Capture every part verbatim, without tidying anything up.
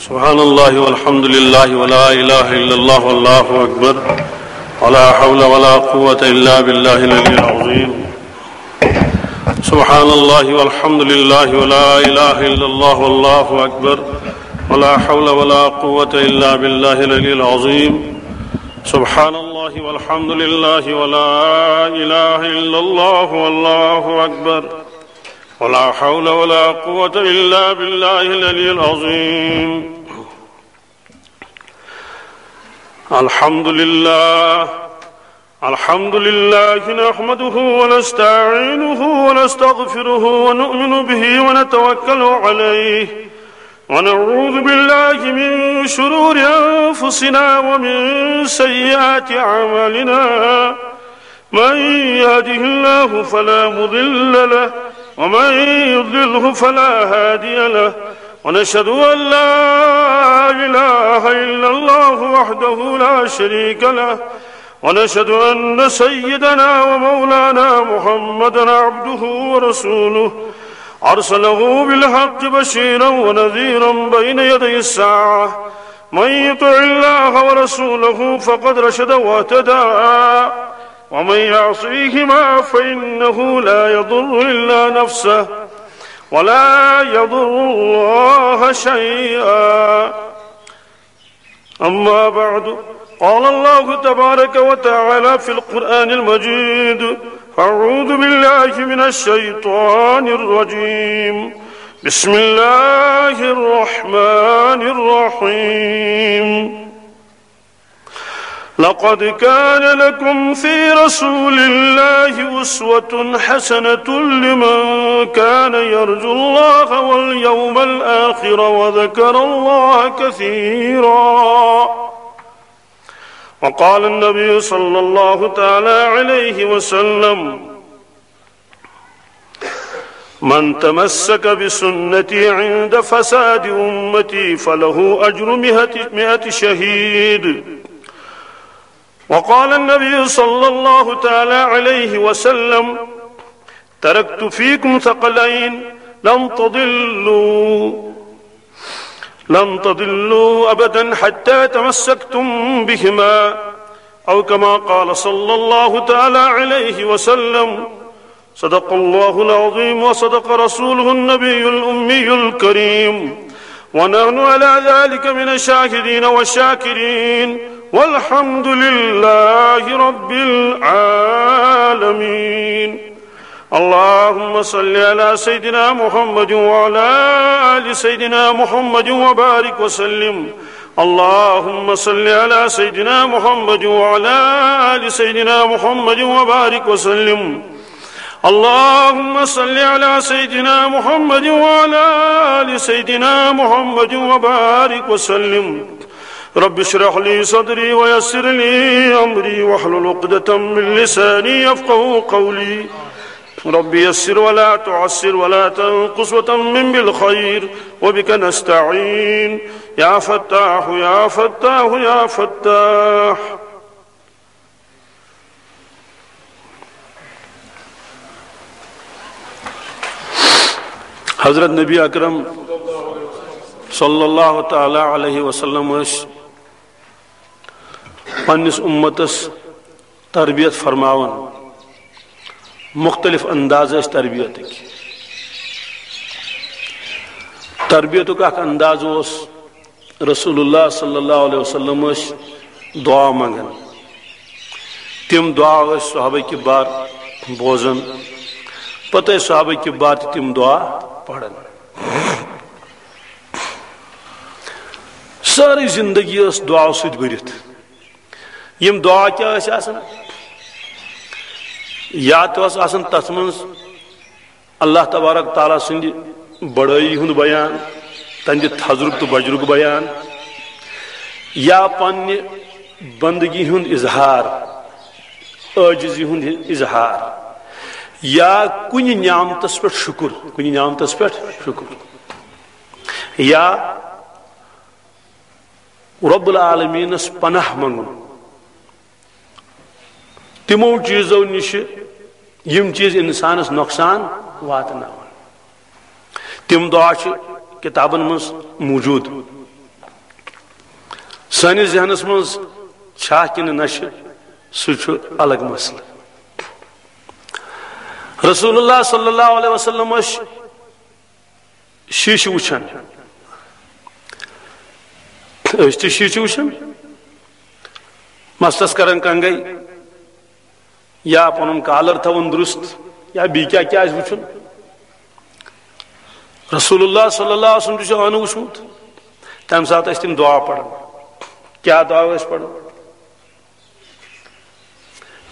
سبحان الله والحمد لله ولا إله إلا الله والله أكبر، ولا حول ولا قوة إلا بالله العلي العظيم. سبحان الله والحمد لله ولا إله إلا الله والله أكبر، ولا حول ولا قوة إلا بالله العلي العظيم. سبحان الله والحمد لله ولا إله إلا الله والله أكبر، ولا حول ولا قوة إلا بالله العلي العظيم. الحمد لله. الحمد لله نحمده ونستعينه ونستغفره ونؤمن به ونتوكل عليه، ونعوذ بالله من شرور أنفسنا ومن سيئات أعمالنا. من يهده الله فلا مضل له، ومن يضلله فلا هادي له، ونشهد أن لا إله إلا الله وحده لا شريك له، ونشهد أن سيدنا ومولانا محمدا عبده ورسوله، أرسله بالحق بشيرا ونذيرا بين يدي الساعة. من يطع الله ورسوله فقد رشد واهتدى، ومن يعصيهما فإنه لا يضر إلا نفسه ولا يضر الله شيئا. أما بعد، قال الله تبارك وتعالى في القرآن المجيد: أعوذ بالله من الشيطان الرجيم. بسم الله الرحمن الرحيم. لقد كان لكم في رسول الله أسوة حسنة لمن كان يرجو الله واليوم الآخر وذكر الله كثيرا. وقال النبي صلى الله تعالى عليه وسلم: من تمسك بسنتي عند فساد أمتي فله أجر مئة، مئة شهيد. وقال النبي صلى الله تعالى عليه وسلم: تركت فيكم ثقلين لن تضلوا، لن تضلوا أبدا حتى تمسكتم بهما، أو كما قال صلى الله تعالى عليه وسلم. صدق الله العظيم وصدق رسوله النبي الأمي الكريم، ونحن على ذلك من الشاهدين والشاكرين، والحمد لله رب العالمين. اللهم صل على سيدنا محمد وعلى آل سيدنا محمد وبارك وسلم. اللهم صل على سيدنا محمد وعلى آل سيدنا محمد وبارك وسلم. اللهم صل على سيدنا محمد وعلى آل سيدنا محمد وبارك وسلم. رب اشرح لي صدري ويسر لي أمري واحلل عقدة من لساني يفقهوا قولي. رب يسر ولا تعسر ولا تنقص وتمم بالخير وبك نستعين. يا فتاح، يا فتاح، يا فتاح. حضرت نبی اکرم صلی اللہ تعالی علیہ وسلم ٲسۍ پننِس اُمتس تربیت فرماوان۔ مختلف انداز ٲسۍ تربیتٕکۍ۔ تربیتُک اکھ انداز اوس، رسول اللہ صلی اللہ علیہ وسلم ٲسۍ دعا منگان۔ تِم دعا ٲسۍ صحابہ کبار بوزان، پتہٕ ٲسۍ صحابہ کبار تہِ تِم دعا پران۔ سٲرٕے زندگی ٲس دعاو سۭتۍ بٔرِتھ۔ یِم دعا کیٛاہ ٲسۍ آسان؟ یا تہِ اوس آسان تتھ منٛز اللہ تبارک تعالیٰ سٕنٛدِ بڑٲیی ہُنٛد بیان، تہنٛدِ تھزرُک تہٕ بجرُک بیان، یا پننہِ بندگی ہُنٛد اظہار، عٲجزی ہُنٛد اظہار، یا کُنہِ نعمتس پٮ۪ٹھ شُکر، کُنہِ نعمتس پٮ۪ٹھ شُکر، یا رب العالمینس پناہ منگُن تِمو چیزو نِش، یِم چیز انسانس نۄقصان واتناون۔ تِم دعا چھِ کتابن منٛز موجود۔ سٲنِس ذہنس منٛز چھا کِنہٕ نہ چھِ، سُہ چھُ الگ مسلہٕ۔ رسول اللہ صلی اللہ علیہ وسلم ٲسۍ شیٖشہٕ وٕچھان۔ أسۍ تہِ شیٖشہٕ وٕچھان، مستس کران کنگے، یا پنُن کالر تھاوُن درست، یا بیٚیہِ کیٛاہ کیٛاہ آسہِ وٕچھُن۔ رسول اللہ صلی اللہ علیہ وسلم تہِ چھُ ٲنہٕ وٕچھمُت، تمہِ ساتہٕ ٲسۍ تِم دعا پران۔ کیٛاہ دعا ٲسۍ پران؟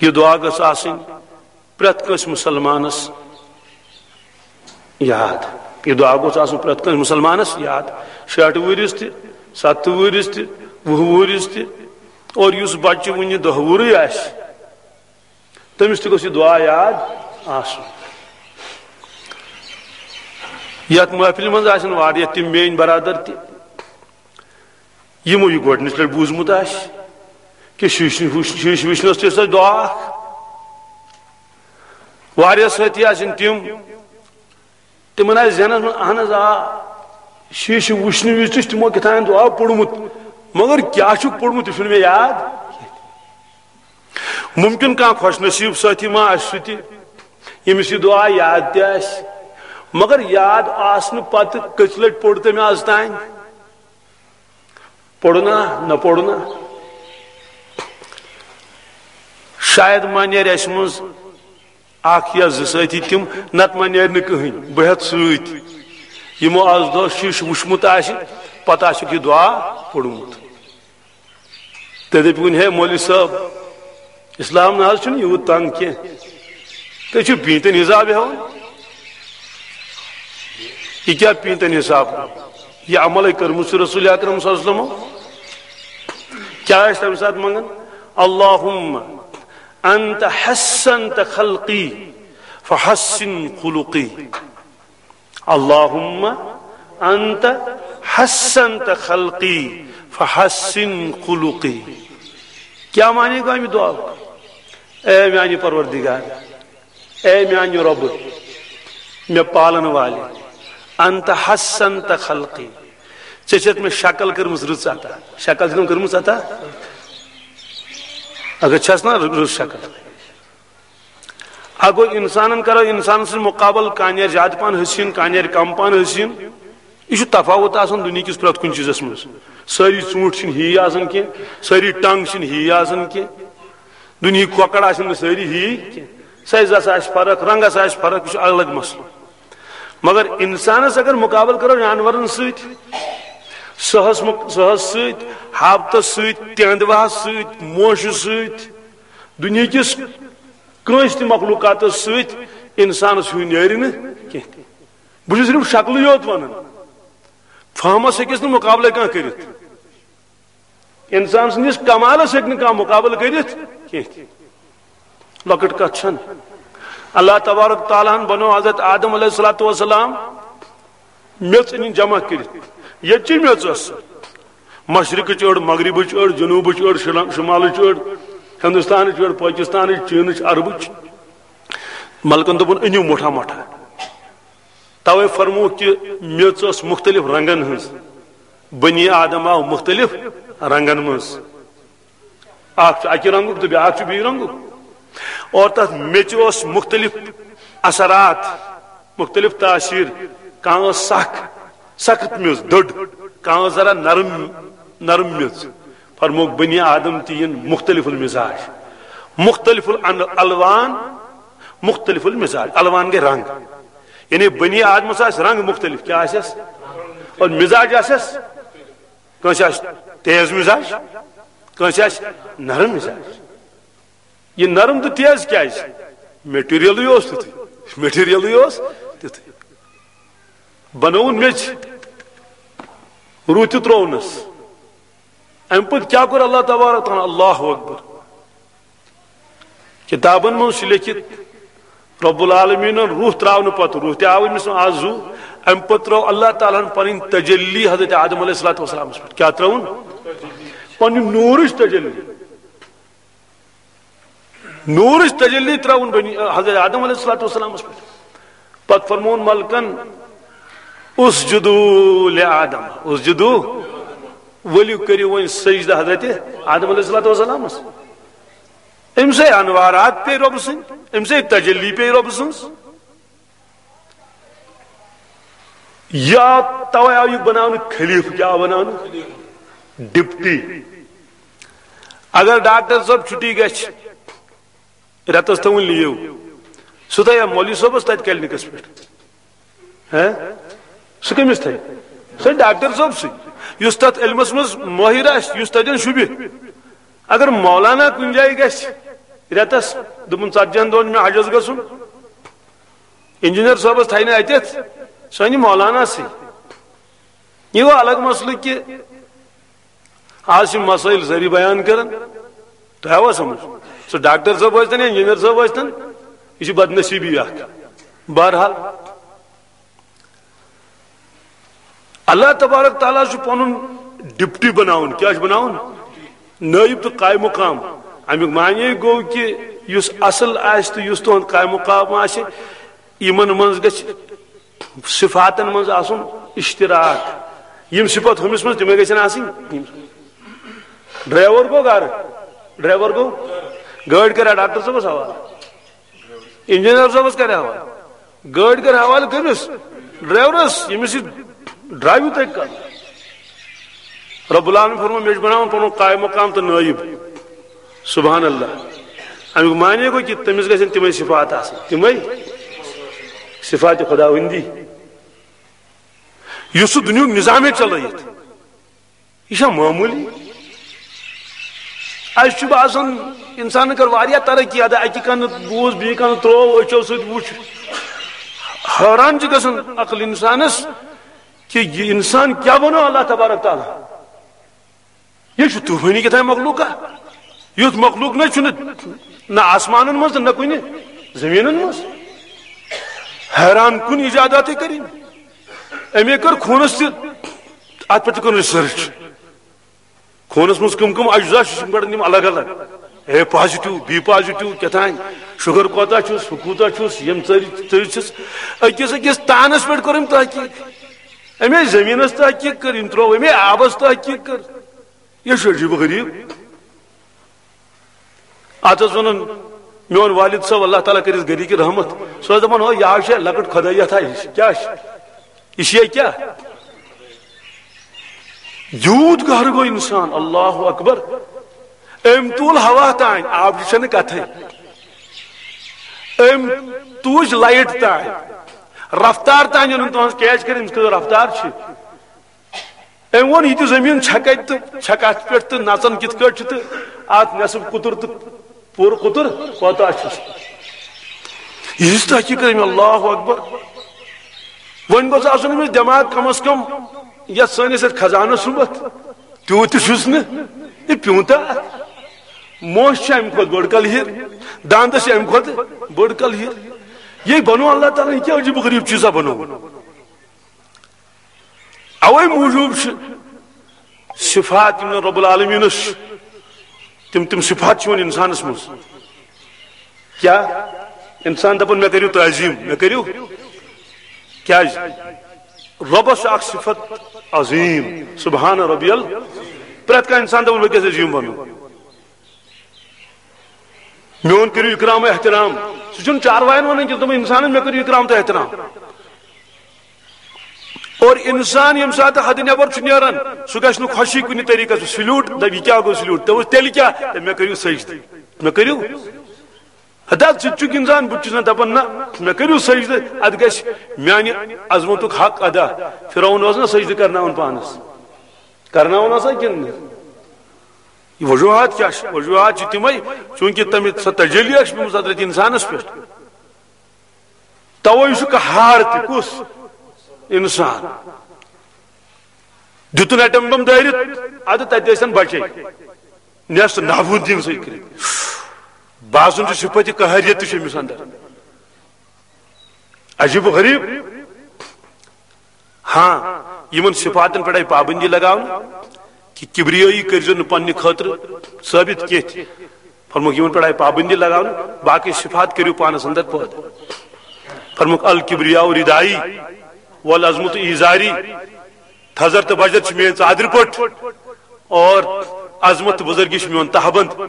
یہِ دعا گٔژھ آسٕنۍ پرٛٮ۪تھ کٲنٛسہِ مُسلمانس یاد۔ یہِ دعا گوٚژھ آسُن پرٛٮ۪تھ کٲنٛسہِ مُسلمانس یاد، شیٹھ وُہرِس تہِ، ستتھ وُہرِس تہِ، وُہ وُہرِس تہِ۔ اور یُس بچہِ وُنہِ دَہ وُہرٕے آسہِ، تٔمِس تہِ گوٚژھ یہِ دعا یاد آسُن۔ یتھ محفلہِ منٛز آسن واریاہ تِم میٲنۍ برادر تہِ، یِمو یہِ گۄڈٕنِچ لٹہِ بوٗزمُت آسہِ کہِ شیٖشہٕ وٕچھ-، شیٖشہٕ وٕچھنس تہِ ٲس اَسہِ دعا اکھ۔ واریاہ سٲتھی آسن تِم، تِمن آسہِ ذہنس منٛز، اہن حظ آ، شیٖشہٕ وٕچھنہٕ وِزِ تہِ چھُ تِمو کیٛاہ تام دعا پوٚرمُت، مگر کیٛاہ چھُکھ پوٚرمُت، یہِ چھُنہٕ مےٚ یاد۔ ممکن کانٛہہ خۄش نصیب سٲتھی ما آسہِ سُہ تہِ، ییٚمِس یہِ دعا یاد تہِ آسہِ، مگر یاد آسنہٕ پتہٕ کٔژِ لٹہِ پوٚر تٔمۍ از تام؟ پوٚرنا نہ پوٚرنا؟ شاید ما نیرِ اَسہِ منٛز اکھ یا زٕ سٲتھی تِم، نتہٕ ما نیرِ نہٕ کٕہٕنۍ۔ بہٕ ہٮ۪تھ سۭتۍ، یِمو از دۄہ شیٖشہٕ وٕچھمُت آسہِ، پتہٕ آسٮ۪کھ یہِ دعا پوٚرمُت۔ تہٕ دٔپِوُن، ہے مولوی صٲب، اسلام نہ حظ چھُنہٕ یوٗت تنگ کینٛہہ۔ تُہۍ چھِو پیٖنتٮ۪ن حساب ہٮ۪وان۔ یہِ کیٛاہ پیٖنتٮ۪ن حساب؟ یہِ عملے کٔرمٕژ چھِ رسول اکرم صلی اللہ علیہ وسلمو۔ کیٛاہ ٲسۍ تَمہِ ساتہٕ منٛگان؟ اللہم انت حسنت خلقی فحسن خلقی۔ اللہم انت حسنت خلقی فحسن خلقی۔ کیٛاہ معنی گوٚو اَمہِ دعا؟ اے میانہِ پروردگار، اے میانہِ رۄبہٕ، مےٚ پالن والہِ، انت حسنت خلقی، ژےٚ چھَتھ مےٚ شکل کٔرمٕژ رٕژ عطا۔ شکل چھِ تِم کٔرمٕژ عطا، اگر چھَس نا رٕژ شکل۔ اگو انسانن کرو انسان سٕنٛز مقابل، کانیر زیادٕ پہن حسین، کانیر کم پہن حسین۔ یہِ چھُ تفاوت آسان دُنیہکِس پرٛٮ۪تھ کُنہِ چیٖزس منٛز۔ سٲری ژوٗنٛٹھۍ چھِنہٕ ہی آسان کینٛہہ، سٲری ٹنٛگ چھِنہٕ ہی آسان کینٛہہ، دُنیہٕکۍ کۄکر آسن نہٕ سٲری ہی کینٛہہ۔ سایزس آسہِ فرق، رنگس آسہِ فرق، یہِ چھُ الگ مسلہٕ۔ مگر انسانس اگر مقابل کرو جانورن سۭتۍ، سٕہس مُق-، سٕہس سۭتۍ، ہاپتس سۭتۍ، تینٛدوہس سۭتۍ، موشہِ سۭتۍ، دُنیہکِس کٲنٛسہِ تہِ مخلوقاتس سۭتۍ انسانس ہیوٗ نیرِ نہٕ کینٛہہ۔ بہٕ چھُس صرف شکلٕے یوت ونان، فہمس ہیٚکِس نہٕ مقابلے کانٛہہ کٔرِتھ۔ انسان سٕنٛدِس کمالس ہیٚکہِ نہٕ کانٛہہ مقابلہٕ کٔرِتھ کینٛہہ تہِ۔ لۄکٕٹ کتھ چھنہٕ۔ اللہ تبارک تعالیٰ ہن بنوو حضرت آدم علیہ الصلوۃ والسلام میٚژ أنِن جمع کٔرِتھ۔ ییٚتہِ چی میٚژ ٲس۔ مشرقٕچ أڑ، مغربٕچ أڑ، جنوبٕچ أڑ، شِلم-، شمالٕچ أڑ، ہندوستانٕچ أڑ، پٲکِستانٕچ، چینٕچ، عربٕچ۔ ملکن دوٚپُن، أنِو مُٹھا مُٹھا۔ توے فرمووُکھ کہِ میٚژ ٲس مُختٔلِف رنگن ہٕنٛز۔ بنی آدم آو مُختٔلِف رنگن منٛز۔ اکھ چھُ اکہِ رنگُک تہٕ بیٛاکھ چھُ بیٚیہِ رنگُک۔ اور تتھ میٚژِ اوس مُختٔلِف اثرات، مُختٔلِف تاثیر۔ کانٛہہ ٲس سخ، سخت میٚژ، دٔڑ۔ کانٛہہ ٲس ذرا نرم، نرم میٚژ۔ فرمووُکھ، بنی آدم تہِ یِن مُختٔلِف المزاج، مُختٔلِف الان-، الوان، مُختٔلِف المزاج۔ الوان گٔے رنگ، یعنی بنی آدمس آسہِ رنگ مُختٔلِف۔ کیٛاہ آسٮ۪س؟ اور مزاج آسٮ۪س، کٲنٛسہِ آسہِ تیز مزاج، کٲنٛسہِ آسہِ نرم مزاج۔ یہِ نرم تہٕ تیز کیٛازِ؟ میٹیریلٕے اوس تیُتھُے، میٹیریلٕے اوس تیُتھُے۔ بنووُن میٚژِ، روٗد تہِ ترٛوونس۔ امہِ پتہٕ کیٛاہ کوٚر اللہ تبارک تعالیٰ؟ اللہ اکبر۔ کتابن منٛز چھُ لیٚکھِتھ، رب العالمینن روح ترٛاونہٕ پتہٕ، روح تہِ آو أمِس آز زُو، امہِ پتہٕ ترٛٲو اللہ تعالیٰ ہن پنٕنۍ تجلی حضرت آدم علیہ الصلوۃ والسلامس پٮ۪ٹھ۔ کیٛاہ ترٛٲوٕن؟ پنٕنۍ نوٗرٕچ تجلی۔ نوٗرٕچ تجلی ترٛٲوٕن بنی، حضرت آدم علیہ الصلوۃ والسلامس پٮ۪ٹھ۔ پتہٕ فرمووُن ملکن، اسجدوا لآدم، اسجدوا۔ ؤلِو کٔرِو وۄنۍ سجدٕ حضرت آدم علیہ الصلوۃ والسلامس۔ أمۍ سٕے انوارات پے رۄبہٕ سٕنٛدۍ، أمۍ سٕے تجلی پے رۄبہٕ سٕنٛز۔ یہِ آو، توے آو یہِ بناونہٕ خلیفہٕ، کیٛاہ آو بناونہٕ؟ ڈپٹی۔ اگر ڈاکٹر صٲب چھُٹی گژھِ، رٮ۪تس تھاوُن لیو، سُہ تھایا مولوی صٲبس تتہِ کلینکس پٮ۪ٹھ؟ ہہ؟ سُہ کٔمِس تھاوِ؟ سُہ ڈاکٹر صٲب سٕے، یُس تتھ علمس منٛز مٲہِر آسہِ، یُس تتٮ۪ن شوٗبہِ۔ اگر مولانا کُنہِ جایہِ گژھِ رٮ۪تس، دوٚپُن، "ژتجی ہن دۄہن چھُ مےٚ حجس گژھُن"، انجینئر صٲبس تھاوِ نہٕ اتٮ۪تھ، سُہ انہِ مولانا سٕے۔ یہِ گوٚو الگ مسلہٕ کہِ آز چھِ مسٲیِل سٲری بیان کران۔ تۄہہِ آوا سمجھ؟ سُہ ڈاکٹر صٲب ٲسۍتن یا انجینئر صٲب ٲسۍتن، یہِ چھِ بدنصیٖبی اکھ۔ بہرحال، اللہ تبارک تعالیٰ چھُ پنُن ڈپٹی بناوُن۔ کیٛاہ چھُ بناوُن؟ نٲیِب تہٕ قائم مقام۔ امیُک معنی گوٚو کہِ یُس اصل آسہِ تہٕ یُس تُہُنٛد قائم مقام آسہِ، یِمن منٛز گژھِ صفاتن منٛز آسُن اشتراک۔ یِم صفت ہُمِس منٛز، تِمے گژھن آسٕنۍ۔ ڈرائیور گوٚو گرٕ، ڈرائیور گوٚو گٲڑۍ کرِ ڈاکٹر صٲبس حوالہٕ، انجینئر صٲبس کرِ حوالہٕ، گٲڑۍ کرِ حوالہٕ کٔمِس؟ ڈرائیورس، ییٚمِس یہِ ڈرائیو تۄہہِ کرُن۔ رب العالمین فرموو، مےٚ چھُ بناوُن پنُن قائم مقام تہٕ نٲیِب۔ سبحان اللہ۔ امیُک معنی گوٚو کہِ تٔمِس گژھن تِمے صفات آسٕنۍ، تِمے صفات خداوندی، یُس سُہ دُنیاہُک نظامے چلٲیِتھ۔ یہِ چھا معموٗلی؟ اَسہِ چھُ باسان، اِنسانن کٔر واریاہ ترقی، اَدا اَکہِ کَنہٕ بوٗز، بیٚیہِ کَنہٕ ترٛوو، أچھو سۭتۍ وُچھ۔ حٲران چھِ گژھان عقل اِنسانس کہِ یہِ اِنسان کیٛاہ بنوو اللہ تبارک تعالیٰ۔ یہِ چھُ طوٗفٲنی کیٛاہ تام مخلوقہ۔ یُتھ مخلوق نہ چھُنہٕ نہ آسمانن منٛز تہٕ نہ کُنہِ زٔمیٖنن منٛز۔ حیران کُن ایجاداتٕے کٔرِنۍ۔ أمۍ کٔر خوٗنس تہِ، اتھ پٮ۪ٹھ تہِ کوٚر ریسرچ۔ خوٗنس منٛز کٕم کٕم اجزا چھِ، یِم کڑن یِم الگ الگ۔ اے پازیٹو، بی پازیٹو، کیٛاہ تام، شُگر کوتاہ چھُس، ہُہ کوٗتاہ چھُس، یِم ژٔرۍ ژٔرۍ چھِس۔ أکِس أکِس تانس پٮ۪ٹھ کوٚر أمۍ تحقیق۔ أمۍ زٔمیٖنس تحقیق کٔر، أمۍ ترٛوو، أمۍ آبس تحقیق کٔر۔ یہِ چھُ عجیٖب و غریٖب۔ اتھ ٲس ونان میون والد صٲب، اللہ تعالیٰ کٔرِس گرِکۍ رحمت، سُہ اوس دپان، ہو، یہِ حظ چھِ لۄکٕٹ خدٲیتھا ہِش۔ کیٛاہ چھِ؟ یہِ چھِ یہِ کیٛاہ؟ یوٗت گہرٕ گوٚو انسان، اللہ اکبر۔ أمۍ تُل ہوا تام، آبٕچ چھنہٕ کتھٕے۔ أمۍ تُج لایٹ تام، رفتار تام أنُن تُہنٛز کیچ کٔرِتھ، أمِس کۭژ رفتار چھِ۔ أمۍ ووٚن، یہِ تہِ زٔمیٖن چھےٚ کَتہِ تہٕ چھےٚ کَتھ پٮ۪ٹھ تہٕ نَژان کِتھ کٲٹھۍ چھِ تہٕ اَتھ نٮ۪صٕف قطر تہٕ پوٗرٕ قطر کوتاہ چھُس۔ یہِ ہِش تحقیٖق کٔر أمۍ، اللہ اکبر۔ وۄنۍ گوٚژھ آسُن أمِس دٮ۪ماغ کم از کم یَتھ سٲنِس یَتھ خزانَس سُمبتھ۔ تیوٗت تہِ چھُس نہٕ۔ یہِ پیوٗنٛتاہ؟ موش چھِ اَمہِ کھۄتہٕ بٔڑ کلہِر، دانٛدَس چھِ اَمہِ کھۄتہٕ بٔڑ کلہِر۔ یہِ بنوو اللہ تعالیٰ ہَن، یہِ کیٛاہ عجیٖب و غریٖب چیٖزا بنوو؟ اوے موٗجوٗب چھِ صفات یِم نہٕ رب العالمینس چھِ، تِم، تِم صفات چھِ یِوان انسانس منٛز۔ کیٛاہ؟ انسان دپان، مےٚ کٔرِو تعظیٖم، مےٚ کٔرِو۔ کیٛازِ؟ رۄبس چھِ اکھ صفت عظیٖم، سبحان ربی ال۔ پرٛٮ۪تھ کانٛہہ انسان دپان، بہٕ گژھٕ عظیٖم بنُن۔ میون کٔرِو اکرام و احترام۔ سُہ چھُنہٕ چاروایَن وَنان کینٛہہ، دوٚپُن، اِنسانَن مےٚ کٔرِو اکرام تہٕ احترام۔ اور اِنسان ییٚمہِ ساتہٕ حدٕ نٮ۪بر چھُ نیران، سُہ گژھِ نہٕ خۄشی کُنہِ طریٖقَس سۭتۍ۔ سلیوٗٹ، دَپہِ، یہِ کیٛاہ گوٚو سلیوٗٹ؟ دوٚپُس، تیٚلہِ کیٛاہ؟ دوٚپُن، مےٚ کٔرِو سجدٕ، مےٚ کٔرِو۔ ہتا ژٕ تہِ چھُکھ اِنسان، بہٕ تہِ چھُس نہ دَپان، نہ، مےٚ کٔرِو سجدٕ، اَتھ گژھِ میٛانہِ عظمتُک حق ادا۔ فرعون اوس نہ سجدٕ کرناوان پانَس، کرناوان اوسا کِنہٕ نہٕ؟ یہِ وجوہات کیٛاہ چھِ؟ وجوہات چھِ تِمے، چوٗنٛکہِ تَمہِ سۄ تجلی ٲس پیٚمٕژ حضرت اِنسانَس پٮ۪ٹھ۔ توے چھُ قہار تہِ۔ کُس؟ اِنسان۔ دیُتُن ایٹم بم دٲرِتھ، اَدٕ تَتہِ ٲسۍ بچے نیست نابود دِنہٕ سۭتۍ کٔرِتھ۔ باسُن چھُ صفت قہریت تہِ چھِ أمِس اندر۔ عجیب و غریب۔ ہاں، یِمن صفاتن پٮ۪ٹھ آیہِ پابندی لگاونہٕ کہِ کبریٲیی کٔرۍزیو نہٕ پننہِ خٲطرٕ ثٲبت کینٛہہ تہِ۔ فرمووُکھ، یِمن پٮ۪ٹھ آیہِ پابندی لگاونہٕ، باقٕے صفات کٔرِو پانس اندر پٲدٕ۔ فرمووُکھ، الکبریاء ردائی والعظمت ازاری، تھزر تہٕ بجر چھِ میٲنۍ ژادرِ پٲٹھۍ۔ اور عظمت تہٕ بزرگی چھُ میون تہبند،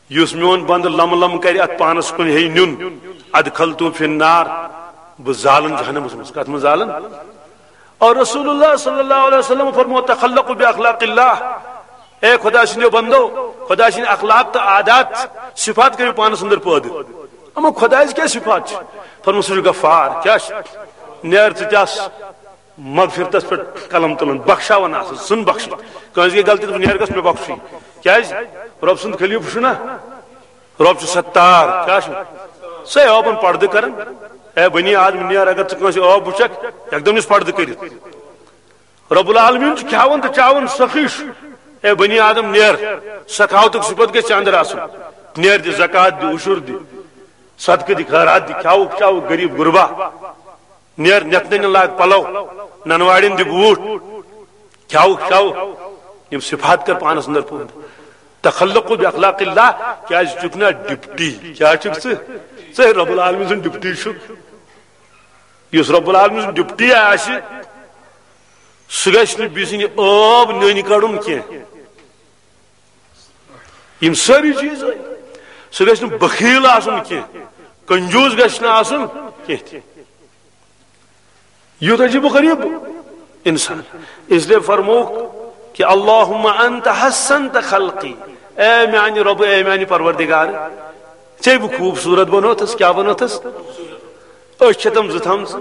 یُس میون بندٕ لم لم کرِ اتھ پانس کُن ہیٚیہِ نیُن، ادخلتو فی النار، بہٕ زالن جہنمس منٛز۔ کتھ منٛز زالن؟ اور رسول اللہ صلی اللہ علیہ وسلم فرمو، تخلقوا باخلاق اللہ، اے خدا سٕنٛدیو بندو، خدا سٕنٛدۍ اخلاق تہٕ عادات، صفات کٔرِو پانس اندر پٲدٕ۔ اما خدایس کیٛاہ صفات چھِ؟ فرمو، سُہ چھُ غفار۔ کیٛاہ چھُ؟ نیر ژٕ تہِ آس مغفرتس پٮ۪ٹھ قلم تُلان، بخشاوان آسان، ژھٕن بخشِتھ۔ کٲنٛسہِ گٔے غلطی، دوٚپُن، نیر گژھ مےٚ بخشی۔ کیٛازِ؟ رۄب سُنٛد خلیفہٕ چھُ نا، رۄب چھُ ستار۔ کیٛاہ چھُ؟ سُے عٲبن پردٕ کران۔ اے بنی آدم، نیر، اگر ژٕ کٲنٛسہِ عٲب وٕچھکھ، یکدم یُس پردٕ کٔرِتھ۔ رب العالمین چھُ کھیاوان تہٕ چاوان سخی چھُ۔ اے بنی آدم، نیر، سخاوتُک صفت گژھِ ژےٚ اندر آسُن۔ نیر، دِ زکات، دِ عشر، دِ صدقہٕ، دِ خیرات، دِ کھیاوُک چاوُک غریب غربا۔ نیر، نٮ۪تھ ننٮ۪ن لاگ پلو، ننواڑٮ۪ن دِ بوٗٹھ، کھیاوُک چاوُک۔ یِم صفات کر پانس اندر پوٗرٕ۔ تخلقوا باخلاق اللہ، کیازِ چھُکھ نا ڈپٹی؟ کیٛاہ چھُکھ ژٕ؟ ژٕ رب العالمین سُنٛد ڈپٹی چھُکھ۔ یُس رب العالمین سُنٛد ڈپٹی آسہِ، سُہ گژھِ نہٕ بیٚیہِ سٕنٛدِ عٲب نٔنۍ کڑُن کینٛہہ۔ یِم سٲری چیٖز، سُہ گژھِ نہٕ بخیل آسُن کینٛہہ، کنجوٗس گژھِ نہٕ آسُن کینٛہہ تہِ۔ یُتھ عجیب و غریب انسان۔ اس لیے فرمووُکھ کہ اللہم انت حسنت خلقی، اے میانہِ رۄبہٕ، اے میانہِ پروردگار، ژےٚ بہٕ خوٗبصوٗرت بنوتھس۔ کیٛاہ بنوتھس؟ أچھ چھےٚ تِم زٕ تھامژٕ۔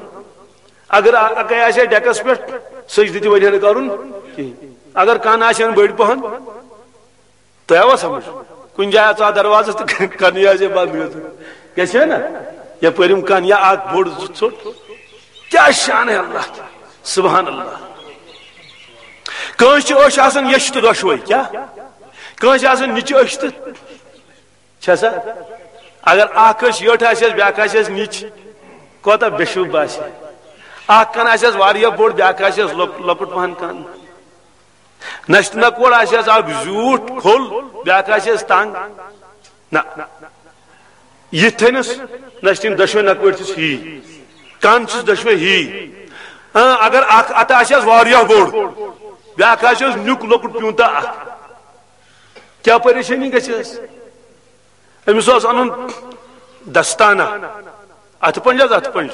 اگر اَ-، اَکَے آسہِ ہا ڈیکس پٮ۪ٹھ، سجدٕ تہِ وَنہِ ہا نہٕ کَرُن کِہیٖنۍ۔ اگر کَن آسہِ ہن بٔڑۍ پَہَن، تۄہہِ آوا سمجھ؟ کُنہِ جایہِ ژاو دروازَس تہٕ کَنٕے آسہِ ہے بنٛد گٔمٕژ۔ گژھِ ہے نا؟ یَپٲرۍ یِم کَن یا اَکھ بوٚڑ زٕ ژوٚٹ۔ کیٛاہ شان ہے اللہ کی۔ سبحان اللہ۔ کٲنٛسہِ چھِ أچھ آسان یٔچھ تہٕ دۄشوَے۔ کیٛاہ؟ کٲنٛسہِ آسان نِچہِ أچھ تہٕ چھا سا؟ اگر اکھ أچھ یٔٹھ آسٮ۪س، بیٛاکھ آسٮ۪س نِچ، کوتاہ بے شوٗب باسہِ۔ اکھ کن آسٮ۪س واریاہ بوٚڑ، بیٛاکھ آسٮ۪س لۄک-، لۄکُٹ پہن کن۔ نشتہٕ نکوڑ آسٮ۪س اکھ زیوٗٹھ کھوٚل، بیٛاکھ آسٮ۪س تنگ۔ نہ، یِتھ تھٲینس نشتٕنۍ دۄشوے نکوڑ چھِس ہی، کن چھِس دۄشوے ہی۔ اۭں، اگر اکھ اتھٕ آسٮ۪س واریاہ بوٚڑ، بیٛاکھ آسٮ۪س نیُک لۄکُٹ پیوٗنتاہ اکھ، کیٛاہ پریشٲنی گژھٮ۪س؟ أمِس اوس اَنُن دستانہ، اَتھٕ پنٛج حظ، اَتھٕ پنٛج۔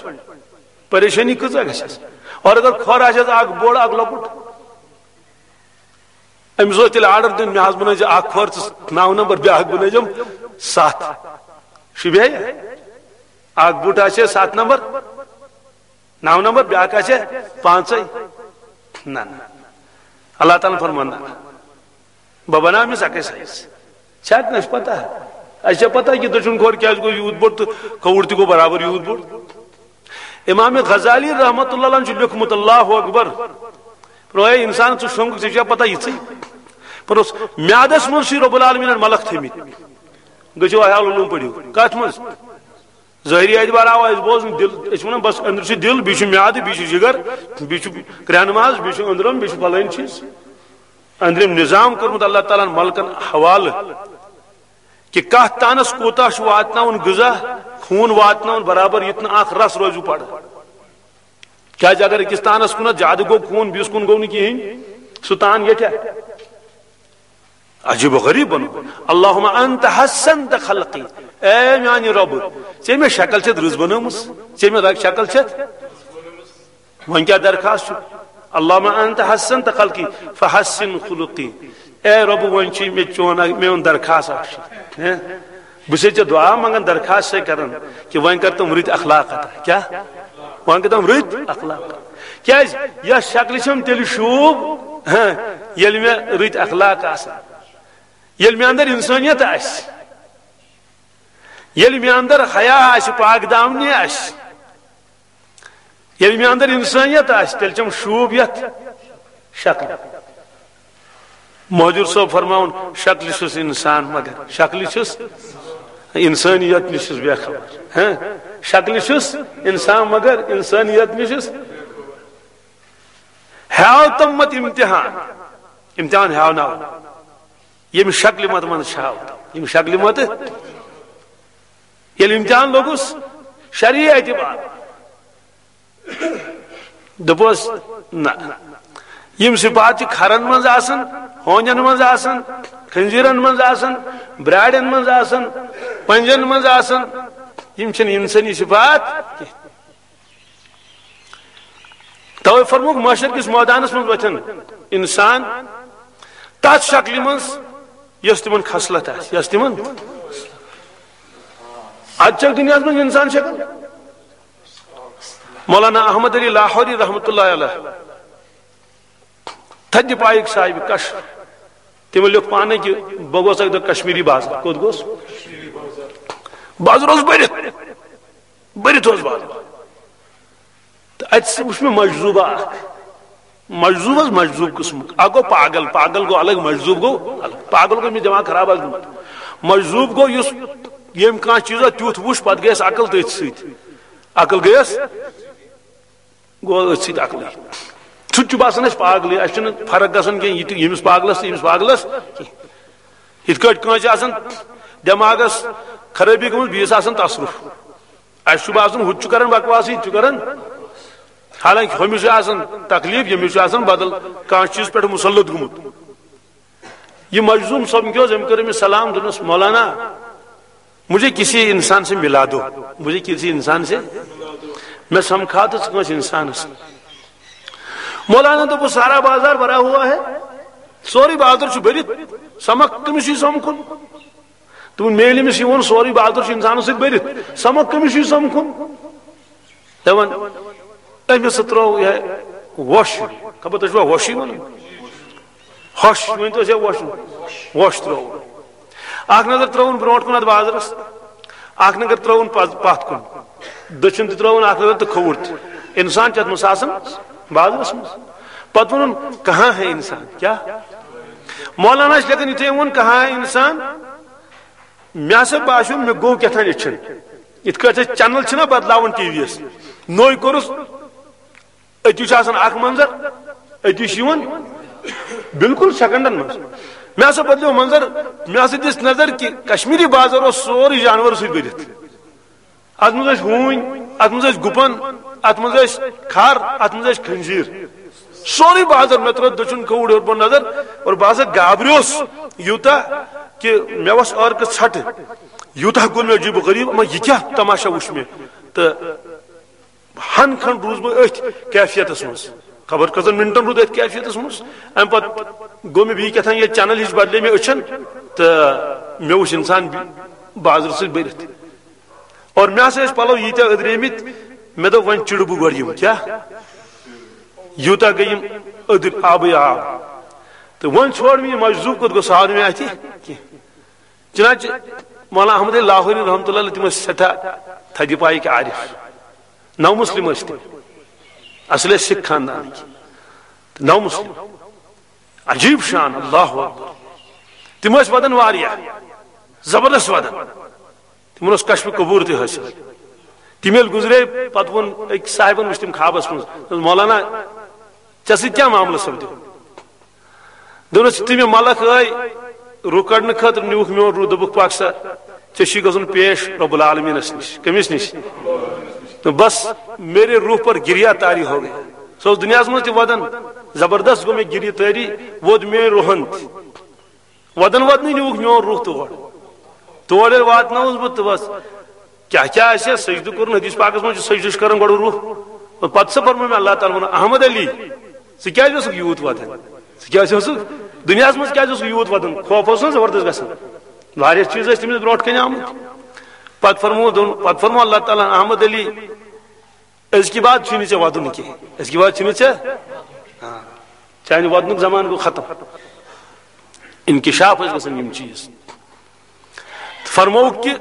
پریشٲنی کۭژاہ گژھٮ۪س؟ اور اگر کھۄر آسٮ۪س اَکھ بوٚڑ، اَکھ لۄکُٹ، أمِس اوس تیٚلہِ آرڈر دیُن، مےٚ حظ بنٲیزِ اَکھ کھۄر ژٕ نَو نمبر، بیٛاکھ بنٲیزٮ۪م ستھ۔ شوٗبہِ ہا یہِ؟ اَکھ بُٹ آسہِ ہے ستھ نمبر، نَو نمبر، بیٛاکھ آسہِ ہے پانٛژَے۔ نہ، نہ۔ اللہ تعالیٰ ہن فرموو، نہ۔ بہٕ بناوٕ أمِس اَکٕے سایز۔ چھا کٲنٛسہِ پتہ؟ اَسہِ چھا پتہ کہِ دٔچھُن کھۄر کیٛازِ گوٚو یوٗت بوٚڑ تہٕ کھووُر تہِ گوٚو برابر یوٗت بوٚڑ؟ امام غزالی رحمتہ اللہ علیہ چھُ لیوٚکھمُت، اللہ اکبر، فرمایا، اے انسان، ژٕ شۄنٛگُکھ، ژےٚ چھا پتہ یِژٕے؟ فرموس، میادس منٛز چھُے رب العالمینن ملک تھٲمٕتۍ۔ گٔژھِو احیاء العلوم پٔرِو۔ کتھ منٛز؟ ظٲہری اعتبار آو اَسہِ بوزنہٕ، دِل، أسۍ چھِ وَنان، بس، أنٛدرٕ چھُ دِل، بیٚیہِ چھُ میادٕ، بیٚیہِ چھُ جِگر، بیٚیہِ چھُ کرٛٮ۪ہن ماز، بیٚیہِ چھُ أنٛدرم، بیٚیہِ چھُ فلٲنۍ چیٖز۔ أنٛدرِم نظام کوٚرمُت اللہ تعالیٰ ہن ملکن حوالہٕ کہِ کَتھ تانَس کوٗتاہ چھُ واتناوُن غذا، خوٗن واتناوُن برابر، یُتھ نہٕ اکھ رس روزِو پڑٕ۔ کیٛازِ اگر أکِس تانَس کُنَتھ زیادٕ گوٚو خوٗن، بیٚیِس کُن گوٚو نہٕ کِہیٖنۍ، سُہ تان ییٚتہِ۔ عجیب و غریب بنو۔ اللہم انت حسنت خلقی، اے میانہِ رۄبہٕ، ژےٚ مےٚ شکل چھتھ رٕژ بنٲومٕژ، ژےٚ مےٚ رگ شکل چھتھ۔ وۄنۍ کیٛاہ درخواست چھُ؟ اللہم انت حسنت خلقی فحسن خلقی۔ اے رۄبہٕ، وۄنۍ چھُ مےٚ چون اکھ، میون درخواست اکھ چھُ۔ ہیں؟ بہٕ چھُسے ژےٚ دعا منٛگان، درخواست چھُسے کران کہِ وۄنۍ کر تِم رٕتۍ اخلاق عطا۔ کیٛاہ؟ وۄنۍ کر تِم رٕتۍ اخلاق۔ کیٛازِ؟ یَتھ شکلہِ چھَم تیٚلہِ شوٗب، ہاں، ییٚلہِ مےٚ رٕتۍ اخلاق آسن، ییٚلہِ مےٚ اندر انسٲنیت آسہِ، ییٚلہِ مےٚ اندر حیا آسہِ، پاک دامنی آسہِ، ییٚلہِ مےٚ اندر انسٲنیت آسہِ، تیٚلہِ چھَم شوٗب یَتھ شکلہِ۔ مہجور صٲب فرماوُن، شکلہِ چھُس انسان مگر، شکلہِ چھُس انسٲنیت نِش چھُس بے خبر۔ ہاں؟ شکلہِ چھُس انسان مگر انسٲنیت نِش چھُس۔ ہیاو تم مت امتحان، امتحان ہیاو ناو۔ ییٚمہِ شکلہِ مت منٛز چھاو، ییٚمہِ شکلہِ مت، ییٚلہِ امتحان لوٚگُس شرعی اعتبار، دوٚپُس، نہ، یِم صفات چھِ کھرن منٛز آسان، ہونٮ۪ن منٛز آسان، خنزیرن منٛز آسان، براڑٮ۪ن منٛز آسان، پنجن منٛز آسان۔ یِم چھِنہٕ انسٲنی صفات کینٛہہ۔ توے فرمووُکھ، محشر کِس مٲدانس منٛز وۄتھن انسان تتھ شکلہِ منٛز، یۄس تِمن خصلت آسہِ، یۄس تِمن۔ اتھ چھکھ دُنیاہس منٛز انسان شکل۔ مولانا احمد علی لاہوری رحمتہ اللہ علیہ، تھدِ پایِک صاحب کش، تِمو لیوٚکھ پانے کہِ بہٕ گوس اکہِ دۄہ کشمیری بازر۔ کوٚت گوس؟ بازر اوس بٔرِتھ، بٔرِتھ اوس بازر۔ تہٕ اتہِ سُہ وُچھ مےٚ مجذوبہ اکھ۔ مجذوب حظ، مجذوب قٕسمُک۔ اکھ گوٚو پاگل، پاگل گوٚو الگ، مجذوب گوٚو الگ۔ پاگل گوٚو، أمِس دٮ۪ماغ خراب آسہِ گوٚمُت۔ مجذوب گوٚو یُس، ییٚمۍ کانٛہہ چیٖزا تیُتھ وُچھ، پتہٕ گٔیس عقل تٔتھۍ سۭتۍ۔ عقل گٔیس، گوٚو أتھۍ سۭتۍ عقلٕے۔ سُہ تہِ چھُ باسان اَسہِ پاگلٕے، اَسہِ چھُنہٕ فرق گژھان کینٛہہ، یہِ تہِ ییٚمِس پاگلس تہٕ ییٚمِس پاگلس کینٛہہ۔ یِتھ کٲٹھۍ کٲنٛسہِ آسان دٮ۪ماغس خرٲبی گٔمٕژ، بیٚیِس آسان تصرُف۔ اَسہِ چھُ باسان، ہُہ تہِ چھُ کران بکواس، یہِ تہِ چھُ کران۔ حالانکہ ہُمِس چھُ آسان تکلیف، ییٚمِس چھُ آسان بدل کانٛہہ چیٖز پٮ۪ٹھ مُسلط گوٚمُت۔ یہ مجذوم صٲب کیٛاہ اوس، أمۍ کٔر أمِس سلام، دوٚپنَس، "مولانا، مجھے کسی انسان سے ملا دو، مجھے کسی انسان سے۔" مےٚ سمکھاو تہٕ ژٕ کٲنٛسہِ انسانس۔ مولانا دوٚپُس، "سارا بازار بھرا ہوا ہے، سورُے بازر چھُ بٔرِتھ، سمکھ کٔمِس چھُے سمکھُن؟" دوٚپُن، "مےٚ ییٚلہِ أمِس یہِ ووٚن، سورُے بازر چھُ انسانو سۭتۍ بٔرِتھ، سمکھ کٔمِس چھُے سمکھُن؟" دپان، أمِس سۭتۍ ترٛوو یہِ وۄش۔ خبر تُہۍ چھُوا وۄشٕے وَنان؟ ہۄش ؤنۍ تو، یہِ وۄش، وۄش ترٛوو۔ اکھ نظر ترٛٲوٕن برونٛٹھ کُن اَتھ بازرَس، اکھ نظر ترٛٲوٕن پَز-، پَتھ کُن، دٔچھُن تہِ ترٛٲوٕن اکھ نظر تہٕ کھووُر تہِ۔ انسان چھُ اَتھ منٛز آسان بازرَس منٛز۔ پَتہٕ ووٚنُن، "کہاں ہے انسان؟" کیٛاہ؟ مولانا چھِ لیکھان، یُتھُے أمۍ ووٚن، "کہاں ہے انسان؟" مےٚ ہسا باسیو، مےٚ گوٚو کیٛاہ تام أچھن۔ یِتھ کٲٹھۍ أسۍ چینل چھِنہ بدلاوان ٹی وی یس، نوٚے کوٚرُس، أتی چھُ آسان اکھ منظر، أتی چھُ یِوان بالکل سیکنڈن منٛز۔ مےٚ ہسا بدلیو منظر، مےٚ ہسا دِژ نظر کہِ کشمیری بازر اوس سورُے جانور سۭتۍ بٔرِتھ۔ اتھ منٛز ٲسۍ ہوٗنۍ، اتھ منٛز ٲسۍ گُپن، اتھ منٛز ٲسۍ کھر، اتھ منٛز ٲسۍ خنزیر۔ سورُے بازر، مےٚ ترٲو دٔچھُن کھووُر ہیوٚر بۄن نظر اور بہٕ ہسا گابریوس یوٗتاہ کہِ مےٚ وَس عٲرقہٕ ژھٹہٕ۔ یوٗتاہ گوٚو مےٚ عجیٖب و غریٖب، اما یہِ کیٛاہ تماشا وُچھ مےٚ؟ تہٕ ہن کھنڈ روٗز بہٕ أتھۍ کیفیتس منٛز، خبر کٔژن منٹن روٗد أتھۍ کیفیتس منٛز۔ امہِ پتہٕ گوٚو مےٚ بیٚیہِ کیٛاہ تام یہِ چینل ہِش بدلے مےٚ أچھن تہٕ مےٚ وُچھ انسان بازرٕ سۭتۍ بٔرِتھ۔ اور مےٚ ہسا ٲسۍ پلو ییٖتیٛاہ أدریمٕتۍ، مےٚ دوٚپ، "وۄنۍ چِڑٕ بہٕ گۄڈٕ یِم، کیٛاہ یوٗتاہ گٔے یِم أدٕرۍ، آبٕے آب۔" تہٕ وۄنۍ ژھوڑ مےٚ یہِ مجذوب، کوٚت گوٚو، سُہ آو نہٕ مےٚ اَتھِ کینٛہہ۔ چنانچہ مولانا احمد علی لاہوری رحمتہ اللہ علیہ، تِم ٲسۍ سٮ۪ٹھاہ تھدِ پایِکۍ عارف، نو مسلم ٲسۍ تِم، اصل ٲسۍ سکھ خاندانٕکۍ، تہٕ نو مسلم، عجیب شان، اللہ اکبر۔ تِم ٲسۍ ودان واریاہ، زبردست ودان۔ تِمن اوس کشف قبور تہِ حٲصِل۔ تِم ییٚلہِ گُزرے، پتہٕ ووٚن أکۍ صاحبن، وٕچھ تِم خوابس منٛز، دوٚپُس، "مولانا، ژےٚ سۭتۍ کیٛاہ معاملہٕ سپدیو؟" دوٚپنس، "تِم یِم ملک ٲے روح کڑنہٕ خٲطرٕ، نیوٗکھ میون روح، دوٚپُکھ، پکھ سا، ژےٚ چھُے گژھُن پیش رب العالمینس نِش۔" کٔمِس نِش؟ دوٚپ، "بس، میرے روح پر گریا طاری ہو گیا۔" سُہ اوس دُنیاہس منٛز تہِ ودان، زبردست گوٚو مےٚ گریہِ طٲری، ووت میٲنۍ روحن تہِ۔ ودان ودنٕے نیوٗکھ میون روح تور۔ تور ییٚلہِ واتنووُس بہٕ تہٕ بس، کیٛاہ کیٛاہ آسہِ ہا سجدٕ کوٚرُن؟ حدیث پاکس منٛز چھُ سجدٕ چھُ کران گۄڈٕ روح۔ اور پتہٕ سا فرموو مےٚ اللہ تعالیٰ ہن، "احمد علی، ژٕ کیٛازِ اوسُکھ یوٗت ودان؟ ژٕ کیٛازِ اوسُکھ دُنیاہس منٛز، کیٛازِ اوسُکھ یوٗت ودان؟" خوف اوس نہ زبردست گژھان، واریاہ چیٖز ٲسۍ تٔمِس برونٛٹھ کنہِ آمٕتۍ۔ پتہٕ فرموو، دوٚپُن، پتہٕ فرموو اللہ تعالیٰ ہن، "احمد علی، أزکہِ بعد چھُے نہٕ ژےٚ ودُن کینٛہہ، أزکہِ بعد چھُے نہٕ ژےٚ، ہاں، چانہِ ودنُک زمانہٕ گوٚو ختم۔" انکشاف ٲسۍ گژھان یِم چیٖز۔ فرمووُکھ کہِ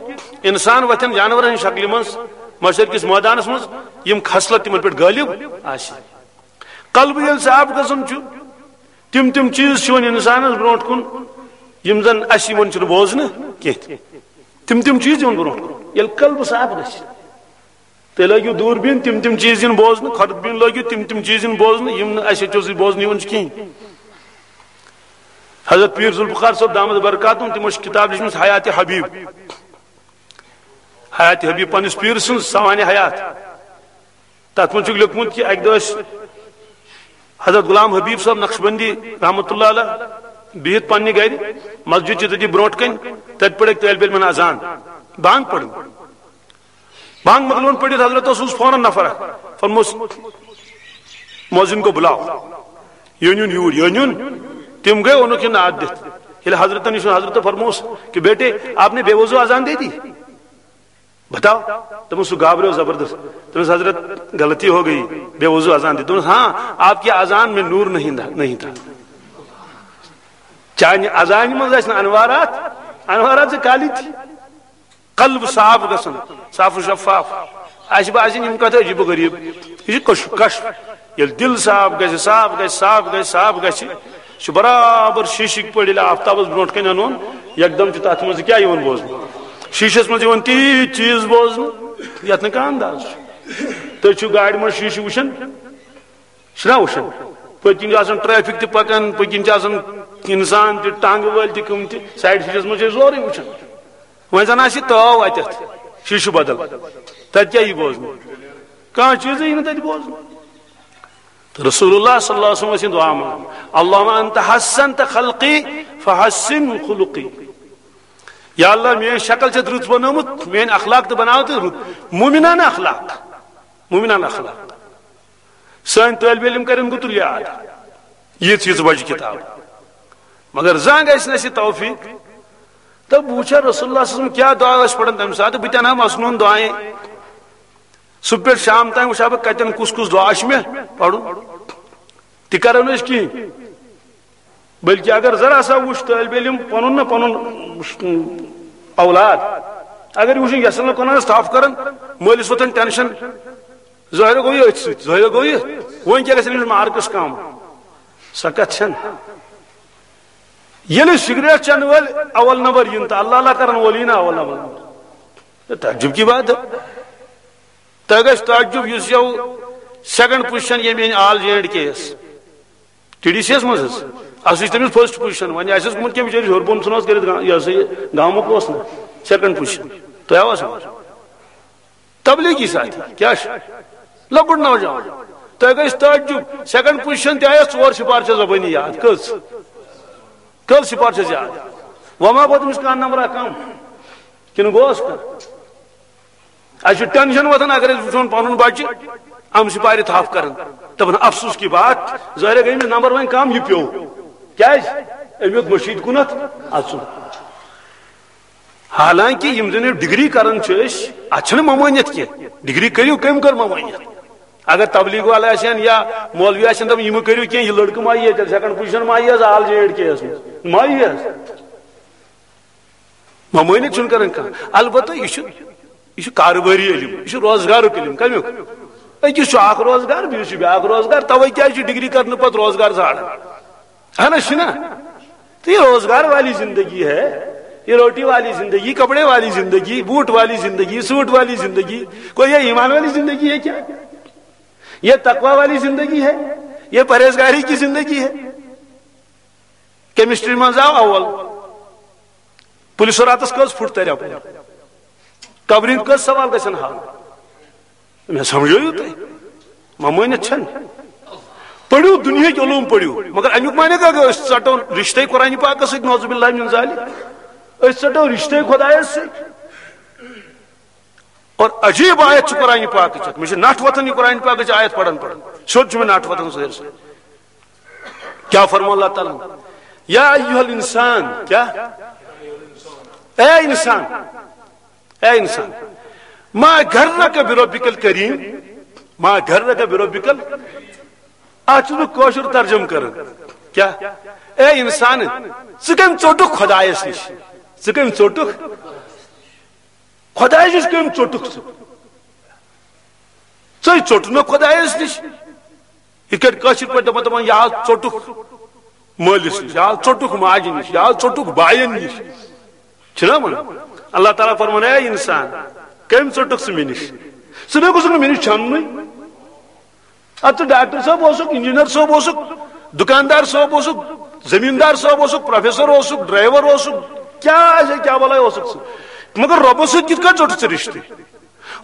انسان وۄتھن جانورن ہٕنٛز شکلہِ منٛز محشر کِس مٲدانس منٛز، یِم خصلت تِمن پٮ۪ٹھ غٲلب آسہِ۔ قلب ییٚلہِ صاف گژھان چھُ، تِم تِم چیٖز چھِ وۄنۍ انسانس برونٛٹھ کُن، یِم زن اسہِ یِوان چھِنہٕ بوزنہٕ کینٛہہ۔ تِم تِم چیٖز یِوان برونٛٹھ کُن، ییٚلہِ قلب صاف گژھِ۔ تُہۍ لٲگِو دوٗربیٖن، تِم تِم چیٖز یِن بوزنہٕ، خۄردبیٖن لٲگِو، تِم تِم چیٖز یِن بوزنہٕ، یِم نہٕ اَسہِ أچھو سۭتۍ بوزنہٕ یِوان چھِ کِہیٖنۍ۔ حضرت پیٖر ذوالفقار صٲب دامت برکاتہم، تِمو چھِ کِتاب لیٖچھمٕژ حیات حبیب۔ حیات حبیب پننِس پیٖر سٕنٛز سوانح حیات۔ تَتھ منٛز چھُکھ لیوٚکھمُت کہِ اَکہِ دۄہ ٲسۍ حضرت غلام حبیب صٲب نقشبندی رحمتہ اللہ علیہ بِہِتھ پننہِ گرِ، مسجد چھِ تٔتی برونٛٹھ کنہِ، تتہِ پٔرِکھ طٲلبِ علمن اذان، بانگ پٔرٕن۔ بانگ مۄکلٲوٕن پٔرِتھ حضرت اوسُس فوراً نفر اکھ، فرموس، "مؤذن کو بلاؤ، یہِ نیُن یوٗرۍ، یہِ نیُن۔" تِم گٔے، اوٚنُکھ یہِ ناد دِتھ۔ ییٚلہِ حضرتن یہِ سُنٛد، حضرت فرموس کہ، "بیٹے، آپ نے بے وضو اذان دے دی؟" بتاؤ۔ دوٚپُن، سُہ گابریو زبردست۔ دوٚپنَس، "حضرت، غلطی ہو گئی، بے وضو اذان دی۔" دوٚپنَس، "ہاں، آپ کی اذان میں نور نہیں تھا، نہیں تھا۔" چانہِ اذانہِ منٛز ٲسۍ نہٕ انوارات، انوارات چھِ کالی تھی۔ قلب صاف گژھُن، صاف و شفاف۔ اَسہِ باسہِ یِم کَتھ عجیٖب و غریٖب۔ یہِ چھُ کشف، کشف۔ ییٚلہِ دِل صاف گژھِ، صاف گژھِ، صاف گژھِ، صاف گژھِ، چھُ برابر شیٖشٕکۍ پٲٹھۍ ییٚلہِ آفتابس برونٛٹھ کنہِ انُن، یکدم چھُ تتھ منٛز کیٛاہ یِوان بوزنہٕ؟ شیٖشس منٛز یِوان تیٖتۍ چیٖز بوزنہٕ، یتھ نہٕ کانٛہہ انداز چھُ۔ تُہۍ چھِو گاڑِ منٛز شیٖشہٕ وٕچھان، چھِنا وٕچھان؟ پٔتۍ کِنۍ چھُ آسان ٹریفک تہِ پکان، پٔتۍ کِنۍ چھُ آسان انسان تہِ، ٹانٛگہٕ وٲلۍ تہِ، کٕم تہِ، سایڈ شیٖشس منٛز چھِ أسۍ سورُے وٕچھان۔ وۄنۍ زن آسہِ تٲو اتٮ۪تھ، شیٖشہٕ بدل، تتہِ کیٛاہ یی بوزنہٕ؟ کانٛہہ چیٖزٕے یی نہٕ تتہِ بوزنہٕ۔ تہٕ رسول اللہ صلی اللہ علیہ وسلم ٲسۍ یہِ دعا منٛگان، "اللہم انت حسنت خلقی فحسن خلقی۔" یا اللہ، میٲنۍ شکل چھِ رٕژ بنٲومٕژ، میٲنۍ اخلاق تہِ بناو تہٕ رٕت، مومنانہ اخلاق، مومنانہ اخلاق۔ سٲنۍ طٲلبِ علم کرن گُتُل یاد، یِژھ یِژھ بجہِ کِتاب۔ مگر زانٛہہ گژھِ نہٕ اَسہِ یہِ توفیق۔ تہٕ بہٕ وٕچھا رسول اللہ صلی اللہ علیہ وسلم کیٛاہ دعا ٲسۍ پران تَمہِ ساتہٕ، بہٕ تہِ اَنہٕ ہا مصنوٗعن دعایے۔ صبح پٮ۪ٹھ شام تام وٕچھِ ہا بہٕ کتٮ۪ن کُس کُس دعا چھُ مےٚ پرُن۔ تہِ کرو نہٕ أسۍ کِہیٖنۍ۔ بلکہِ اگر ذرا سا وٕچھ طٲلبِ علم پنُن نہ پنُن اولاد، اگر یہِ وٕچھُن یژھان نہٕ قرآنس تھپھ کران، مٲلِس وۄتھان ٹینشن، ظٲہِر گوٚو یہِ أتھۍ سۭتۍ، ظٲہِر گوٚو یہِ، وۄنۍ کیٛاہ گژھِ أمِس مارکس کم؟ سۄ کتھ چھنہٕ۔ ییٚلہِ سگریٹ چٮ۪نہٕ وٲلۍ اول نمبر یِن تہٕ اللہ اللہ کرن وٲلۍ یِن اول نمبر۔ یہ تعجب کی بات ہے۔ تۄہہِ گژھِ تعجب، یُس یو سیکنڈ پوزیشن ییٚمہِ أنۍ آل جے اینڈ کے یس، ٹی ڈی سی یس منٛز حظ، اَسہِ وٕچھ تٔمِس فرسٹ پوزیشن، وۄنۍ آسٮ۪س گوٚمُت کٔمِس جٲیِس ہیوٚر بۄن ژھٕنہٕ حظ کٔرِتھ گا-، یہِ ہسا یہِ گامُک اوس نہٕ، سیکنڈ پوزیشن۔ تۄہہِ آوا سمجھ؟ تبلیغی ساتھی کیٛاہ چھُ؟ لۄکُٹ نوجوان۔ تۄہہِ گژھِ تعجب، سیکنڈ پوزیشن تہِ آیس ژور سپارچہ زبٲنی یاد۔ کٔژ؟ کٔژ سپارچہ یاد؟ وۄنۍ ما گوٚو تٔمِس کانٛہہ نمبرا کم؟ کِنہٕ گوس کانٛہہ؟ اَسہِ چھُ ٹینشن وۄتھان اگر أسۍ وٕچھون پنُن بچہِ اَمہِ سپارِ تھپھ کران۔ دپان، افسوس کی بات، ظٲہرے گٔے أمِس نمبر وۄنۍ کم، یہِ پیوٚو۔ کیٛازِ؟ أمۍ ہیوٚت مٔشیٖد کُنتھ اژُن۔ حالانکہ یِم زن یِم ڈگری کران چھِ أسۍ، اتھ چھنہٕ ممٲنیت کینٛہہ۔ ڈگری کٔرِو، کٔمۍ کٔر ممٲنیت؟ اگر تبلیغ والے آسن یا مولوی آسن، دپان، "یہِ مہٕ کٔرِو کینٛہہ، یہِ لڑکہٕ ما یِیہِ تیٚلہِ سیکنڈ پوزیشن ما یِیَس آل جے اینڈ کے یس منٛز، ما یِیَس؟" ممٲنیت چھُنہٕ کران کانٛہہ۔ البتہ یہِ چھُ، یہِ چھُ کارٕبٲری علم، یہِ چھُ روزگارُک علم۔ کمیُک؟ أکِس چھُ اکھ روزگار، بیٚیِس چھُ بیٛاکھ روزگار۔ توے کیٛازِ چھُ ڈگری کرنہٕ پتہٕ روزگار ژھانڈان؟ اہن حظ، چھُنہ؟ تو یہ روزگار والی زندگی ہے، یہ روٹی والی زندگی، کپڑے والی زندگی، بوٹ والی زندگی، سوٹ والی زندگی، کوئی یہ ایمان والی زندگی ہے کیا؟ یہ تقوی والی زندگی ہے، یہ پرہیزگاری کی زندگی ہے۔ کیمسٹری منٛز آو اول، پُلسہٕ راتس کٔژ فُٹ ترِ اپٲرۍ؟ کبرِ ہٕنٛدۍ کٔژ سوال گژھن حل؟ مےٚ سمجھٲیِو تُہۍ، ممٲنِتھ چھَنہٕ۔ پٔرِو، دُنیہٕکۍ علوم پٔرِو، مگر اَمیُک معنی کیٛاہ گوٚو؟ أسۍ ژَٹو رِشتے قرآنِ پاکَس سۭتۍ، نعوذ باللہ من ذالک۔ أسۍ ژَٹو رِشتے خۄدایَس سۭتۍ۔ اور عجیب آیت چھِ قرآنِ پاکٕچ اَکھ۔ مےٚ چھِ نَٹھ وۄتھان یہِ قرآنِ پاکٕچ آیت پَران پَران۔ سیوٚد چھُ مےٚ نَٹھ وۄتھان ظٲہِر سۭتۍ۔ کیٛاہ فرموو اللہ تعالیٰ ہَن؟ یا ایھا الانسان، کیٛاہ؟ اے انسان، اے انسان، ما غرک بربک الکریم، ما غرک بربک ال-، اتھ چھُس بہٕ کٲشُر ترجمہٕ کران۔ کیٛاہ؟ اے انسان، ژٕ کٔمۍ ژوٚٹُکھ خۄدایس نِش؟ ژٕ کٔمۍ ژوٚٹُکھ؟ خۄدایس نِش کٔمۍ ژوٚٹُکھ ژٕ؟ ژٕے ژوٚٹُکھ نہ خۄدایس نِش۔ یِتھ کٲٹھۍ کٲشِر پٲٹھۍ دَپان، دَپان، یا ژوٚٹُکھ مٲلِس نِش، یا ژوٚٹُکھ ماجہِ نِش، یا ژوٚٹُکھ باین نِش۔ چھُنہ وَنان؟ اللہ تعالیٰ فرمان، اے انسان، کٔمۍ ژوٚٹُکھ ژٕ مےٚ نِش؟ ژٕ نَے گوٚژھُکھ نہٕ مےٚ نِش چھَننُے۔ اَدٕ ژٕ ڈاکٹر صٲب اوسُکھ، انجینئر صٲب اوسُکھ، دُکاندار صٲب اوسُکھ، زمیٖندار صٲب اوسُکھ، پروفیسر اوسُکھ، ڈرائیور اوسُکھ، کیٛاہ آسہِ، کیٛاہ بَلاے اوسُکھ ژٕ؟ مگر رۄبَس سۭتۍ کِتھ کٔنۍ ژوٚٹُتھ ژےٚ رِشتہٕ؟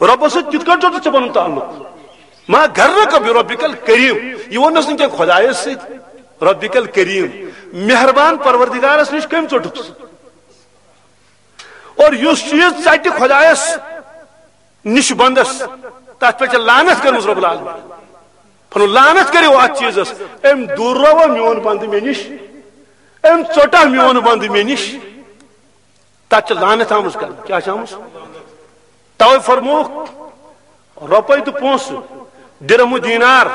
رۄبَس سۭتۍ کِتھ کٔنۍ ژوٚٹُتھ ژےٚ پَنُن تعلق؟ ما غرک بربک الکریم، یہِ ووٚننَس نہٕ کینٛہہ خۄدایَس سۭتۍ، ربک الکریم، مہربان پروردگارس نِش کٔمۍ ژوٚٹُکھ سُہ؟ اور یُس چیٖز ژٹہِ خۄدایس نِش بندس، تتھ پٮ۪ٹھ چھِ لعنت کٔرمٕژ رب العالمین۔ فرموو، لعنت کٔرِو اتھ چیٖزس، أمۍ دوٗر روا میون بندٕ مےٚ نِش، أمۍ ژوٚٹا میون بندٕ مےٚ نِش۔ تتھ چھِ لعنت آمٕژ کرنہٕ۔ کیٛاہ چھِ آمٕژ؟ توے فرمووُکھ، رۄپے تہٕ پونٛسہٕ، درہم و دینار،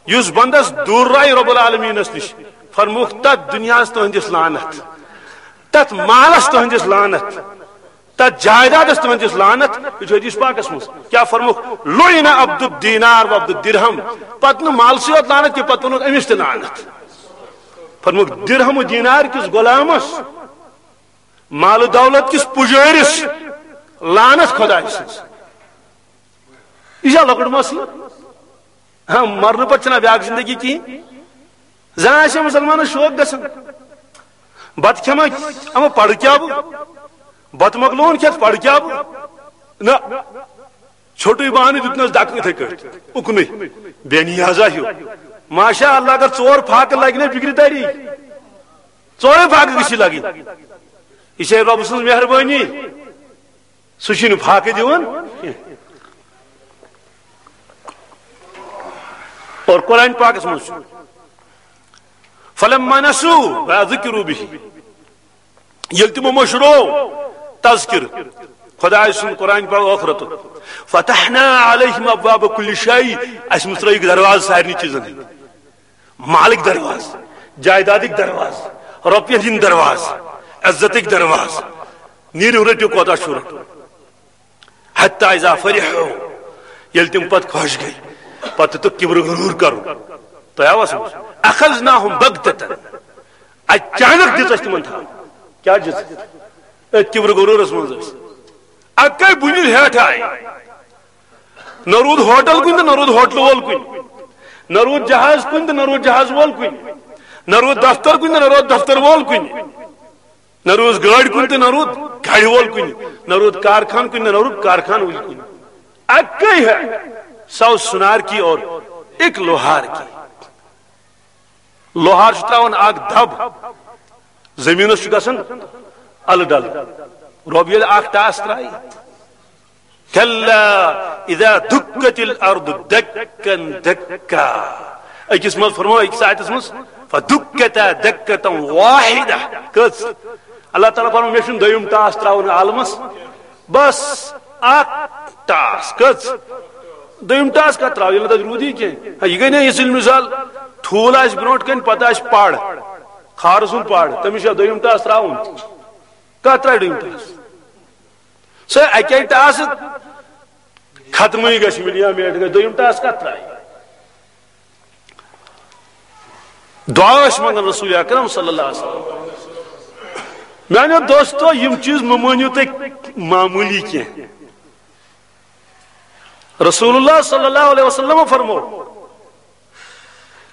یُس بندس دوٗر رایہِ رب العالمینس نِش، فرمووُکھ، تتھ دُنیاہس تُہندِس لعنت، تتھ مالس تُہندِس لعنت، تتھ جائیدادس تُہندِس لعنت۔ یہِ چھُ حدیث پاکس منٛز۔ کیٛاہ فرمووُکھ؟ لعن عبد الدینار و عبد الدرہم۔ پتہٕ نہٕ مالسٕے یوت لعنت کینٛہہ، پتہٕ ووٚنُکھ أمِس تہِ لعنت۔ فرمووُکھ، درہم و دینار کِس غلامس، مال و دولت کِس پُجٲرِس لعنت خۄداے سٕنٛز۔ یہِ چھا لۄکُٹ مسلہٕ؟ ہاں، مرنہٕ پتہٕ چھنہ بیاکھ زندگی کِہیٖنۍ۔ زن آسہِ مسلمانس شوق گژھان، بتہٕ کھٮ۪مہ، اما پرٕ کیٛاہ بہٕ؟ بتہٕ مۄکلووُن کھٮ۪تھ، پرٕ کیٛاہ بہٕ؟ نہ، ژھوٚٹُے بہانہٕ دیُتنس دکہٕ یِتھے کٲٹھۍ، اُکنُے، بے نیازا ہیوٗ۔ ماشاء اللہ، اگر ژور پھاکہٕ لگہِ نہ فکرِ تری، ژورے پھاکہٕ گٔژھی لگٕنۍ۔ یہِ چھے رۄبہٕ سٕنٛز مہربٲنی۔ سُہ چھُنہٕ فاقہٕ دِوان کینٛہہ۔ اور قرآن پاکس منٛز چھُ، "فلما نسوا ما ذکروا به"، ییٚلہِ تِمو مٔشرو تذکر خدایہِ سُنٛد، قرآن پاک، ٲخرتُک، "فتحنا علیہم ابواب کل شیء"، اَسہِ مُژرٲیِکھ دروازٕ سارنٕے چیٖزن ہٕنٛدۍ۔ مالٕکۍ دروازٕ، جایدادٕکۍ دروازٕ، رۄپین ہٕنٛدۍ دروازٕ، عزتٕکۍ دروازٕ۔ نیٖرِو، رٔٹِو، کوتاہ چھُو رَٹُن۔ حتی اذا فرحوا، ییٚلہِ تِم پتہٕ خۄش گٔے، پتہٕ دیُتُکھ کِبرٕ غروٗر کرُن۔ تۄہہِ آوا سمجھ؟ اخذناہم بغتة، اچانک دِژ اَسہِ تِمن تھپھ۔ کیٛاہ دِژ؟ أتھۍ کِبرٕ غروٗرس منٛز ٲسۍ۔ اَکے بُنہِ ہیٹھ آیہِ۔ نہ روٗد ہوٹل کُنہِ تہٕ نہ روٗد ہوٹلہٕ وول کُنہِ، نہ روٗد جہاز کُنہِ تہٕ نہ روٗد جہاز وول کُنہِ، نہ روٗد دفتر کُنہِ تہٕ نہ روٗد دفتر وول کُنہِ، نہ روٗد گٲڑۍ کُنہِ تہٕ نہ روٗد گاڑِ وول کُنہِ، نہ روٗد کارخان کُنہِ تہٕ نہ روٗد کارخان وول کُنہِ۔ اَکے ہے، سو سُنار کی اور ایک لوہار کی۔ لوہار چھُ تراوان اکھ دب، زٔمیٖنَس چھُ گژھان الہٕ ڈلہٕ۔ رۄب ییٚلہِ اکھ ٹاس ترایہِ، "کلا اذا دکت الارض دکا دکا"۔ أکِس منٛز فرمو، أکِس آیتس منٛز، "فدکتا دکتا واحدہ"۔ کٔژ؟ اللہ تعالیٰ فرمو، مےٚ چھُنہٕ دوٚیُم ٹاس تراوُن عالمس۔ بس اکھ ٹاس۔ کٔژ؟ دوٚیِم ٹاس کتھ تراو، ییٚلہِ نہٕ تتہِ روٗدٕے کینٛہہ۔ ہا، یہِ گٔے نہ یِژھ مثال، ٹھوٗل آسہِ برونٛٹھ کَنہِ، پتہٕ آسہِ پڑ، کھارٕ سُنٛد پڑ، تٔمِس چھا دوٚیِم ٹاس تراوُن؟ کتھ ترایہِ دوٚیِم ٹاس؟ سُہ اَکے ٹاسہٕ ختمٕے گژھِ، مِلیو میٹ گژھِ، دوٚیِم ٹاس کتھ ترایہِ؟ دعا ٲسۍ منٛگان رسول اکرم صلی اللہ علیہ وسلم۔ میانیو دوستو، یِم چیٖز مہٕ مٲنِو تُہۍ معموٗلی کینٛہہ۔ رسول اللہ صلی اللہ علیہ وسلم فرمو،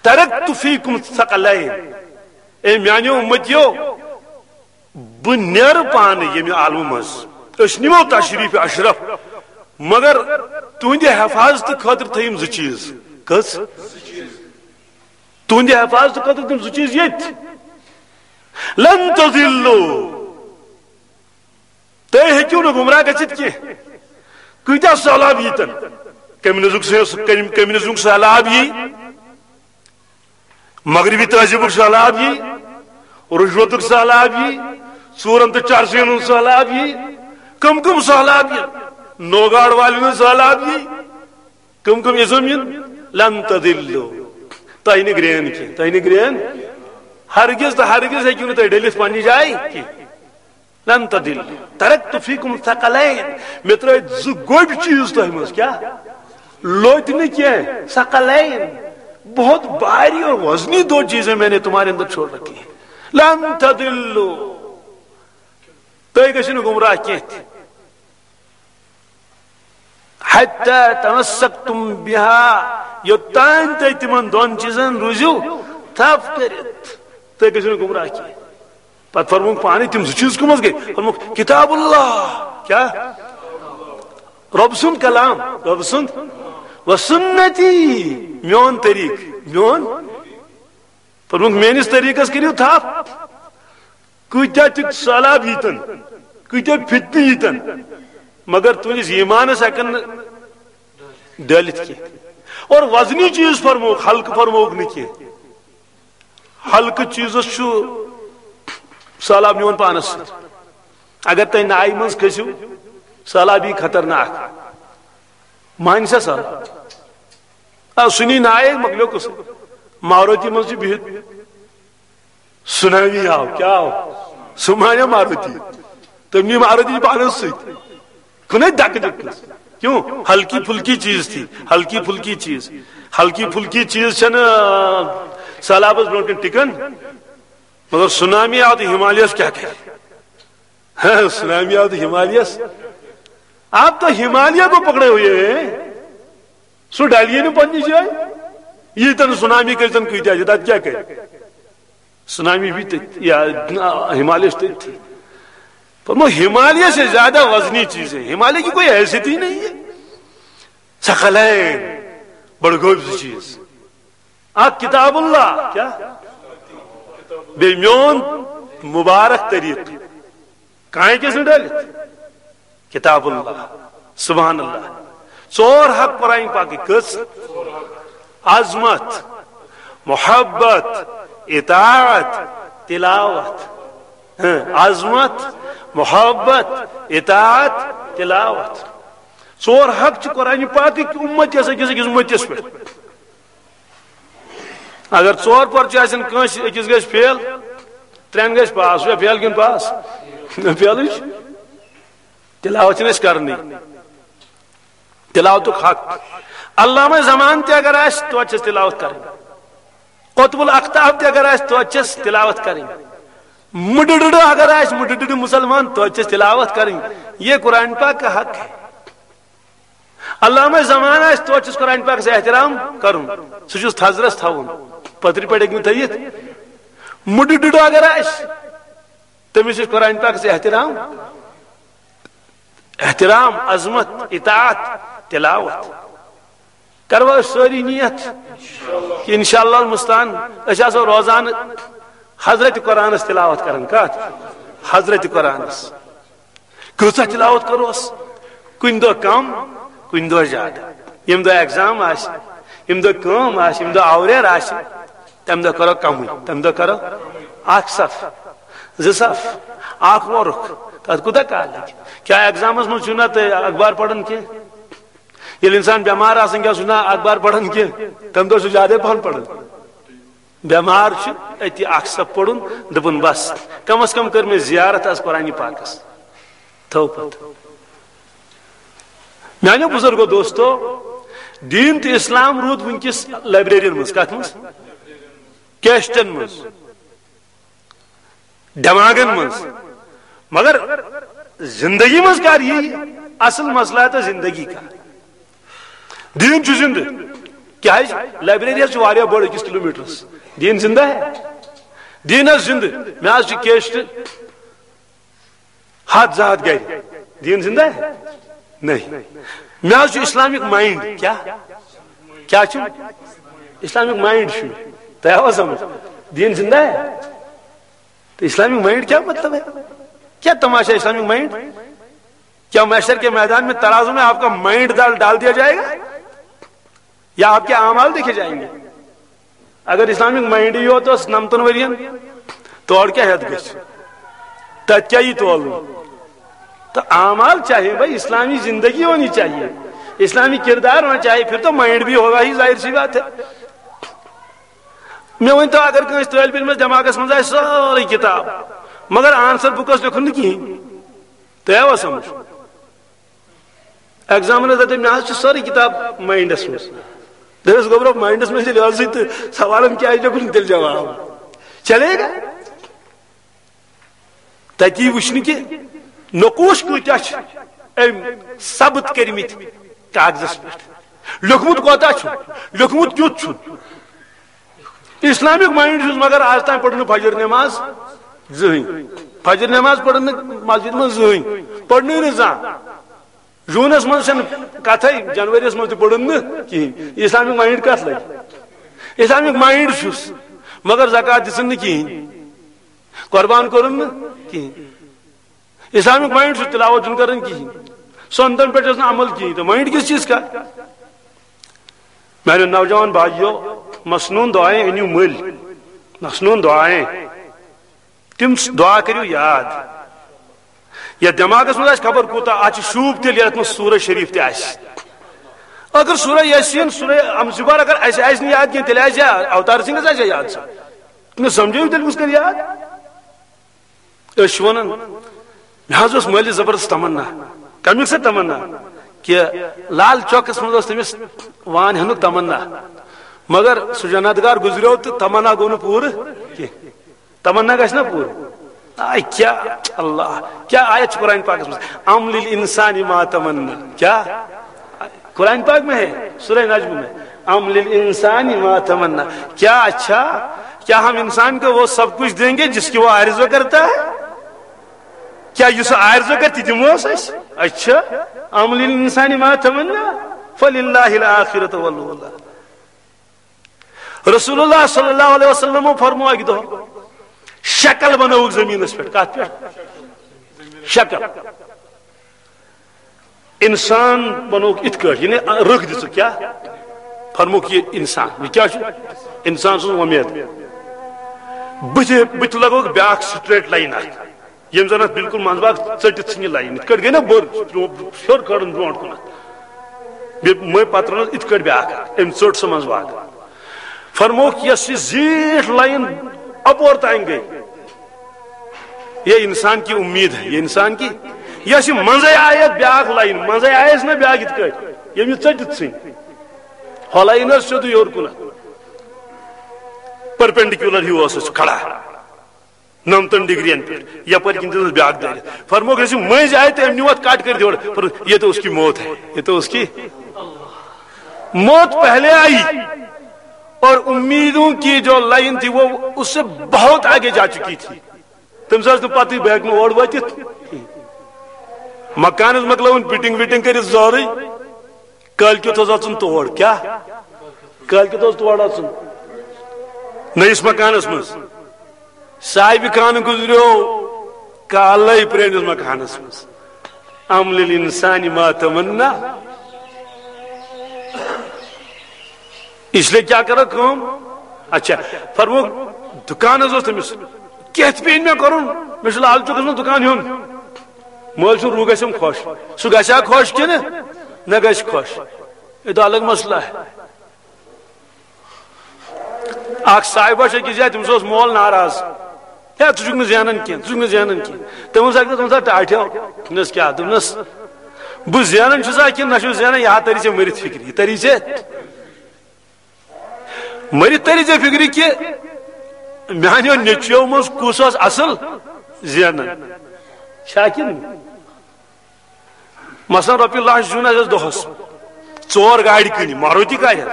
"ترکت فیکم ثقلین"، اے میانیو امتیو، بہٕ نیرٕ پانہٕ ییٚمہِ عالمہٕ منٛز۔ أسۍ نِمو تشریف اشرف، مگر تُہنٛدِ حفاظتہٕ خٲطرٕ تھٲیِم زٕ چیٖز۔ کٔژ؟ تُہنٛدِ حفاظتہٕ خٲطرٕ تِم زٕ چیٖز ییٚتہِ۔ لن تضلوا، تُہۍ ہیٚکِو نہٕ گمراہ گٔژھِتھ کینٛہہ۔ کۭتیاہ سہلاب ییٖتن، کمیونزمُک سہ-، کم-، کمیونزمُک سہلاب یی، مغربی تہذیٖبُک سہلاب یی، رُشوتُک سہلاب یی، ژوٗرن تہٕ چرسِین ہُنٛد سہلاب یی۔ کم کم سہلاب یی؟ نوگاڑ والٮ۪ن ہُنٛد سہلاب یی۔ کم کم ازم یِن؟ لن تضلوا۔ تۄہہِ نہٕ گرین کینٛہہ، تۄہہِ نہٕ گرین۔ ہرگز تہٕ ہرگز ہیٚکِو نہٕ تُہۍ ڈٔلِتھ پننہِ جایہِ کینٛہہ۔ لن تضلوا۔ ترکت فیکم ثقلین۔ مےٚ ترٲے زٕ گوٚبۍ چیٖز تۄہہِ منٛز۔ کیٛاہ؟ لوٚتۍ نہٕ کینٛہہ۔ ثقلین۔ بہت بھاری اور وزنی دو چیزیں میں نے تمہارے اندر چھوڑ رکھی ہیں۔ لن تضلوا۔ تُہۍ گٔژھِو نہٕ گمراہ کینٛہہ تہِ۔ حتی تمسکتم بها، یوٚتام تُہۍ تِمن دۄن چیٖزن روٗزِو تھپھ کٔرِتھ، تُہۍ گٔژھِو نہٕ گمراہ کینٛہہ۔ پتہٕ فرمووُکھ پانے تِم زٕ چیٖز کٕم حظ گٔے؟ فرمووُکھ کتاب اللہ، کیٛاہ؟ رۄب سُنٛد کلام، رۄب سُنٛد، و سنتی، میون طریٖقہٕ، میون فرمووُکھ، میٲنِس طریٖقس کٔرِو تھپھ۔ کۭتیاہ تہِ سہلاب ییٖتن، کۭتیاہ فتنہٕ ییٖتن، مگر تُہنٛدِس ایٖمانس ہٮ۪کن نہٕ ڈٲلِتھ کینٛہہ۔ اور وزنی چیٖز فرمووُکھ، ہلکہٕ فرمووُکھ نہٕ کینٛہہ۔ ہلکہٕ چیٖزس چھُ سہلاب نِوان پانس سۭتۍ۔ اگر تُہۍ نایہِ منٛز کھٔسِو، سہلاب یی خطرناک۔ مانہِ سا سہلاب؟ آ، سُہ نی نایہِ، مۄکلیو قصہٕ۔ ماروتی منٛز چھِ بِہِتھ، سُنامی آو، کیٛاہ آو؟ سُہ مانیو ماروتی۔ تٔمۍ نی ماروتی پانس سۭتۍ۔ کُنے دکہٕ دِتنس۔ کیوں؟ ہلکی پھلکی چیز تھی، ہلکی پھلکی چیز۔ ہلکی پھلکی چیز چھنہٕ، آ، سہلابس برونٛٹھ کَنہِ ٹِکان۔ مگر سُنامی آو تہٕ ہمالیہس کیٛاہ کرِ؟ ہاں، سُنامی آو تہٕ ہمالیہس۔ آپ تو ہمالیہ کو پکڑے ہوئے ہیں۔ سُہ ڈلہِ نہٕ پننہِ جایہِ۔ ییٖتن سُنامی کٔرۍتن کۭتیاہ چھِ، تتھ کیٛاہ کرِ؟ سُنامی بھی تٔتھۍ، یا ہمالیہ چھُ تٔتھۍ۔ فرمو، ہمالیہ سے زیادہ وزنی چیز ہے، ہمالیہ کی کوئی حیثیت ہی نہیں ہے۔ ثقلین، بڑٕ گوٚبۍ زٕ چیٖز۔ اکھ کتاب اللہ، کیٛاہ؟ بیٚیہِ میون مبارک طریٖقہٕ۔ کانٛہہ ہیٚکٮ۪س نہٕ ڈٲلِتھ۔ کتاب اللہ، سبحان اللہ۔ ژور حق قرآن پاکٕکۍ۔ کٔژ؟ عظمت، محبت، اطاعت، تلاوت۔ ہاں، عظمت، محبت، اطاعت، تلاوت۔ ژور حق چھِ قرآن پاکٕکۍ اُمتس، أکِس أکِس اُمتس پٮ۪ٹھ۔ اگر ژور پرچہِ آسن کٲنٛسہِ، أکِس گژھِ فیل، ترٛٮ۪ن گژھِ پاس۔ یہِ چھا فیل کِنہٕ پاس؟ فیلٕے چھُ۔ تلاوت چھِنہٕ أسۍ کرنٕے۔ تلاوتُک حق۔ علامہ زمان تہِ اگر آسہِ، توتہِ چھس تلاوت کرٕنۍ۔ قطب الاقطاب تہِ اگر آسہِ، توتہِ چھس تلاوت کرٕنۍ۔ مُڈٕ ڈُڈٕ اگر آسہِ، مُڈٕ ڈُڈٕ مسلمان، توتہِ چھس تلاوت کرٕنۍ۔ یہ قرآن پاک کا حق ہے۔ علامہ زمان آسہِ، توتہِ چھُس قرآن پاکس احترام کرُن۔ سُہ چھُس تھزرس تھاوُن۔ پترِ پٮ۪ٹھ ہیٚکہِ نہٕ تھٲیِتھ۔ مُڈٕ ڈُڈٕ اگر آسہِ، تٔمِس چھُ قرآن پاکس احترام، احترام، عظمت، اطاعت، تلاوت۔ کروا أسۍ سٲری نیت کہ انشاءاللہ المستعان أسۍ آسو روزانہٕ حضرت قرآنس تلاوت کران؟ کتھ؟ حضرت قرآنس۔ کۭژاہ تلاوت کروس؟ کُنہِ دۄہ کم، کُنہِ دۄہ زیادٕ۔ ییٚمہِ دۄہ ایگزام آسہِ، ییٚمہِ دۄہ کٲم آسہِ، ییٚمہِ دۄہ آوریر آسہِ، تمہِ دۄہ کرو کمٕے۔ تمہِ دۄہ کرو اکھ صف، زٕ صف، اکھ ورُق۔ تتھ کوٗتاہ کال لگہِ؟ کیٛاہ ایگزامس منٛز چھُو نا تُہۍ اخبار پران کینٛہہ؟ ییٚلہِ انسان بٮ۪مار آسان، کیٛاہ سُہ چھُ نا اخبار پران کینٛہہ؟ تمہِ دۄہ چھُ زیادے پہن پران۔ بٮ۪مار چھُ، أتی اکھ صف پوٚرُن، دوٚپُن، "بس، کم از کم کٔر مےٚ زیارت از قرآنِ پاکس۔" تھٲو پتہٕ۔ میانیو بزرگو دوستو، دین تہٕ اسلام روٗد وٕنکیٚس لائبریرین منٛز۔ کتھ منٛز؟ کیسٹن منٛز، دماغن منٛز۔ مگر زندگی منٛز کر یی اصل مسئلہ تہٕ زندگی کر؟ دین چھُ زندٕ۔ کیازِ؟ لائبریری حظ چھُ واریاہ بٔڑ أکِس کلومیٹرس۔ دین زندہ ہے؟ دین حظ زندٕ۔ مےٚ حظ چھُ کیسٹ ہتھ زٕ ہتھ گرِ۔ دین زندہ ہے؟ نہیں۔ مےٚ حظ چھُ اسلامک مائنڈ۔ کیٛاہ؟ کیٛاہ چھُ؟ اسلامک مائنڈ چھُ۔ تۄہہِ آوا سمجھ؟ دین زندہ ہے؟ تو اسلامک مائنڈ کیا مطلب ہے؟ کیا تماشا ہے اسلامک مائنڈ؟ کیا محشر کے میدان میں ترازو میں آپ کا مائنڈ ڈال، ڈال دیا جائے گا یا آپ کے اعمال دیکھے جائیں گے؟ اگر اسلامک مائنڈ یی یوت اوس نمتن ورین، تور کیا ہیت گژھِ؟ تتہِ کیا یی تولنہٕ؟ تو اعمال چاہیے بھائی، اسلامی زندگی ہونی چاہیے، اسلامی کردار ہونا چاہیے، پھر تو مائنڈ بھی ہوگا ہی، ظاہر سی بات ہے۔ مےٚ ؤنۍ تو، اگر کٲنٛسہِ طٲلبہِ علمس دٮ۪ماغس منٛز آسہِ سٲرٕے کِتاب، مگر آنسر بُکس لیوٚکھُن نہٕ کِہیٖنۍ، تۄہہِ آوا سمجھ؟ ایگزامنر دپہِ، "مےٚ حظ چھِ سٲرٕے کِتاب ماینڈس منٛز۔" دٔپِس، "گوٚبرا، ماینڈس منٛز ییٚلہِ ٲسٕے تہٕ سوالن کیٛازِ لیوٚکھُن تیٚلہِ جواب؟ چلے گا؟" تتی وٕچھنہٕ کہِ نقوش کۭتیاہ چھِ أمۍ ثبت کٔرمٕتۍ کاغذس پٮ۪ٹھ۔ لیوٚکھمُت کوتاہ چھُ، لیوٚکھمُت کیُتھ چھُ۔ اسلامک ماینڈ چھُس، مگر آز تام پٔر نہٕ فجر نماز زٕہٕنۍ۔ فجر نماز پٔر نہٕ مسجد منٛز زٕہٕنۍ، پٔرنٕے نہٕ زانٛہہ۔ جوٗنس منٛز چھنہٕ کتھے، جنوریس منٛز تہِ پوٚرُن نہٕ کِہینۍ۔ اسلامک ماینڈ کتھ لگہِ؟ اسلامک ماینڈ چھُس، مگر زکوٰۃ دِژٕن نہٕ کِہیٖنۍ، قربان کوٚرُن نہٕ کِہیٖنۍ۔ اسلامک مائنڈ چھُ تلاوت چھُنہٕ کران کِہیٖنۍ، سنتن پٮ۪ٹھ چھُس نہٕ عمل کِہیٖنۍ، تہٕ مائنڈ کِس چیٖز کا؟ میانیو نوجوان بھائیو، مسنون دعائیں أنِو مٔلۍ، مسنون دعائیں، تِم دعا کٔرِو یاد۔ یا دٮ۪ماغس منٛز آسہِ خبر کوٗتاہ، اتھ چھِ شوٗب تیٚلہِ یتھ منٛز سورہ شریف تہِ آسہِ۔ اگر سورہ یاسین، سورہ انفال اگر اسہِ آسہِ نہٕ یاد کینٛہہ، تیٚلہِ آسہِ یا اوتار سنگھس آسہِ یا یاد سا۔ مےٚ سمجھٲیِو تیٚلہِ کُس کرِ یاد؟ أسۍ چھِ ونان، مےٚ حظ اوس مٲلِس زبردست تمنا۔ کمیُک سا تمنا؟ کہِ لال چوکس منٛز اوس تٔمِس وان ہٮ۪نُک تمنا، مگر سُہ جنت گار گُزریو تہٕ تمنا گوٚو نہٕ پوٗرٕ کینٛہہ۔ تمنا گژھِ نا پوٗرٕ؟ آے کیٛاہ اللہ، کیٛاہ آیت چھِ قرآن پاکس منٛز؟ "ام للانسان ما تمنا"۔ کیٛاہ؟ قرآن پاک میں ہے، سورہ نجم میں، "ام للانسان ما تمنا"۔ کیا اچھا، کیا ہم انسان کو وہ سب کچھ دیں گے جس کی وہ آرزو کرتا ہے؟ کیا یُس آرزو کرِ تہِ دِموس أسۍ؟ اچھا، "ام للانسان ما تمنا فللہ الاخرۃ والاولیٰ"۔ رسول اللہ صلی اللہ علیہ وسلم فرمو اکہِ دۄہ، شکل بنٲوٕکھ زمینس پٮ۪ٹھ۔ کتھ پٮ۪ٹھ؟ شکل۔ انسان بنووُکھ اِتھ کٲٹھۍ، یعنی رٕکھ دِژٕکھ۔ کیٛاہ؟ فرمووُکھ یہِ انسان۔ یہِ کیٛاہ چھُ؟ انسان سٕنٛز وۄمید۔ بٕتھِ، بٕتھِ لگووُکھ بیٛاکھ straight line اکھ، ییٚمۍ زن اتھ بالکل منٛزباگ ژٔٹِتھ ژھٕنہِ line۔ یِتھ کٲٹھۍ گٔے نا بٔر، ہیوٚر کھٲرٕن برونٛٹھ کُنتھ۔ بیٚیہِ مٔنٛزۍ پتہٕ ترٲونس اِتھ کٲٹھۍ بیٛاکھ اکھ، أمۍ ژٔٹ سۄ منٛزباگ۔ فرمووُکھ، یۄس یہِ زیٖٹھ line اپور تام گٔے، یہ انسان کی امید ہے، یہ انسان کی، یۄس یہِ منٛزے آیس بیٛاکھ line، منٛزے آیس نہ بیٛاکھ یِتھ کٲٹھۍ، ییٚمۍ یہِ ژٔٹِتھ ژھٕنۍ۔ ہۄ line ٲس سیوٚدُے ہیوٚر کُنتھ، perpendicular ہیوٗ اوس سُہ کھڑا، نَمتَن ڈگرین پٮ۪ٹھ، یپٲرۍ کِنۍ دِژٕنَس بیٛاکھ دٲرِتھ۔ فرمووُکھ، یۄس یہِ مٔنٛزۍ آیہِ تہٕ أمۍ نیوٗ اَتھ cut کٔرِتھ یورٕ۔ فرمووُکھ، یہ تو اس کی موت ہے، یہ تو اس کی۔ موت پہلے آئی اور امیدوں کی جو line تھی، وہ اس سے بہت آگے جا چکی تھی۔ تٔمِس ٲس نہٕ پتہٕے بہٕ ہٮ۪کہٕ نہٕ اور وٲتِتھ۔ مکانس مۄکلٲوٕن fitting وِٹنگ کٔرِتھ زورٕے، کٲلۍ کیُتھ اوس اژُن تور۔ کیٛاہ؟ کٲلۍ کیُتھ اوس تور اژُن نٔیِس مکانس منٛز۔ صاحبِ خانہٕ گُزریو کالے پرٲنِس مکانس منٛز۔ ام للانسان ما تمنا۔ اس لیے کیا کرو کٲم؟ اچھا، فرمووُکھ، دُکان حظ اوس تٔمِس۔ کیٛاہ تہِ پیٚیہِ مےٚ کرُن؟ مےٚ چھُ لال چوکس منٛز دُکان ہیوٚن۔ مٲلۍ سُنٛد روح گژھٮ۪م خۄش۔ سُہ گژھِ ہا خۄش کِنہٕ نہ گژھِ خۄش؟ یہِ تو الگ مسئلہ ہے۔ اکھ صاحبہ چھِ أکِس جایہِ، تٔمِس اوس مول ناراض۔ ہے، ژٕ چھُکھ نہٕ زینان کینٛہہ، ژٕ چھُکھ نہٕ زینان کینٛہہ۔ تٔمۍ ووٚنُس اکہِ دۄہ، دوٚپُن سا، ٹاٹھیو، دوٚپنَس، بہٕ زینان چھُسا کِنہٕ نہ چھُس زینان، یہِ ہا تَری ژےٚ مٔرِتھ فِکرِ، یہِ تَری ژےٚ مٔرِتھ تَری ژےٚ فِکرِ کہِ میٛانیو نیٚچویو منٛز کُس اوس اَصٕل زینان۔ چھا کِنہٕ؟ مثلاً رۄپیہِ لچھ زیوٗن اَسہِ دۄہَس، ژور گاڑِ کٕنہِ، ماروتی گاڑِ حظ۔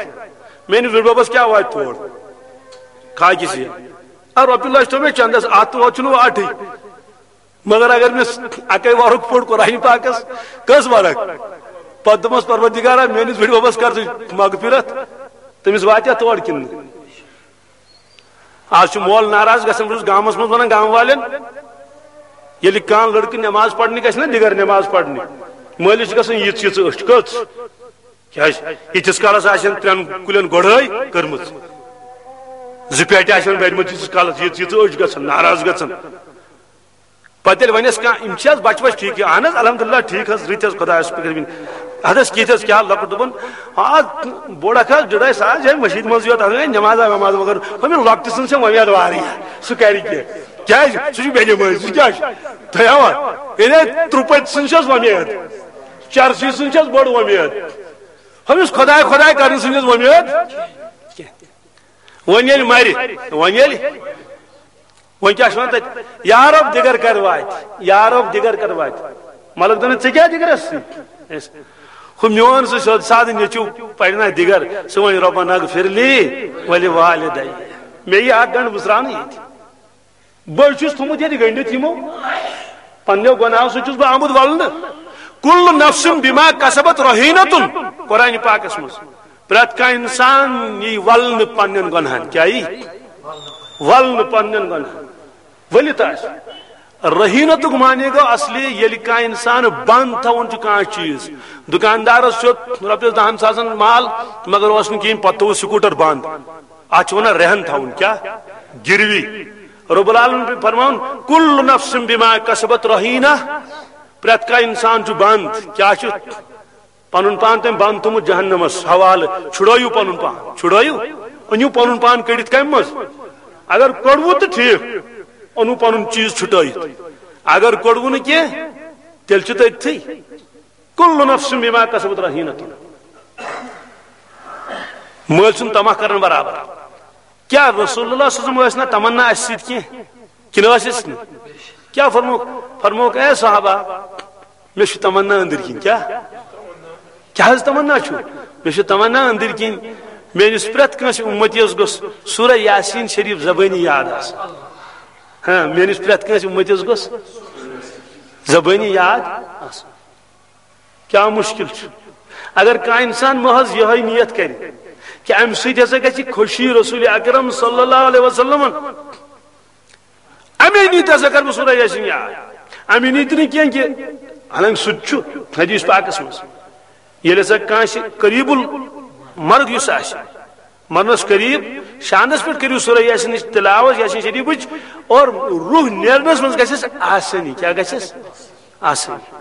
میٛٲنِس بٕڈبَبَس کیٛاہ واتہِ تور؟ کھاکہِ سۭتۍ۔ اَدٕ رۄپیہِ لچھ تھوٚو مےٚ چندَس، اَتھ تہٕ واتہِ چھُنہٕ وۄنۍ اَٹھٕے۔ مگر اگر مےٚ اَکَے ورُق پوٚر قرآنِ پاکَس، کٔژ ورق؟ پَتہٕ دوٚپمَس، "پروردگارا، میٛٲنِس بٕڈبَبَس کر ژٕ مغفرت، تٔمِس واتہِ اَتھ تور کِنہٕ نہٕ؟" آز چھُ مول ناراض گژھان، بہٕ چھُس گامَس منٛز وَنان گامہٕ والٮ۪ن، ییٚلہِ کانٛہہ لٔڑکہٕ نٮ۪ماز پَرنہِ گژھِ نا دِگر نٮ۪ماز پَرنہِ، مٲلِس چھِ گژھان یِژھ یِژھ أچھ۔ کٔژ؟ کیٛازِ؟ ییٖتِس کالَس آسن ترٛٮ۪ن کُلٮ۪ن گۄڈٲے کٔرمٕژ، زٕ پیٹہِ آسن بٔرمٕژ، ییٖتِس کالَس یِژھ یِژھ أچھ گژھان، ناراض گژھان۔ پتہٕ ییٚلہِ وَنٮ۪س کانٛہہ، "یِم چھِ حظ بَچہٕ وَچہٕ ٹھیٖکھٕے؟" "اَہَن حظ، الحمدللہ ٹھیٖک حظ، رٕتۍ حظ، خۄدایَس شُکُر کٔرِتھ۔ اَدٕ حظ کِتھ حظ، کیٛاہ لۄکُٹ؟" دوٚپُن، "آ، بوٚڑ اَکھ حظ ڈٕڈَے ساز، یِہوٚے مٔشیٖد منٛزٕے یوت، اَتھ گٔے نٮ۪مازا وٮ۪ماز مگر ہُمہِ لۄکٹہِ سٕنٛز چھےٚ وۄمید واریاہ، سُہ کَرِ کینٛہہ۔ کیٛازِ؟ سُہ چھُ بے نٮ۪مٲزۍ، سُہ کیٛاہ چھُ؟ تۄہہِ آوا؟ یعنی ترُپَتہِ سٕنٛز چھَس وۄمید، چرسی سٕنٛز چھَس بٔڑ وۄمید، ہُمِس خۄداے خۄداے کَرنہٕ سٕنٛز چھَس وۄمید کینٛہہ۔" وۄنۍ ییٚلہِ مَرِ، وۄنۍ ییٚلہِ وۄنۍ کیٛاہ چھِ وَنان تَتہِ؟ "یا رب دِگر کَر واتہِ، یا رب دِگر کَر واتہِ۔" مطلب دَپان، "ژےٚ کیٛاہ دِگرَس سۭتۍ؟" ہُہ میون سُہ سیوٚد سادٕ نیٚچوٗ پَرِ نا دِگر، سُہ وَنہِ، "ربنا اغفر لی ولوالدی۔" مےٚ یی اَکھ گَنٛڈ مٕژراونہٕ ییٚتہِ۔ بہٕ چھُس تھوٚمُت ییٚتہِ گٔنٛڈِتھ یِمو پنٛنیو گۄناہو سۭتۍ چھُس بہٕ آمُت وَلنہٕ۔ کُلُّ نفسٍ بِما کَسَبَتْ رَہیٖنَةٌ، قرآنِ پاکَس منٛز۔ پرٛٮ۪تھ کانٛہہ اِنسان یی وَلنہٕ پنٛنٮ۪ن گۄناہَن۔ کیٛاہ یی؟ ولنہٕ پننٮ۪ن گۄناہن۔ ؤلِتھ آسہِ۔ رہینتُک معنی گوٚو اصلی ییٚلہِ کانٛہہ انسان بنٛد تھاوُن چھُ کانٛہہ چیٖز۔ دُکاندارس چھُ رۄپیَس دَہَن ساسَن مال، مگر اوس نہٕ کِہیٖنۍ، پتہٕ تھوٚوُس سکوٗٹر بنٛد۔ اتھ چھِ ونان رہن تھاوُن، کیٛاہ؟ گروی۔ رب العالمین چھُ فرماوان، "کل نفس بما کسبت رہینہ"۔ پرٛٮ۪تھ کانٛہہ انسان چھُ بنٛد۔ کیٛاہ چھُ؟ پنُن پان تٔمۍ بنٛد تھوٚمُت جہنمس حوالہٕ۔ چھُڑٲیِو پنُن پان، چھُڑٲیِو۔ أنِو پنُن پان کٔڑِتھ کمہِ منٛز؟ اگر کوٚڑوُ تہٕ ٹھیٖک، اوٚنوُ پنُن چیٖز چھُٹٲیِتھ۔ اگر کوٚڑوُ نہٕ کینٛہہ، تیٚلہِ چھُ تٔتھٕے۔ کل نفس بما کسبت رہینۃ۔ مٲلۍ سُنٛد طمع کرن برابر۔ کیٛاہ رسول اللہ صلی اللہ علیہ وسلم ٲسۍ نا تمنا اَسہِ سۭتۍ کینٛہہ؟ کِنہٕ ٲسۍ أسۍ نہٕ؟ کیٛاہ فرمووُکھ؟ فرمووُکھ، "اے صحابہ، مےٚ چھُ تمنا أنٛدٕرۍ کِنۍ۔" کیٛاہ؟ کیٛاہ حظ تمنا چھُ؟ "مےٚ چھُ تمنا أنٛدٕرۍ کِنۍ، میٲنِس پرٛٮ۪تھ کٲنٛسہِ اُمتیَس گوٚژھ سورہ یاسین شریف زبٲنی یاد آسُن۔ ہاں، میٲنِس پرٛٮ۪تھ کٲنٛسہِ اُمتیَس گوٚژھ زبٲنی یاد آسُن۔" کیا مشکل چھُ؟ اگر کانٛہہ انسان محض یہے نیت کرِ کہ امہِ سۭتۍ ہسا گژھِ خوشی رسول اکرم صلی اللہ علیہ وسلمن، امی نیت ہسا کر بہٕ سورہ یاسین یاد۔ امی نیت نہٕ کینٛہہ کہ، حالانکہ سُہ تہِ چھُ حدیث پاکس منٛز، ییٚلہِ ہسا کٲنٛسہِ قریب المرگ یُس آسہِ، مرنس قریب، شاندس پٮ۪ٹھ کٔرِو سورہ یاسینٕچ تلاوت، یاسین شریفٕچ، اور روح نیرنس منٛز گژھٮ۪س آسٲنی۔ کیٛاہ گژھٮ۪س؟ آسٲنی۔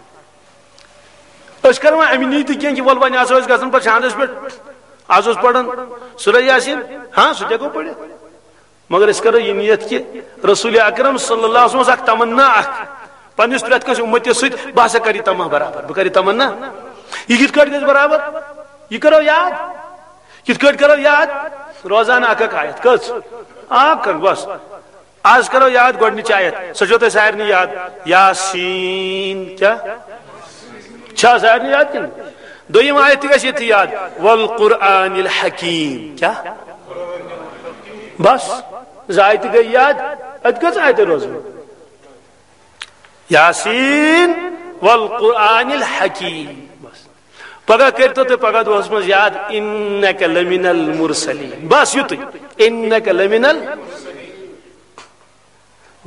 أسۍ کرو وۄنۍ اَمہِ نیتہِ کینٛہہ کہِ وَلہٕ وۄنۍ آسو أسۍ گژھان پَتہٕ شاندَس پٮ۪ٹھ، آز اوس پَران سورہ یاسین، ہاں، سُہ تہِ ہٮ۪کو پٔرِتھ۔ مگر أسۍ کرو یہِ نیت کہِ رسول اکرم صلی اللہ علیہ وسلم اوس اکھ تمنا اکھ، پننِس پرٛٮ۪تھ کٲنٛسہِ اُمتِس سۭتۍ، بہٕ ہسا کرٕ یہِ تمنا برابر، بہٕ کرٕ یہِ تمنا۔ یہِ کِتھ کٲٹھۍ گژھِ برابر؟ یہِ کرو یاد۔ کِتھ کٲٹھۍ کرو یاد؟ روزانہٕ اکھ اکھ آیت۔ کٔژ؟ اکھ اکھ، بس۔ آز کرو یاد گۄڈٕنِچ آیت، سۄ چھو تۄہہِ سارنٕے یاد، یاسین۔ کیٛاہ؟ چھا سارنٕے یاد کِنہٕ؟ دوٚیِم آیت تہِ گژھِ ییٚتھی یاد، والقرآن الحکیم۔ کیٛاہ؟ بس، زٕ آیتہٕ گٔے یاد۔ اَتہِ کٔژ آیتہٕ روزٕ؟ یاسین والقرآن الحکیم۔ بس۔ پگاہ کٔرۍتو تُہۍ پگاہ دۄہس منٛز یاد، انک لمن المرسلین۔ بس یُتُے، انک لمن ال-،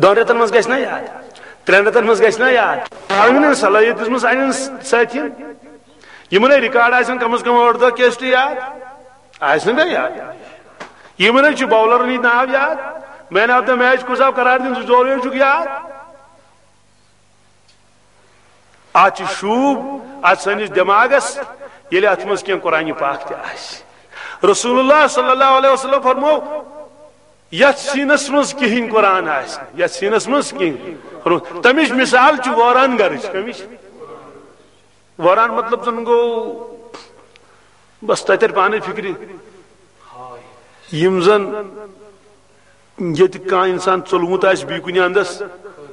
دۄن رٮ۪تن منٛز گژھِ نا یاد؟ ترٛٮ۪ن رٮ۪تن منٛز گژھِ نا یاد؟ آمین۔ صلٲحیت دِژمٕژ سانٮ۪ن سٲتھین۔ یِمن ہے ریکارڈ آسن کم از کم ٲٹھ دہ کیسٹہٕ یاد۔ آسہِ نہٕ مےٚ یاد؟ یِمن ہے چھُ باولرن ہٕنٛدۍ ناو یاد۔ مین آف دا میچ کُس آو قرار دِنہٕ، سُہ زورُے چھُکھ یاد۔ اتھ چھُ شوٗب، اتھ سٲنِس دٮ۪ماغس، ییٚلہِ اتھ منٛز کینٛہہ قرآنِ پاک تہِ آسہِ۔ رسول اللہ صلی اللہ علیہ وسلم فرموو، یتھ سیٖنس منٛز کِہیٖنۍ قرآن آسہِ، یتھ سیٖنس منٛز کِہیٖنۍ۔ فرموو، تمِچ مثال چھِ وٲران گرٕچ۔ کمِچ؟ وٲران مطلب زن گوٚو، بس تۄہہِ ترِ پانے فکرِ۔ یِم زن ییٚتہِ کانٛہہ انسان ژوٚلمُت آسہِ بیٚیہِ کُنہِ اندس،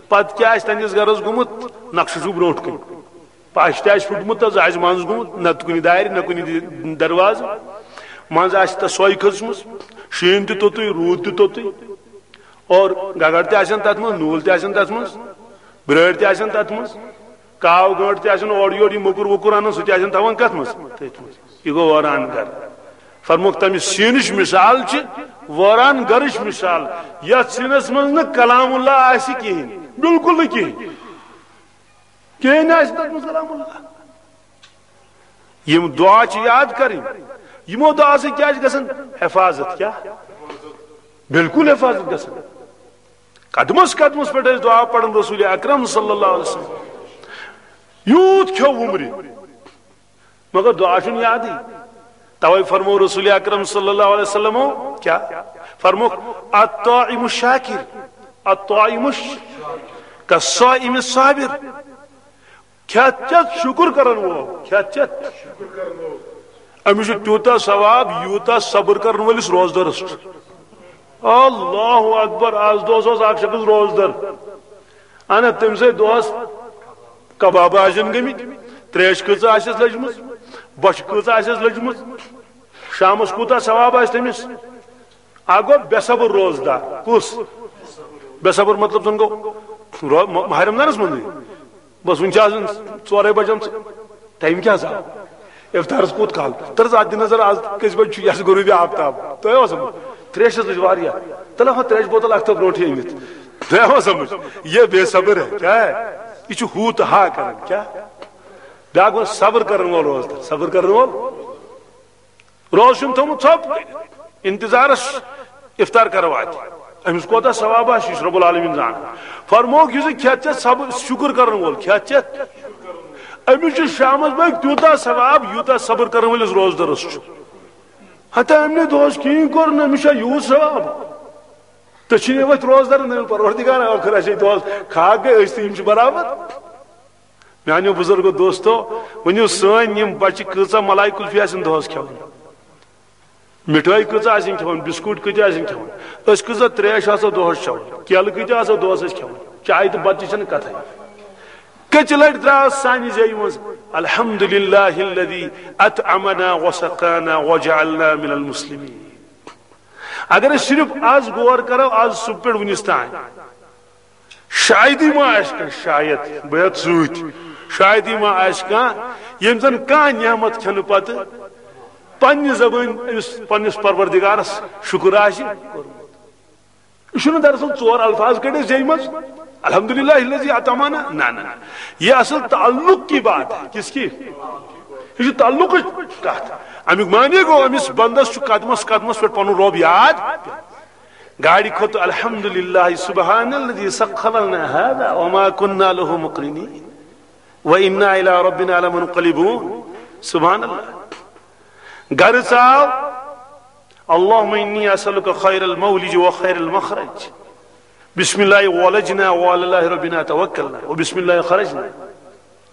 پتہٕ کیٛاہ آسہِ تہنٛدِس گرس گوٚمُت، نقشہٕ چھُ برونٛٹھ کُن۔ پش تہِ آسہِ پھُٹمُت، تس آسہِ منٛز گوٚمُت، نتہٕ کُنہِ دارِ، نہ کُنہِ دِ-، دروازٕ۔ منٛز آسہِ تس سۄے کھٔژمٕژ، شیٖن تہِ توٚتُے، روٗد تہِ توٚتُے۔ اور گگر تہِ آسن تتھ منٛز، نوٗل تہِ آسن تتھ منٛز، برٲرۍ تہِ آسن تتھ منٛز، کاو گٲنٛٹ تہِ آسن اورٕ یورٕ، یہِ موٚکُر ووٚکُر انان، سُہ تہِ آسن تھاوان کتھ منٛز؟ تٔتھۍ منٛز۔ یہِ گوٚو وٲران گرٕ۔ فرمووُکھ، تمہِ سیٖنٕچ مثال چھِ وٲران گرٕچ مثال، یتھ سیٖنس منٛز نہٕ کلام اللہ آسہِ کِہیٖنۍ، بالکل نہٕ کِہیٖنۍ۔ کِہیٖنۍ آسہِ تتھ منٛز کلام اللہ۔ یِم دعا چھِ یاد کرٕنۍ۔ یِمو دعا سۭتۍ کیٛاہ چھِ گژھان؟ حفاظت۔ کیٛاہ؟ بالکل حفاظت گژھان۔ قدمس قدمس پٮ۪ٹھ ٲسۍ دعا پران رسول اکرم صلی اللہ علیہ وسلم۔ یوٗت کھیوٚو وُمرِ، مگر دعا چھُنہٕ یادٕے۔ توے فرموو رسول اکرم صلی اللہ علیہ وسلمو کیٛاہ؟ فرمووُکھ، الطاعم الشاکر، الطاعم الش-، کالصائم الصابر۔ کھٮ۪تھ چٮ۪تھ شُکُر کرن وول، کھٮ۪تھ چٮ۪تھ۔ أمِس چھُ تیوٗتاہ ثواب، یوٗتاہ صبر کرن وٲلِس روزدارس چھُ۔ اللہ اکبر، از دۄہس اوس اکھ شخص روزدار۔ انا تٔمۍ سٕے دۄہس کبابہٕ آسن گٔمٕتۍ، تریش کۭژاہ آسٮ۪س لٔجمٕژ، بۄچھِ کۭژاہ آسٮ۪س لٔجمٕژ، شامس کوٗتاہ ثواب آسہِ تٔمِس۔ اکھ گوٚو بے صبر روزدار۔ کُس؟ بے صبر مطلب زن گوٚو رو-، م-، ماہ رمضانس منٛزٕے۔ بس وُنہِ چھِ آسان ژورے بجمژٕ۔ ٹایم کیٛاہ حظ آو؟ افطارس کوٗت کال؟ تر حظ اتھ دِ نظر، از کٔژِ بجہِ چھُ؟ یہِ حظ غروٗبِ آفتاب۔ تۄہہِ اوس تریشس لٔج واریاہ۔ چلو ہاں، ترٛیش بوتل اکھ تھاو برونٛٹھٕے أنِتھ۔ تۄہہِ آوا سمجھ؟ یہ بے صبر ہے، کیا ہے؟ یہ چھُ ہو تہٕ ہا کران، کیا؟ بیٛاکھ گوٚو صبر کرن وول روزدار، صبر کرن وول۔ روزٕ چھُم تھوٚمُت ژھۄپ کٔرِتھ، انتظارس افطار کرو اتہِ۔ أمِس کوتاہ ثواب آسہِ، یہِ چھُ رب العالمین زانان۔ فرمووُکھ، یُس یہِ کھٮ۪تھ ژےٚ صبر، شُکر کرن وول کھٮ۪تھ ژےٚ، أمِس چھُ شامس بٲگۍ تیوٗتاہ ثواب، یوٗتاہ صبر کرن وٲلِس روزدارس چھُ۔ ہتا أمۍ نے دۄہس کِہیٖنۍ کوٚر نہٕ، أمِس چھا یوٗت ثواب؟ تہٕ چھِ یہِ وۄتھ روزدار، نہٕ پروردگار ٲخر اَسہِ دۄہس کھاکھ گٔے أسۍ تہٕ یِم چھِ برابر۔ میانیو بزرگو دوستو، ؤنِو، سٲنۍ یِم بچہِ کۭژاہ ملائی کلفی آسن دۄہس کھٮ۪وان، مِٹھٲے کۭژاہ آسن کھٮ۪وان، بسکوٹ کۭتیاہ آسن کھٮ۪وان، أسۍ کۭژاہ تریش آسو دۄہس چٮ۪وان، کیلہٕ کۭتیاہ آسو دۄہس أسۍ کھٮ۪وان، چاے تہٕ بتہٕ تہِ چھنہٕ کتھے۔ کٔژِ لٹہِ درٛاس سانہِ زیوِ منٛز، الحمد للہ الذی اطعمنا وسقانا وجعلنا من المسلمین۔ اگر أسۍ صرف از غور کرو، از صبح پٮ۪ٹھ وُنِس تام، شایدی ما آسہِ کانٛہہ، شاید، بہٕ ہٮ۪تھ سۭتۍ، شایدی ما آسہِ کانٛہہ، ییٚمۍ زن کانٛہہ نعمت کھٮ۪نہٕ پتہٕ پننہِ زبٲنۍ أمِس پننِس پروردگارس شُکر آسہِ کوٚرمُت۔ یہِ چھُنہٕ دراصل ژور الفاظ کٔڑِتھ زیٚیہِ منٛز، الحمدللہ الذی اطعمنا، نہ، نہ، نہ۔ یہ اصل تعلق کی بات ہے۔ کس کی؟ یہ چھُ تعلقٕچ کتھ۔ امیُک معنی گوٚو، أمِس بندس چھُ قدمس قدمس پٮ۪ٹھ پنُن رۄب یاد۔ گاڑِ کھوٚت، الحمدللہ، سبحان الذی سخر لنا هذا وما كنا له مقرنین وانا الی ربنا لمنقلبون۔ سبحان اللہ۔ گرٕ ژاو، اللهم إني أسألك خير المولج وخير المخرج۔ بسم الله ولجنا وعلى الله ربنا توكلنا وبسم الله خرجنا۔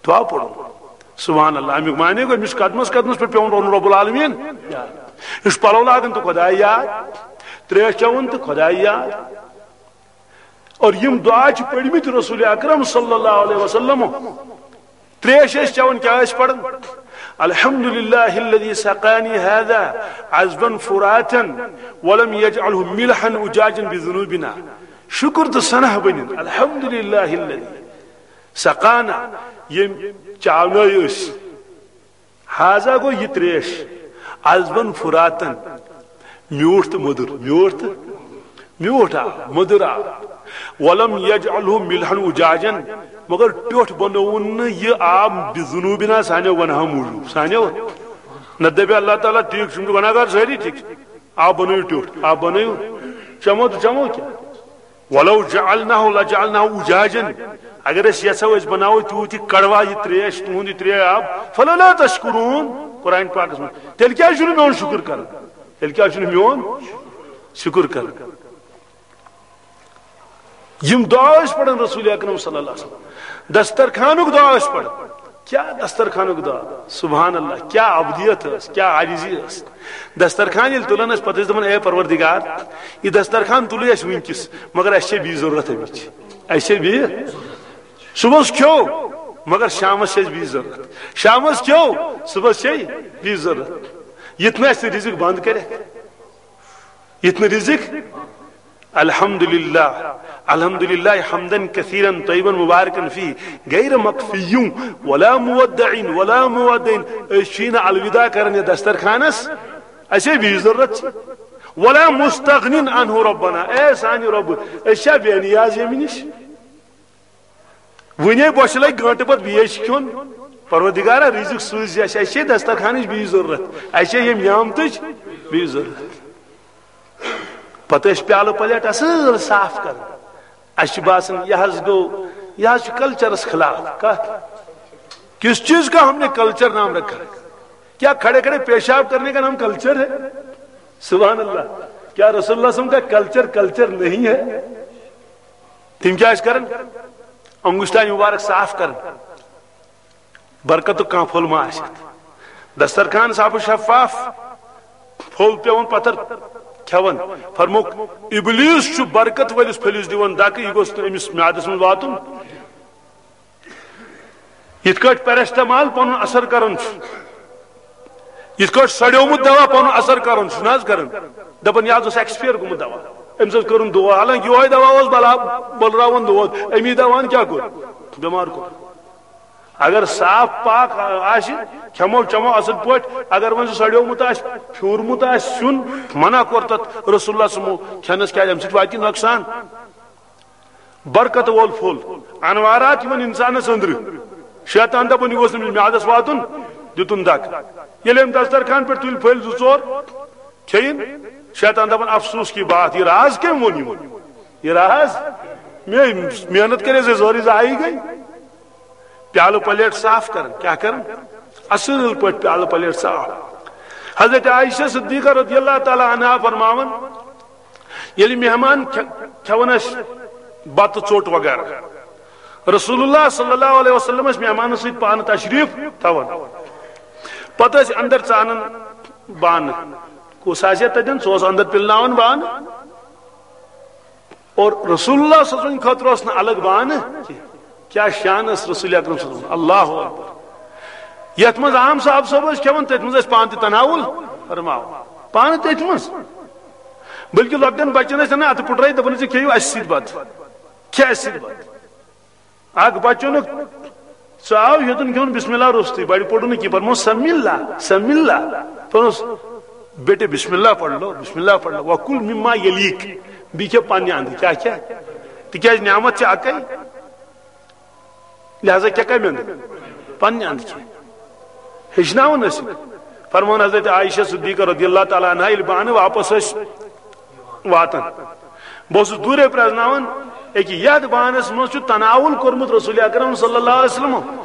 دعا پوٚرُن۔ سبحان اللہ۔ اَمیُک معنی گوٚو، أمِس قدمس قدمس پٮ۪ٹھ پٮ۪وُن روزُن رب العالمین۔ یہِ چھُ پلو لاگان تہٕ خۄداے یاد، تریش چٮ۪وان تہٕ خۄداے یاد۔ اور یِم دعا چھِ پٔرمٕتۍ رسول اکرم صلی اللہ علیہ وسلم۔ تریش ٲسۍ چٮ۪وان، کیٛاہ ٲسۍ پران؟ الحمد للہ الذی سقانی هذا عذبا فراتا ولم یجعله ملحا اجاجا بذنوبنا۔ شکر تہٕ ثنا بٔنِن الحمد للہ الذی سقانا، ییٚمۍ چاونٲے أسۍ۔ ہذا گوٚو یہِ تریش، عذبا فراتن، میوٗٹھ تہٕ مٔدٕر، میوٗٹھ تہٕ میوٗٹھ آب، مٔدٕر آب۔ ولم یجعله ملحا اجاجا، مگر ٹیوٚٹھ بنووُن نہٕ یہِ آب بذنوبنا، سانیو گۄناہو موٗجوٗب، سانیو۔ نہ دپہِ اللہ تعالیٰ، ٹھیٖک چھُ، یِم چھِ گۄناہ گار سٲری، ٹھیٖک چھُ، آب بنٲیِو ٹیوٚٹھ، آب بنٲیِو، چٮ۪مو تہٕ چٮ۪مو کیٛاہ؟ ولو جعلناه لجعلناه اجاجا، اگر أسۍ یژھو أسۍ بناوو تیوٗت یہِ کڑوا یہِ تریش، تُہُنٛد یہِ تریش آب، فلولا تشکرون، قرآن پاکس منٛز، تیٚلہِ کیٛازِ چھُنہٕ میون شُکر کران؟ تیٚلہِ کیٛازِ چھُنہٕ میون شُکر کران؟ یِم دعا ٲسۍ پران رسول اکرم صلی اللہ علیہ وسلم، دسترخانُک دعا ٲسۍ پران۔ کیٛاہ دسترخانُک دعا؟ سبحان اللہ، کیٛاہ ابدیت ٲس، کیٛاہ عاجزی ٲس۔ دسترخان ییٚلہِ تُلان ٲسۍ، پتہٕ ٲسۍ دپان، اے پروردگار، یہِ دسترخان تُلٕے اَسہِ وٕنکیٚس، مگر اَسہِ چھے بیٚیہِ ضروٗرت اَمِچ، اَسہِ چھے بیٚیہِ۔ صبحس کھیوٚو، مگر شامس چھے اَسہِ بیٚیہِ ضروٗرت، شامس کھیوٚو، صبحس چھے بیٚیہِ ضروٗرت۔ یِتھ نہٕ اَسہِ رِزق بنٛد کرِ، یِتھ نہٕ رِزق۔ الحمد للہ، الحمد للہ حمدا کثیرا طیبا مبارکا فیہ، غیر مکفی ولا مودع ولا مودع۔ أسۍ چھِی نہٕ الوداع کران یتھ دسترخانس، اَسہِ ہے بیٚیہِ ضروٗرت چھِ۔ ولا مستغنین عنہ ربنا، اے سانہِ رۄبہٕ، أسۍ چھا بے نیاز ییٚمہِ نِش؟ وُنے بۄچھِ لگہِ گٲنٹہٕ پتہٕ بیٚیہِ چھُ کھیوٚن۔ پروردگارا، رِزق سوٗزِ اَسہِ، اَسہِ چھے دسترخانٕچ بیٚیہِ ضروٗرت، اَسہِ چھے ییٚمہِ نعمتٕچ بیٚیہِ ضروٗرت۔ پتہٕ ٲسۍ پیالہٕ پلیٹ اصل صاف کران۔ اَسہِ چھُ باسان، یہِ حظ گوٚو، یہِ حظ چھُ کلچرس خلاف۔ کتھ؟ کس چیز کا ہم نے کلچر نام رکھا؟ کیا کھڑے کھڑے پیشاب کرنے کا نام کلچر ہے؟ سبحان اللہ۔ کیا رسول اللہ صلی اللہ علیہ وسلم کا کلچر کلچر نہیں ہے؟ تِم کیٛاہ ٲسۍ کران؟ انگشتان مبارک صاف کران، برکتُک کانٛہہ پھوٚل ما آسہِ۔ دسترخوان صاف و شفاف، پھوٚل پٮ۪وان پتھر کھٮ۪وان۔ فرمووُکھ، ابلیس چھُ برکت وٲلِس پھٔلِس دِوان دکہٕ، یہِ گوٚژھ نہٕ أمِس میادس منٛز واتُن۔ یِتھ کٲٹھۍ پیرسٹامال پنُن اثر کران چھُ، یِتھ کٲٹھۍ سڑیومُت دوا پنُن اثر کران چھُ نہ حظ کران، دپان، یہِ حظ اوس ایکسپیر گوٚمُت دوا، أمِس حظ کٔرٕن دود، حالانکہِ یِہوے دوا اوس بلا بلراوان دود، أمی دوان کیٛاہ کوٚر؟ بٮ۪مار کوٚر۔ اگر صاف پاک آسہِ، کھٮ۪مو چٮ۪مو اصل پٲٹھۍ، اگر وۄنۍ سُہ سڑیومُت آسہِ، پھیوٗرمُت آسہِ سیُن، منع کوٚر تتھ رسول اللہ صلی اللہ علیہ وسلمو کھٮ۪نس، کیازِ امہِ سۭتۍ واتہِ نۄقصان۔ برکت وول پھوٚل، انوارات یِوان انسانس أنٛدرٕ۔ شیطان دپان، یہِ گوٚژھ نہٕ أمِس میادس واتُن، دِتُن دگ۔ ییٚلہِ أمۍ دسترخوان پٮ۪ٹھ تُلۍ پھٔلۍ زٕ ژور، کھیٚیِن، شیطان دپان، افسوس کی بات، یہِ راز کٔمۍ ووٚن یِمن؟ یہِ راز؟ مےٚ محنت کٔرِتھ زِ سٲرٕے ضایع گٔے۔ پیالہٕ پلیٹ صاف کران، کیٛاہ کران؟ اصل پٲٹھۍ پیالہٕ پلیٹ صاف۔ حضرت عائشہ صدیقہ رضی اللہ تعالیٰ عنہا فرماوان، ییٚلہِ مہمان کھے-، کھٮ۪وان ٲسۍ بتہٕ ژوٚٹ وغیرہ، رسول اللہ صلی اللہ علیہ وسلم ٲسۍ مہمانن سۭتۍ پانہٕ تشریف تھاوان۔ پتہٕ ٲسۍ اندر ژانان بانہٕ۔ کُس آسہِ ہا تتٮ۪ن، سُہ اوس اندر پِلناوان بانہٕ۔ اور رسول اللہ صلی اللہ علیہ وسلم خٲطرٕ اوس نہٕ الگ بانہٕ کینٛہہ۔ کیٛاہ شان ٲس رسول اکرم صلی اللہ علیہ وسلم۔ اللہ اکبر۔ یتھ منٛز عام صاحب صٲب ٲسۍ کھٮ۪وان، تٔتھۍ منٛز ٲسۍ پانہٕ تہِ تناول فرماوان، پانہٕ تٔتھۍ منٛز۔ بلکہ لۄکٹٮ۪ن بچن ٲسۍ انان اتھٕ پھُٹرٲیِتھ، دپان ٲسۍ، "کھیٚیِو اسہِ سۭتۍ بتہٕ، کھےٚ اسہِ سۭتۍ بتہٕ۔" اکھ بچہٕ اوٚنُکھ، سُہ آو ہیوٚتُن کھیوٚن بسم اللہ روٚستُے، بڑِ پوٚرُن نہٕ کینٛہہ، فرمووُس، "سم اللہ، سم اللہ۔" فرمووُس، "بیٹے بسم اللہ پڑھ لو، بسم اللہ پڑھ لو، وکل مما یلیک، بیٚیہِ کھےٚ پننہِ اندٕ۔" کیٛاہ کھےٚ؟ تِکیٛازِ نعمت چھِ اکے۔ لہذا کیٛاہ کمہِ اندٕ؟ پننہِ اندٕ کھے۔ ہیٚچھناوُن ٲسِکھ۔ فرمووُن حضرت عائشہ صدیقہ رضی اللہ تعالیٰ عنہا، ییٚلہِ بانہٕ واپس ٲسۍ واتان، بہٕ اوسُس دوٗرے پرٛزناوان، أکہِ یتھ بانس منٛز چھُ تناول کوٚرمُت رسول اکرم صلی اللہ علیہ وسلم۔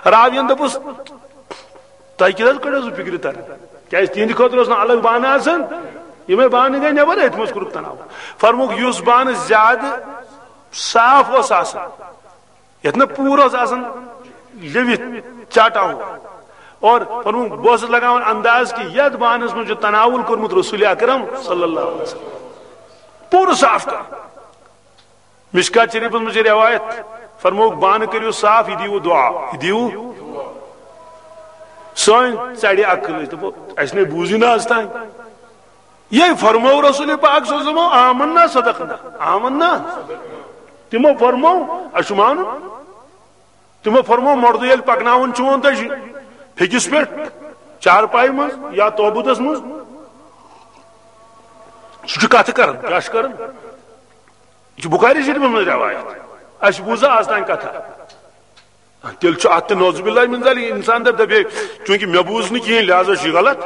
راوین دوٚپُس، "تۄہہِ کیٛاہ حظ کٔڑِو سُہ فِکرِ تران؟ کیٛازِ تِہنٛدِ خٲطرٕ اوس نہٕ الگ بانہٕ آسان، یِمے بانہٕ گٔے نٮ۪بر، أتھۍ منٛز کوٚرُکھ تناول۔" فرمووُکھ، یُس بانہٕ زیادٕ صاف اوس آسان، یتھ نہٕ پوٗر اوس آسان لیوِتھ چاٹا ہوا۔ اور فرمووُکھ، بہٕ اوسُس لگاوان انداز کہ یتھ بانس منٛز چھُ تناول کوٚرمُت رسول اکرم صلی اللہ علیہ وسلم۔ پوٗرٕ صاف کر۔ مشکات شریفس منٛز چھِ روایت، فرمووُکھ، بانہٕ کٔرِو صاف، یہِ دِیِو دعا، یہِ دِیِو۔ سٲنۍ ژرِ عقل، أسۍ دپو، اسہِ نے بوٗزٕے نہٕ از تام۔ یہِ فرموو رسول پاک صلی اللہ علیہ وسلم، آمنا صدقنا، آمنا۔ تِمو فرموو، اسہِ چھُ مانُن۔ تِمو فرموو، مردٕ ییٚلہِ پکناوُن چھُ وۄنۍ تۄہہِ پھیٚکِس پٮ۪ٹھ، چارپایہِ منٛز یا توبوٗدس منٛز، سُہ چھُ کتھٕ کران، کیٛاہ چھُ کران؟ یہِ چھُ بخاری شریفس منٛز روایت۔ اسہِ بوٗز از تام کتھا۔ تیٚلہِ چھُ اتھ تہِ نعوذ باللہ من ذالک، انسان دپہِ، دپہِ، چوٗنٛکہِ مےٚ بوٗز نہٕ کِہیٖنۍ، لہذا چھُ یہِ غلط۔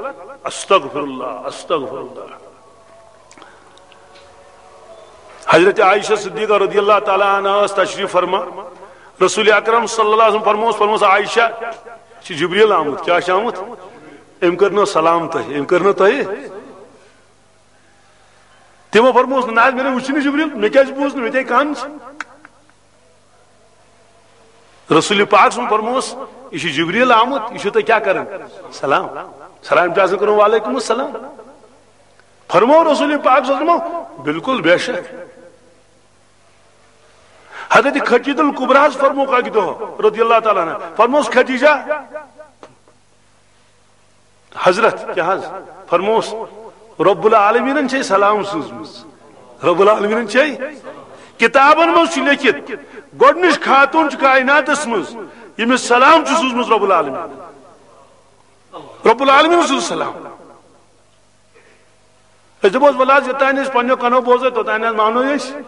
استغفر اللہ، استغفر اللہ۔ حضرت عائشہ صدیقہ رضی اللہ تعالیٰ عنہا ٲس تشریف فرما۔ رسول اکرم صلی اللہ علیہ وسلم فرموس، فرموس، "عائشہ، چھُ جبریل آمُت۔" کیٛاہ چھُ آمُت؟ أمۍ کٔر نہٕ سلام تۄہہِ، أمۍ کٔر نہٕ تۄہہِ۔ تِمو فرموس، "نہ حظ، مےٚ نے وُچھ نہٕ جبریل، مےٚ کیٛازِ بوٗز نہٕ، مےٚ تے کن چھِ۔" رسول پاک سُنٛد فرموس، "یہِ چھُ جبریل آمُت، یہِ چھُ تۄہہِ کیٛاہ کران؟ سلام۔ سلام چھُ آسان کرُن، وعلیکم السلام۔" فرموو رسول پاک صلی اللہ علیہ وسلم، "بالکل، بے شک۔" حضرت خدیجہ الکبریٰ ہس فرموو اکہِ دۄہ رضی اللہ تعالیٰ عنہ، فرموس، "خدیجہ، حضرت کیٛاہ حظ؟" فرموس، "رب العالمینن چھے سلام سوٗزمٕژ، رب العالمینن چھے۔" کتابن منٛز چھُ لیکھِتھ، گۄڈٕنِچ خاتوٗن چھِ کائناتس منٛز، ییٚمِس سلام چھُ سوٗزمُت رب العالمین۔ رب العالمین سوٗز سلام۔ أسۍ دَپوس، "وَلہٕ حظ، یوٚتانۍ أسۍ پنٛنیو کَنو بوزو، توٚتانۍ حظ مانو أسۍ۔"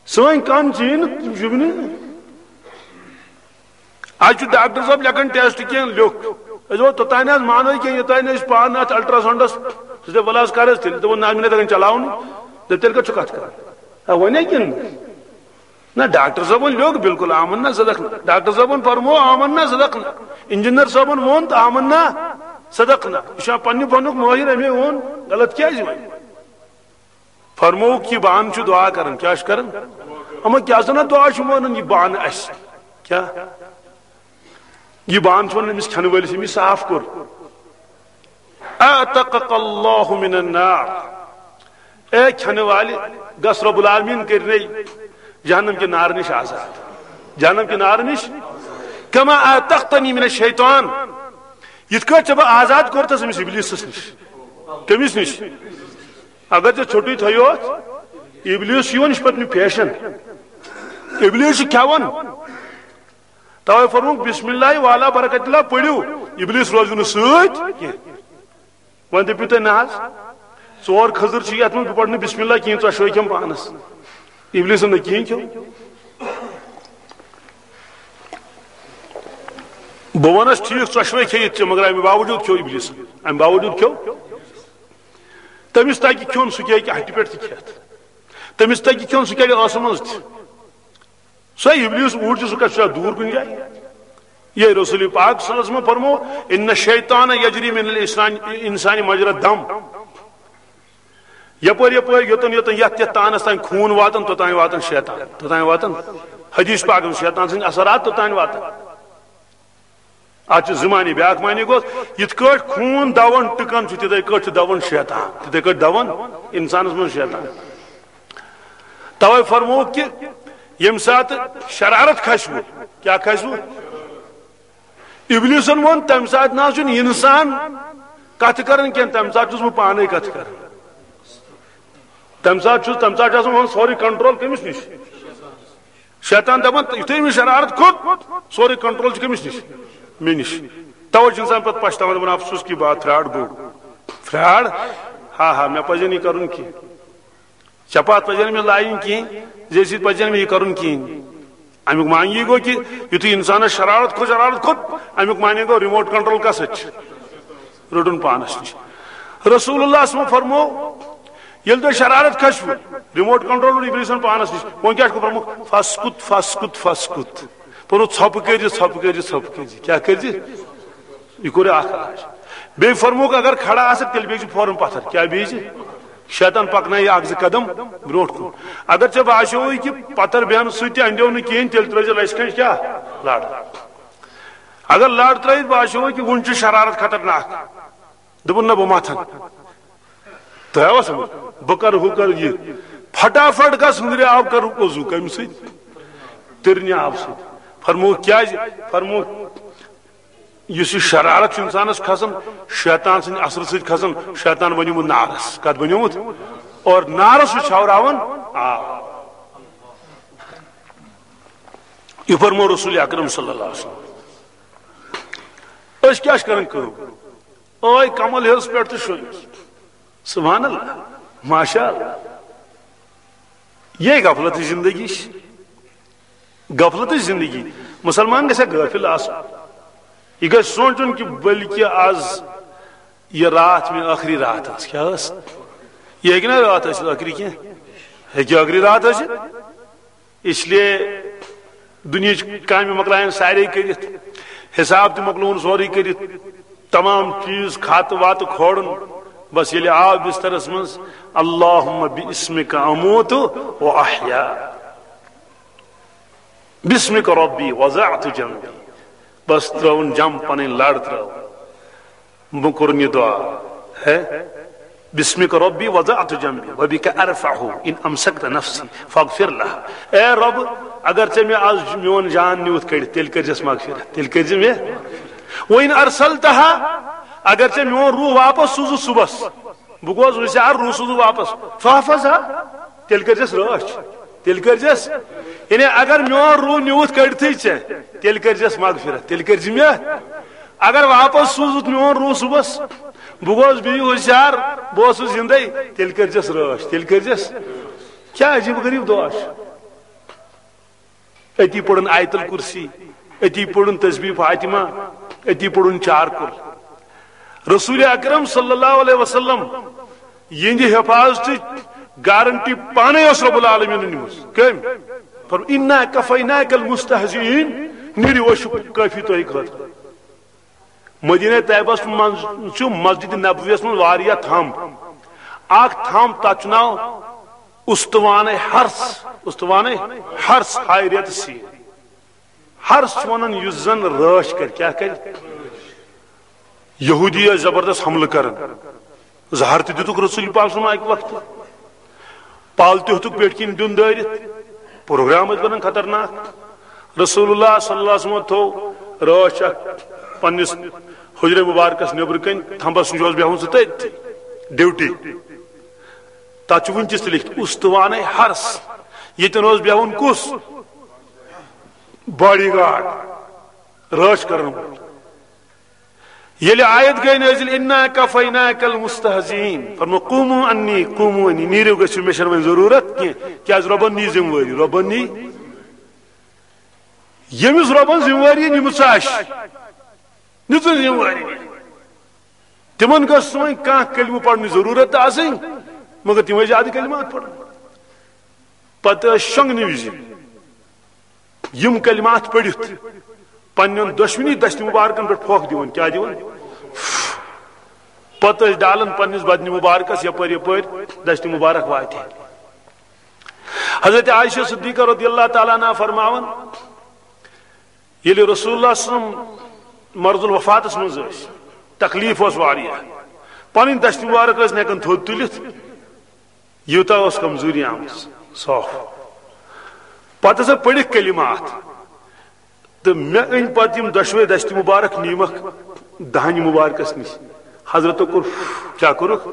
سٲنۍ کَن چھِ یہِ نہٕ، یہِ چھُ نہٕ۔ اَسہِ چھُ ڈاکٹر صٲب لیکھان ٹیسٹ کینٛہہ لیوٚکھ۔ أسۍ دَپو، "توٚتانۍ حظ مانو کینٛہہ، یوٚتانۍ أسۍ پانہٕ اَتھ الٹراساونڈَس۔" سُہ دَپہِ، "وَلہٕ حظ کَر حظ تیٚلہِ؟" دَپو، "نہ حظ، مےٚ نہ تَگان چلاوُن۔" دَپہِ، "تیٚلہِ کَتھ چھُ کَتھ کَران؟ آ، وَنے کِنہٕ نہ؟" نہ، ڈاکٹر صٲبن لیوٚکھ، بالکل آمنا صدقنا۔ ڈاکٹر صٲبن فرموو، آمنا صدقنا۔ انجینئر صٲبن ووٚن تہٕ آمنا صدقنا۔ یہِ چھُ پننہِ فنُک مٲہِر، أمۍ ووٚن، غلط کیٛازِ وۄنۍ؟ فرمووُکھ، یہِ بانہٕ چھُ دُعا کران۔ کیٛاہ چھُ کران؟ اما کیٛاہ سا نہ دُعا چھُ مانان یہِ بانہٕ اَسہِ؟ کیٛاہ؟ یہِ بانہٕ چھُ وَنان أمِس کھٮ۪نہٕ وٲلِس، أمِس صاف کوٚر۔ اعتقک اللہ من النار۔ اے کھٮ۪نہٕ والہِ، گژھ رب العالمین کٔرِنے جہنم کہِ نارٕ نِش آزاد۔ جہنم کہِ نارٕ نِش۔ کما اعتقتنی من الشیطان۔ یِتھ کٲٹھۍ ژےٚ بہٕ آزاد کوٚرتھس أمِس ابلیسس نِش۔ کٔمِس نِش؟ اگر ژےٚ ژھوٚٹُے تھٲیوتھ، ابلیس چھُ یِوان، یہِ چھُ پتہٕ مےٚ پیشن۔ ابلیس چھُ کھٮ۪وان۔ توے فرمووُکھ، بسم اللہ والا برکت اللہ پٔرِو، ابلیس روزِ نہٕ سۭتۍ کینٛہہ۔ وۄنۍ دٔپِو تُہۍ، نہ حظ، ژور کھٔزٕر چھِ یَتھ منٛز، بہٕ پَرٕ نہٕ بسم اللہ کینٛہہ، ژۄشوَے کھٮ۪م پانَس۔ ابلیسن نہٕ کِہیٖنۍ کھیوٚو۔ بہٕ وَنَس، ٹھیٖک، ژۄشوَے کھیٚیِتھ ژےٚ، مگر اَمہِ باوجوٗد کھیوٚو ابلیسن، اَمہِ باوجوٗد کھیوٚو۔ تٔمِس تَگہِ کھیوٚن، سُہ کیٛاہ ہیٚکہِ ہَٹہِ پٮ۪ٹھ تہِ کھٮ۪تھ۔ تٔمِس تَگہِ کھیوٚن، سُہ کیٛاہ ٲسہٕ منٛز تہِ۔ سُہ ابلیس اوٗرۍ چھُ، سُہ کَتہِ چھُ دور کُنہِ جایہِ؟ یہ رسول پاک صلی اللہ علیہ وسلم فرمو، ان الشیطان یجری من الانسان، انسان مجرا دم۔ یپٲرۍ یپٲرۍ، یوٚتن یوٚتن، یتھ یتھ تانس تام خوٗن واتان، توٚتام واتان شیطان، توٚتام واتان حدیث پاک، شیطان سٕنٛدۍ اثرات توٚتام واتان۔ اتھ چھِ زٕ معنی، بیٛاکھ معنی گوٚو، یِتھ کٲٹھۍ خوٗن دوان ٹٕکان چھُ، تِتھے کٲٹھۍ چھُ دوان شیطان، تِتھے کٲٹھۍ دوان انسانس منٛز شیطان۔ توے فرمووُکھ کہِ ییٚمہِ ساتہٕ شرارت کھسوٕ، کیٛاہ کھسوٕ؟ ابلیسن ووٚن، تمہِ ساتہٕ نہ حظ چھُنہٕ انسان کتھٕ کران کینٛہہ، تمہِ ساتہٕ چھُس بہٕ پانے کتھٕ کران۔ تمہِ ساتہٕ چھُس، تمہِ ساتہٕ چھُ آسان وۄنۍ سورُے کنٹرول کٔمِس نِش؟ شیطان دپان، یُتھُے أمِس شرارت کھوٚت، سورُے کنٹرول چھُ کٔمِس نِش؟ مےٚ نِش۔ توے چھُ انسان پتہٕ پچھتاوان، دپان، افسوس کی بات، فراڈ گوٚو۔ فراڈ؟ ہا ہا، مےٚ پزِ نہٕ یہِ کرُن کینٛہہ۔ چپاتھ پزِ نہٕ مےٚ لاگٕنۍ کِہیٖنۍ، زیٚیہِ سۭتۍ پزِ نہٕ مےٚ یہِ کرُن کِہیٖنۍ۔ امیُک معنی یہِ گوٚو کہِ یُتھُے انسانس شرارت کھوٚت، شرارت کھوٚت، امیُک معنی گوٚو ریموٹ کنٹرول کس اَتھِ چھُ؟ روٚٹُن پانس نِش۔ رسول اللہ صلی اللہ علیہ وسلم فرمو، ییٚلہِ تۄہہِ شرارت کھسوٕ، ریموٹ کنٹرول روٚٹ ابلیسن پانس نِش، وۄنۍ کیٛاہ چھُکھ فرمووُکھ؟ فاسکت، فاسکت، فاسکت۔ فرمووُکھ، ژھۄپہٕ کٔرۍ زِ، ژھۄپہٕ کٔرۍ زِ، ژھۄپہٕ کٔرۍ زِ۔ کیٛاہ کٔرۍ زِ؟ یہِ کوٚر اکھ علاج۔ بیٚیہِ فرمووُکھ، اگر کھڑا آسکھ، تیٚلہِ بیٚہہ زِ فوراً پتھر۔ کیٛاہ بیٚہہ زِ؟ شیطان پکنایہِ اکھ زٕ قدم برونٛٹھ کُن۔ اگر ژےٚ باسیووُے کہِ پتھر بیہنہٕ سۭتۍ تہِ اندیو نہٕ کِہیٖنۍ، تیٚلہِ ترٲوۍ زِ لژِ کھنٛج کیٛاہ؟ لڑ۔ اگر لڑ ترٲوِتھ باسیووُے کہِ وُنہِ چھُ شرارت خطرناک، دوٚپُن، نہ، بہٕ متھن۔ تۄہہِ آوا سمجھ؟ بہٕ کرٕ ہُہ کرٕ یہِ۔ پھٹافٹ گژھ ہُنٛدرِ آب کرُکھ وضو۔ کمہِ سۭتۍ؟ تٕرنہِ آبہٕ سۭتۍ۔ فرمووُکھ کیٛازِ؟ فرمووُکھ، یُس یہِ شرارت چھُ انسانس کھسان، شیطان سٕنٛدِ اثرٕ سۭتۍ کھسان، شیطان بنیومُت نارس۔ کتھ بنیومُت؟ اور نارس چھُ چھاوراوان آب۔ یہِ فرموو رسول اکرم صلی اللہ علیہ وسلم۔ أسۍ کیٛاہ چھِ کران کٲم؟ ٲے کمل ہیٚرس پٮ۪ٹھ تہٕ شۄنٛگِس۔ سبحان اللہ، ماشاء اللہ۔ یہِ غفلتٕچ زندگی چھِ۔ غفلتٕچ زندگی۔ مسلمان گژھِ ہا غٲفِل آسُن۔ یہِ گژھِ سونٛچُن کہِ بلکہِ آز یہِ راتھ مےٚ ٲخری راتھ ٲس۔ کیٛاہ ٲس؟ یہِ ہیٚکہِ نا راتھ ٲسِتھ ٲخری کینٛہہ؟ ہیٚکہِ ٲخری راتھ ٲسِتھ۔ اس لیے دُنیہٕچ کامہِ مۄکلایَن سارے کٔرِتھ، حساب تہِ مۄکلووُن سورُے کٔرِتھ، تمام چیٖز، خاتہٕ واتہٕ کھولُن۔ بس ییٚلہِ آو بسترس منٛز، اللہم باسمک اموت و احیا، باسمک ربی وضعت جنبی۔ بس ترٲوٕن جم، پنٕنۍ لڑ ترٲو۔ بہٕ کوٚرُن یہِ دعا، ہے، باسمک ربی وضعت جنبی وبک ارفعہ ان امسکت نفسی فاغفر لہا۔ اے رب، اگر ژےٚ مےٚ از میون جان نیوٗتھ کٔڑِتھ، تیٚلہِ کٔرزٮ۪س مغفرت، تیٚلہِ کٔرزِ مےٚ۔ وان ارسلتہا، اگر ژےٚ میون روح واپس سوٗزُتھ صبحس، بہٕ گوس ہوشیار، روح سوٗزُتھ واپس، فاحفظہا، تیٚلہِ کٔرزٮ۪س رٲچھ، تیٚلہِ کٔرزٮ۪س۔ یعنی اگر میون روح نیوٗتھ کٔڑتھٕے ژےٚ، تیٚلہِ کٔرزٮ۪س مغفرت، تیٚلہِ کٔرزِ مےٚ۔ اگر واپس سوٗزُتھ میون روح صبحس، بہٕ گوس بیٚیہِ ہوشیار، بہٕ اوسُس زندے، تیٚلہِ کٔرزٮ۪س رٲچھ، تیٚلہِ کٔرزٮ۪س۔ کیٛاہ عجیٖب غریٖب دعا چھُ؟ أتی پٔرٕن آیت الکرسی، أتی پٔرٕن تسبیح فاطمہ، أتی پٔرٕن چار کُل۔ رسول اکرم صلی اللہ علیہ وسلم یِہنٛدِ حفاظتٕچ گارنٹی پانے اوس رب العالمین نِمٕژ۔ کٔمۍ؟ فرموو، انا کفیناک المستہزئین، نیٖرِو، أسۍ چھِ کٲفی تۄہہِ خٲطرٕ۔ مدینہ طیبس منٛز چھُ مسجد نبویس منٛز واریاہ تھم۔ اکھ تھم، تتھ چھُ ناو استوانِ حرس، استوانِ حرس، ہاے ریتہٕ سیٖن۔ حرس چھُ ونان یُس زن رٲچھ کرِ، کیٛاہ کرِ؟ یہودی ٲسۍ زبردست حملہٕ کران۔ زہر تہِ دِتُکھ رسول پاک صلی اللہ علیہ وسلم اکہِ وقتہٕ۔ پل تہِ ہیوٚتُکھ پیٹھۍ کِنۍ دیُن دٲرِتھ۔ پروگرام ٲسۍ بنان خطرناک۔ رسول اللہ صلی اللہ علیہ وسلم تھوٚو رٲچھ اکھ پننِس حجرے مبارکس نیبرٕ کنۍ، تھمبس نِش اوس بیہوُن سُہ تٔتھۍ، ڈیوٹی۔ تتھ چھُ وُنہِ تہِ لیکھِتھ، استوانِ حرس۔ ییٚتٮ۪ن اوس بیہوُن کُس؟ Body guard. رٲچھ کرن وول۔ ییٚلہِ آیت گٔے نٲزِل، "انا کفیناک المستہزئین"، فرمو، "قوموا عنی، قوموا عنی"، نیٖرِو، گٔژھِو، مےٚ چھَنہٕ وۄنۍ ضروٗرت کینٛہہ، کیٛازِ رۄبن نی ذمہٕ وٲری، رۄبن نی، ییٚمِس رۄبن ذمہٕ وٲری نِمٕژ آسہِ، نِژٕن ذمہٕ وٲری۔ تِمن گٔژھ نہٕ وۄنۍ کانٛہہ کلمہٕ پرنٕچ ضروٗرت تہِ آسٕنۍ، مگر تِم ٲسۍ زیادٕ کلمات پران۔ پتہٕ ٲسۍ شۄنٛگنہٕ وِزِ یِم کلمات پٔرِتھ پننٮ۪ن دۄشوٕنی دستہِ مبارکن پٮ۪ٹھ پھۄکھ دِوان۔ کیٛاہ دِوان؟ پتہٕ ٲسۍ ڈالان پننِس بدنِ مبارکس یپٲرۍ یپٲرۍ دستہِ مبارک واتہِ۔ حضرت عائشہ صدیقہ رضی اللہ تعالیٰ عنہا فرماوان، ییٚلہِ رسول اللہ صلی اللہ علیہ وسلم مرض الوفاتس منٛز ٲسۍ، تکلیف اوس واریاہ، پنٕنۍ دستہِ مبارک ٲسۍ نہٕ ہٮ۪کان تھوٚد تُلِتھ، یوٗتاہ اوس کمزوری آمٕژ۔ صاف۔ پتہٕ ہسا پٔرِکھ کلمات، تہٕ مےٚ أنۍ پتہٕ یِم دۄشوے دستہِ مبارک، نیٖمکھ دہنہِ مبارکس نِش۔ حضرتو کوٚر، کیٛاہ کوٚرُکھ؟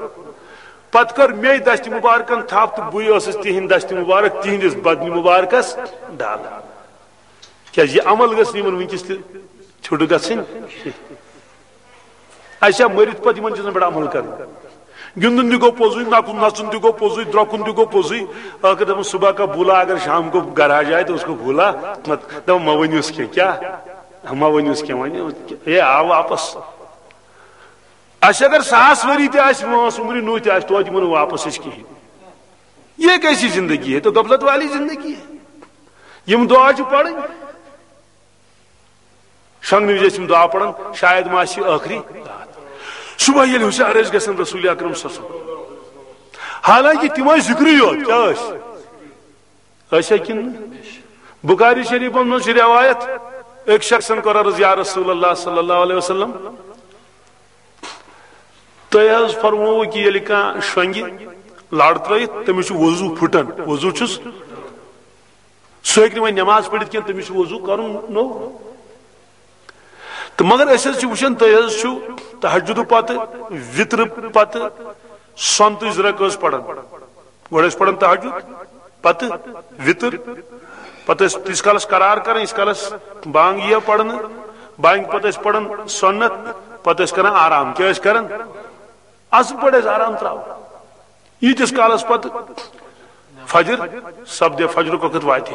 پتہٕ کٔر مے دستہِ مبارکن تھپھ تہٕ بٕے ٲسٕس تِہنٛدِ دستہِ مبارک تِہنٛدِس بدنہِ مبارکس ڈالان۔ کیٛازِ یہِ عمل گژھِ نہٕ یِمن وٕنکیٚس تہِ ژھیوٚٹ گژھٕنۍ۔ اَسہِ چھا مٔرِتھ پتہٕ یِمن چیٖزن پٮ۪ٹھ عمل کرُن؟ گِنٛدُن تہِ گوٚو پوٚزُے، نَکُن نَژُن تہِ گوٚو پوٚزُے، درٛۄکُن تہِ گوٚو پوٚزُے۔ ٲخٕر دَپان، "صُبح کا بھولا، اگر شام کو گھر آ جائے تو اس کو بھولا مت۔" دَپان، "مہ ؤنِوس کینٛہہ۔" کیٛاہ؟ مہ ؤنِوس کینٛہہ، وۄنۍ ہے آو واپس۔ اَسہِ اگر ساس ؤری تہِ آسہِ وٲنٛس عمرِ نوٗ تہِ آسہِ، توتہِ یِمو نہٕ واپس أسۍ کِہیٖنۍ۔ یہ کیسی زندگی ہے؟ تو غفلت والی زندگی ہے۔ یِم دُعا چھِ پَرٕنۍ۔ شۄنٛگنہٕ وِزِ ٲسۍ یِم دُعا پَران، شاید ما آسہِ یہِ ٲخری راتھ۔ صُبح ییٚلہِ ہُشار ٲسۍ گژھان رسول اکرم صلی اللہ علیہ وسلم، حالانکہ تِم ٲسۍ ذِکرٕے یوت، کیٛاہ ٲسۍ؟ ٲسۍ ہا کِنہٕ نہٕ؟ بخاری شریفس منٛز چھِ روایت، أکۍ شخصن کوٚر عرض، "یا رسول اللہ صلی اللہ علیہ وسلم، تۄہہِ حظ فرمووُ کہِ ییٚلہِ کانٛہہ شۄنٛگہِ لَر ترٲیِتھ، تٔمِس چھُ وضوٗ پھُٹان، وضوٗ چھُس، سُہ ہیٚکہِ نہٕ وۄنۍ نٮ۪ماز پٔرِتھ کینٛہہ، تٔمِس چھُ وضوٗ کَرُن نوٚو۔" تہٕ مگر أسۍ حظ چھِ وٕچھان، تُہۍ حظ چھِو تہجدٕ پتہٕ، وِترٕ پتہٕ سۄنتٕچ زٕ رکٲژ پران۔ گۄڈٕ ٲسۍ پران تہجد، پتہٕ وِتر، پتہٕ ٲسۍ تیٖتِس کالس قرار کران، ییٖتِس کالس بانگ یِیہِ پرنہٕ۔ بانگہِ پتہٕ ٲسۍ پران سۄنت، پتہٕ ٲسۍ کران آرام۔ کیٛاہ ٲسۍ کران؟ اصل پٲٹھۍ ٲسۍ آرام تراوان۔ ییٖتِس کالس پتہٕ فجر سپدِ، فجرُک وقت واتہِ۔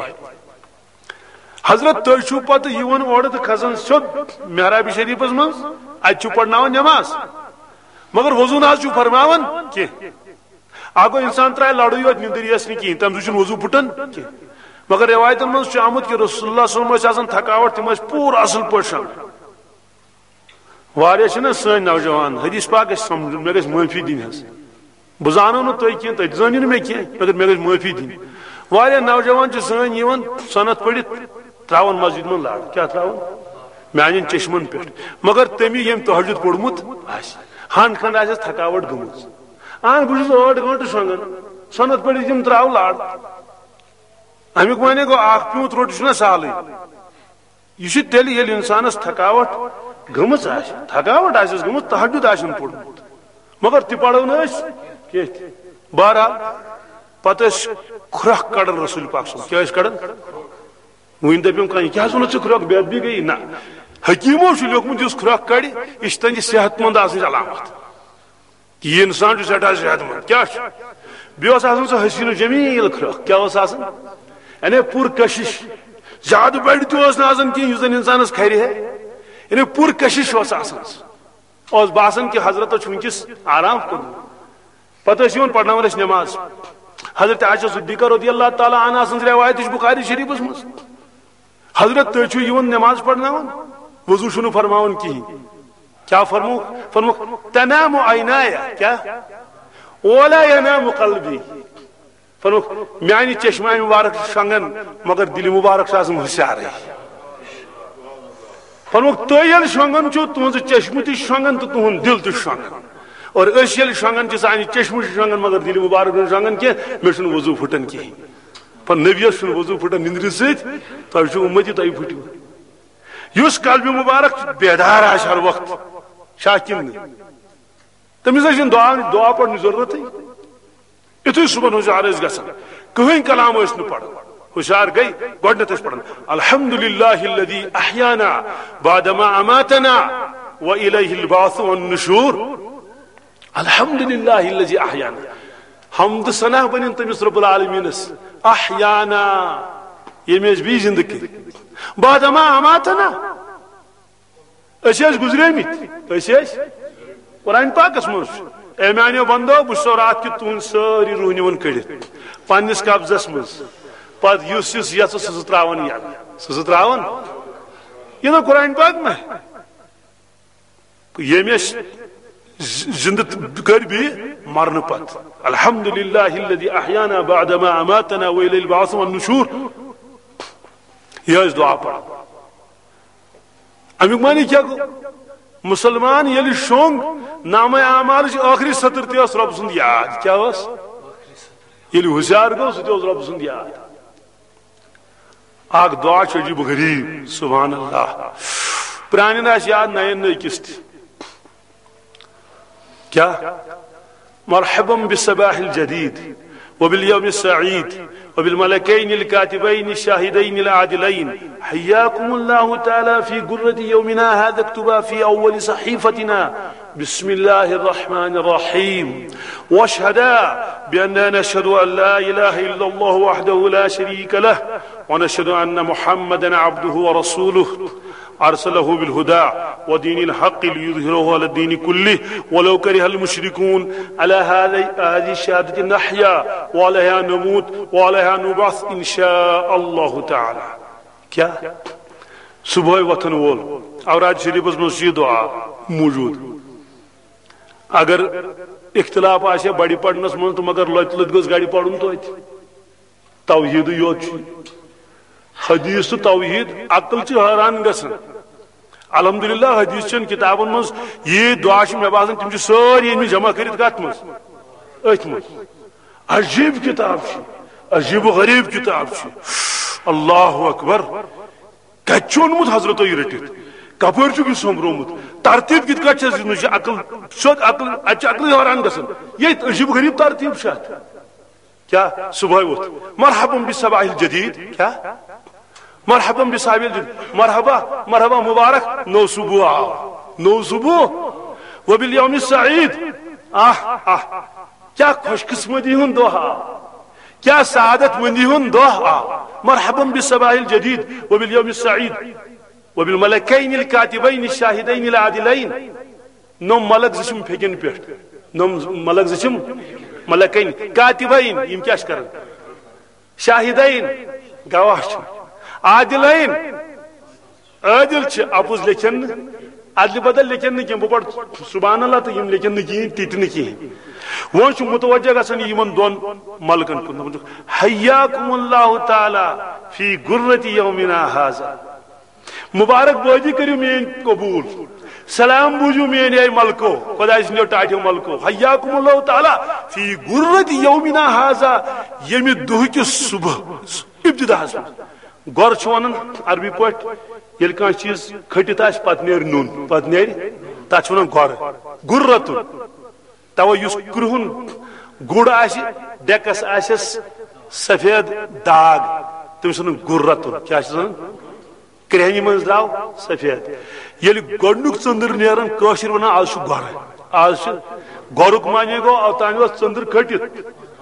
حضرت، تُہۍ چھِو پتہٕ یِوان اورٕ تہٕ کھسان سیوٚد محراب شریفس منٛز، اتہِ چھِو پرناوان نماز، مگر وضو نہ حظ چھِو فرماوان کینٛہہ۔ اکھ گوٚو، انسان ترٛایہِ لڑٕے یوت، نِندٕر یِیَس نہٕ کِہیٖنۍ، تَمہِ سۭتۍ چھُنہٕ وضو پھُٹان کینٛہہ۔ مگر رٮ۪وایتن منٛز چھُ آمُت کہِ رسول اللہ صلی اللہ علیہ وسلم ٲسۍ آسان تھکاوٹ، تِم ٲسۍ پوٗرٕ اصل پٲٹھۍ شۄنٛگان۔ واریاہ چھِنہ سٲنۍ نوجوان، حدیث پاک گژھِ سمجھُن، مےٚ گژھِ معٲفی دِنۍ حظ۔ بہٕ زانو نہٕ تُہۍ کینٛہہ، تُہۍ تہِ زٲنِو نہٕ مےٚ کینٛہہ، مگر مےٚ گژھِ معٲفی دِنۍ۔ واریاہ نوجوان چھِ سٲنۍ یِوان سۄنت پٔرِتھ، ترٛاوان مسجد منٛز لڑ۔ کیٛاہ ترٛاوان؟ میٛانٮ۪ن چشمن پٮ۪ٹھ۔ مگر تٔمۍ ییٚمۍ تہجد پوٚرمُت آسہِ، ہن کھنڈ آسٮ۪س تھکاوٹ گٔمٕژ۔ اہن، بہٕ چھُس ٲٹھ گٲنٛٹہٕ شۄنٛگان، سۄنت پٔرِتھ یِم ترٛاو لڑ۔ اَمیُک معنی گوٚو، اکھ پیوٗنٛت روٚٹ چھُنہ سہلٕے۔ یہِ چھُ تیٚلہِ، ییٚلہِ اِنسانَس تھکاوٹ گٔمٕژ آسہِ، تھکاوٹ آسٮ۪س گٔمٕژ، تہجد آسٮ۪ن پوٚرمُت، مگر تہِ پَرو نہٕ أسۍ کینٛہہ تہِ۔ بہرحال، پَتہٕ ٲسۍ کھرٛکھ کَڑان رسول پاک صٲب۔ کیٛاہ ٲسۍ کَڑان؟ وۄنۍ دَپیوم کانٛہہ، "یہِ کیٛاہ حظ ووٚنُتھ ژےٚ کھرٛکھ؟" بے ادبی گٔیی؟ نہ، حکیٖمو چھُ لیوٗکھمُت، یُس کھرٛکھ کَڑِ، یہِ چھِ تٔہٕنٛدِ صحت منٛد آسنٕچ علامت۔ یہِ انسان چھُ سٮ۪ٹھاہ صحت مند۔ کیٛاہ چھُ؟ بیٚیہِ اوس آسان سُہ حسین و جمیل کھرٛکھ۔ کیٛاہ اوس آسان؟ یعنی پُر کشش۔ زیادٕ بڑِ تہِ اوس نہٕ آسان کینٛہہ، یُس زن انسانس کھرِ ہے۔ یعنی پُر کشش اوس آسان سُہ۔ اوس باسان کہِ حضرتس چھُ وٕنکیٚس آرام کوٚرمُت۔ پتہٕ ٲسۍ یِوان پرناوان ٲسۍ نماز۔ حضرت عائشہ صدیقہ رضی اللہ تعالیٰ عنہا سٕنٛز روایت چھِ بخاری شریفس منٛز۔ حضرت، تُہۍ چھِو یِوان نماز پرناوان، وضو چھُنہٕ فرماوان کِہیٖنۍ۔ کیٛاہ فرمووُکھ؟ فرمووُکھ، "تنام عینایا"، کیٛاہ؟ "ولا ینام قلبی"۔ فرمووُکھ، "میٛانہِ چشمہ مبارک چھِ شۄنٛگان، مگر دِلہِ مبارک چھُ آسان ہُشارٕے۔" فرمووُکھ، "تُہۍ ییٚلہِ شۄنٛگان چھِو، تُہٕنٛزٕ چشمہٕ تہِ چھِ شۄنٛگان تہٕ تُہُنٛد دِل تہِ چھُ شۄنٛگان۔ اور أسۍ ییٚلہِ شۄنٛگان چھِ، سانہِ چشمہٕ چھِ شۄنٛگان، مگر دِلہِ مبارک چھُنہٕ شۄنٛگان کینٛہہ، مےٚ چھُنہٕ وضو پھُٹان کِہیٖنۍ۔" پر نبیَس چھُنہٕ وضو پھُٹان نِندرِ سۭتۍ، تۄہہِ چھُو اُمتی، تۄہہِ پھُٹِو۔ یُس قلبِ مبارک بیدار آسہِ ہر وقت، چھا کِنہٕ نہٕ؟ تٔمِس ٲسۍ نہٕ دعا، دعا پرنٕچ ضروٗرتٕے۔ یُتھُے صُبحن ہُشار ٲسۍ گژھان، کٕہٕنۍ کلام ٲسۍ نہٕ پران۔ ہوشیار گئی، گۄڈٕنیتھ ٲسۍ پران، "الحمد للہ الذی احیانا بعد ما اماتنا و الیہ البعث والنشور۔" الحمد للہ الذی احیانا۔ حمد ثنا بنن تٔمِس رب العالمینس، احیانا، ییٚمۍ أسۍ بیٚیہِ زندٕ کٔرۍ۔ بعد ما اماتنا، أسۍ ٲسۍ گُزریمٕتۍ، أسۍ ٲسۍ۔ قرآن پاکس منٛز چھُ، "اے میانیو بندو، بہٕ چھُسو راتھ کیُتھ تُہنٛد سٲری روح نِوان کٔڑِتھ پننِس قبضس منٛز، پتہٕ یُس یُس یژھٕ سُہ سُہ تراوان یلہٕ، سُہ سُہ تراوان۔" یہِ نہ قرآن پاک ما؟ ییٚمۍ أسۍ ز-، زندٕ کٔرۍ بیٚیہِ مرنہٕ پتہٕ۔ الحمد للہ الذی احیانا بعد ما اماتنا و الیہ البعث والنشور۔ یہِ ٲسۍ دعا پران۔ امیُک معنی کیٛاہ گوٚو؟ مسلمان ییٚلہِ شۄنٛگ، نامہ اعمالٕچ ٲخری سطر تہِ ٲس رۄب سُنٛد یاد۔ کیٛاہ ٲس؟ ییٚلہِ ہوشیار گوٚو، سُہ تہِ اوس رۄب سُنٛد یاد۔ اکھ دعا چھُ عجیب و غریب، سبحان اللہ۔ پرٛانٮ۪ن آسہِ یاد، نَین نہٕ أکِس تہِ۔ کیٛاہ؟ "مرحبا بالصباح الجديد وباليوم السعيد وبالملكين الكاتبين الشاهدين العادلين، حياكم الله تعالى في غرة يومنا هذا، اكتبا في أول صحيفتنا بسم الله الرحمن الرحيم، واشهدا بأننا نشهد أن لا إله إلا الله وحده لا شريك له، ونشهد أن محمدا عبده ورسوله، أرسله بالهدى ودين الحق ليظهره على الدين كله ولو كره المشركون، على هذه، هذه الشهادة نحيا وعليها نموت وعليها نبعث إن شاء الله تعالى۔" کیٛاہ؟ صبحٲے وۄتھن وول، اوراد شریفس منٛز چھُ یہِ دعا موجود۔ اگر اختلاف آسہِ ہا بڑِ پرنس منٛز تہٕ مگر لۄتہِ لۄتہِ گوٚژھ گڑِ پرُن توتہِ۔ توحیٖدٕے یوت چھُ۔ حدیث تہٕ توحیٖد، عقل چھِ حٲران گژھان۔ الحمدللہ، حدیث چٮ۪ن کتابن منٛز یہِ دعا چھِ مےٚ باسان تِم چھِ سٲری أنۍمٕتۍ جمع کٔرِتھ کتھ منٛز؟ أتھۍ منٛز۔ عجیب کتاب چھِ، عجیب و غریب کتاب چھِ۔ اللہ اکبر۔ کتہِ چھُ اوٚنمُت حضرتو یہِ رٔٹِتھ؟ کپٲرۍ چھُکھ یہِ سوٚمبرومُت؟ ترتیٖب کِتھ کٲٹھۍ چھَس دِژمٕژ؟ یہِ عقل، سیوٚد عقل، اَتہِ چھِ عقلٕے حٲران گژھان۔ یہِ عجیٖب غریٖب ترتیٖب چھِ اَتھ۔ کیٛاہ؟ صبحٲے ووٚتھ، "مرحبا بالصباح الجدید۔" کیٛاہ؟ "مرحبا بالصباح الجدید۔" مرحبا، مرحبا مبارک، نوٚو صبح آو، نوٚو صبح۔ "وبالیوم السعید۔" آہ، آہ۔ کیا خوش قسمتی ہُنٛد دۄہ آو، کیا سعادت مندی ہُنٛد دۄہ آو۔ مرحبا بالصباح الجدید وبالیوم السعید وبالملکین الکاتبین الشاہدین العادلین۔ نوٚم ملک زٕ چھِم پھیٚکٮ۪ن پٮ۪ٹھ، نوٚم ملک زٕ چھِم ملکین کاتبین، یِم کیا چھِ کران؟ شاہدین، گواہ چھِ، عادلین، عادل چھِ، اپُز لیکھن نہٕ، عدلہِ بدل لیکھن نہٕ کینٛہہ۔ بہٕ پرٕ سبحان اللہ تہٕ یِم لیکھن نہٕ کِہیٖنۍ، تہِ تہِ نہٕ کِہیٖنۍ۔ وۄنۍ چھُ متوجہ گژھان یِمن دۄن ملکن کُن، دَپان چھُکھ، "حیاکم اللہ تعالیٰ فی غرۃ یومنا ھذا۔" مبارک بٲدی کٔرِو میٲنۍ قبول، سلام بوٗزِو میٲنۍ اے ملکو، خۄداے سٕنٛدیو ٹاٹھیو ملکو، حیاکم اللہ تعالیٰ فی غرۃ یومنا ھذا، ییٚمہِ دۄہہٕ کِس صبح ابتداہس منٛز۔ گۄر چھُ ونان عربی پٲٹھۍ، ییٚلہِ کانٛہہ چیٖز کھٔٹِتھ آسہِ، پتہٕ نیرِ نوٚن، پتہٕ نیرِ، تتھ چھِ ونان گۄر، غرۃ۔ توے یُس کرٛہُن گُر آسہِ، ڈیکس آسٮ۪س سفید داغ، تٔمِس ونان غرۃ۔ کیٛاہ چھِس ونان؟ کرٛہنہِ منٛز درٛاو سفید۔ ییٚلہِ گۄڈٕنیُک ژٔنٛدٕر نیران، کٲشِر ونان، "از چھُ گۄرٕ۔" از چھُ گۄرُک معنی گوٚو، اوتام اوس ژٔنٛدٕر کھٔٹِتھ،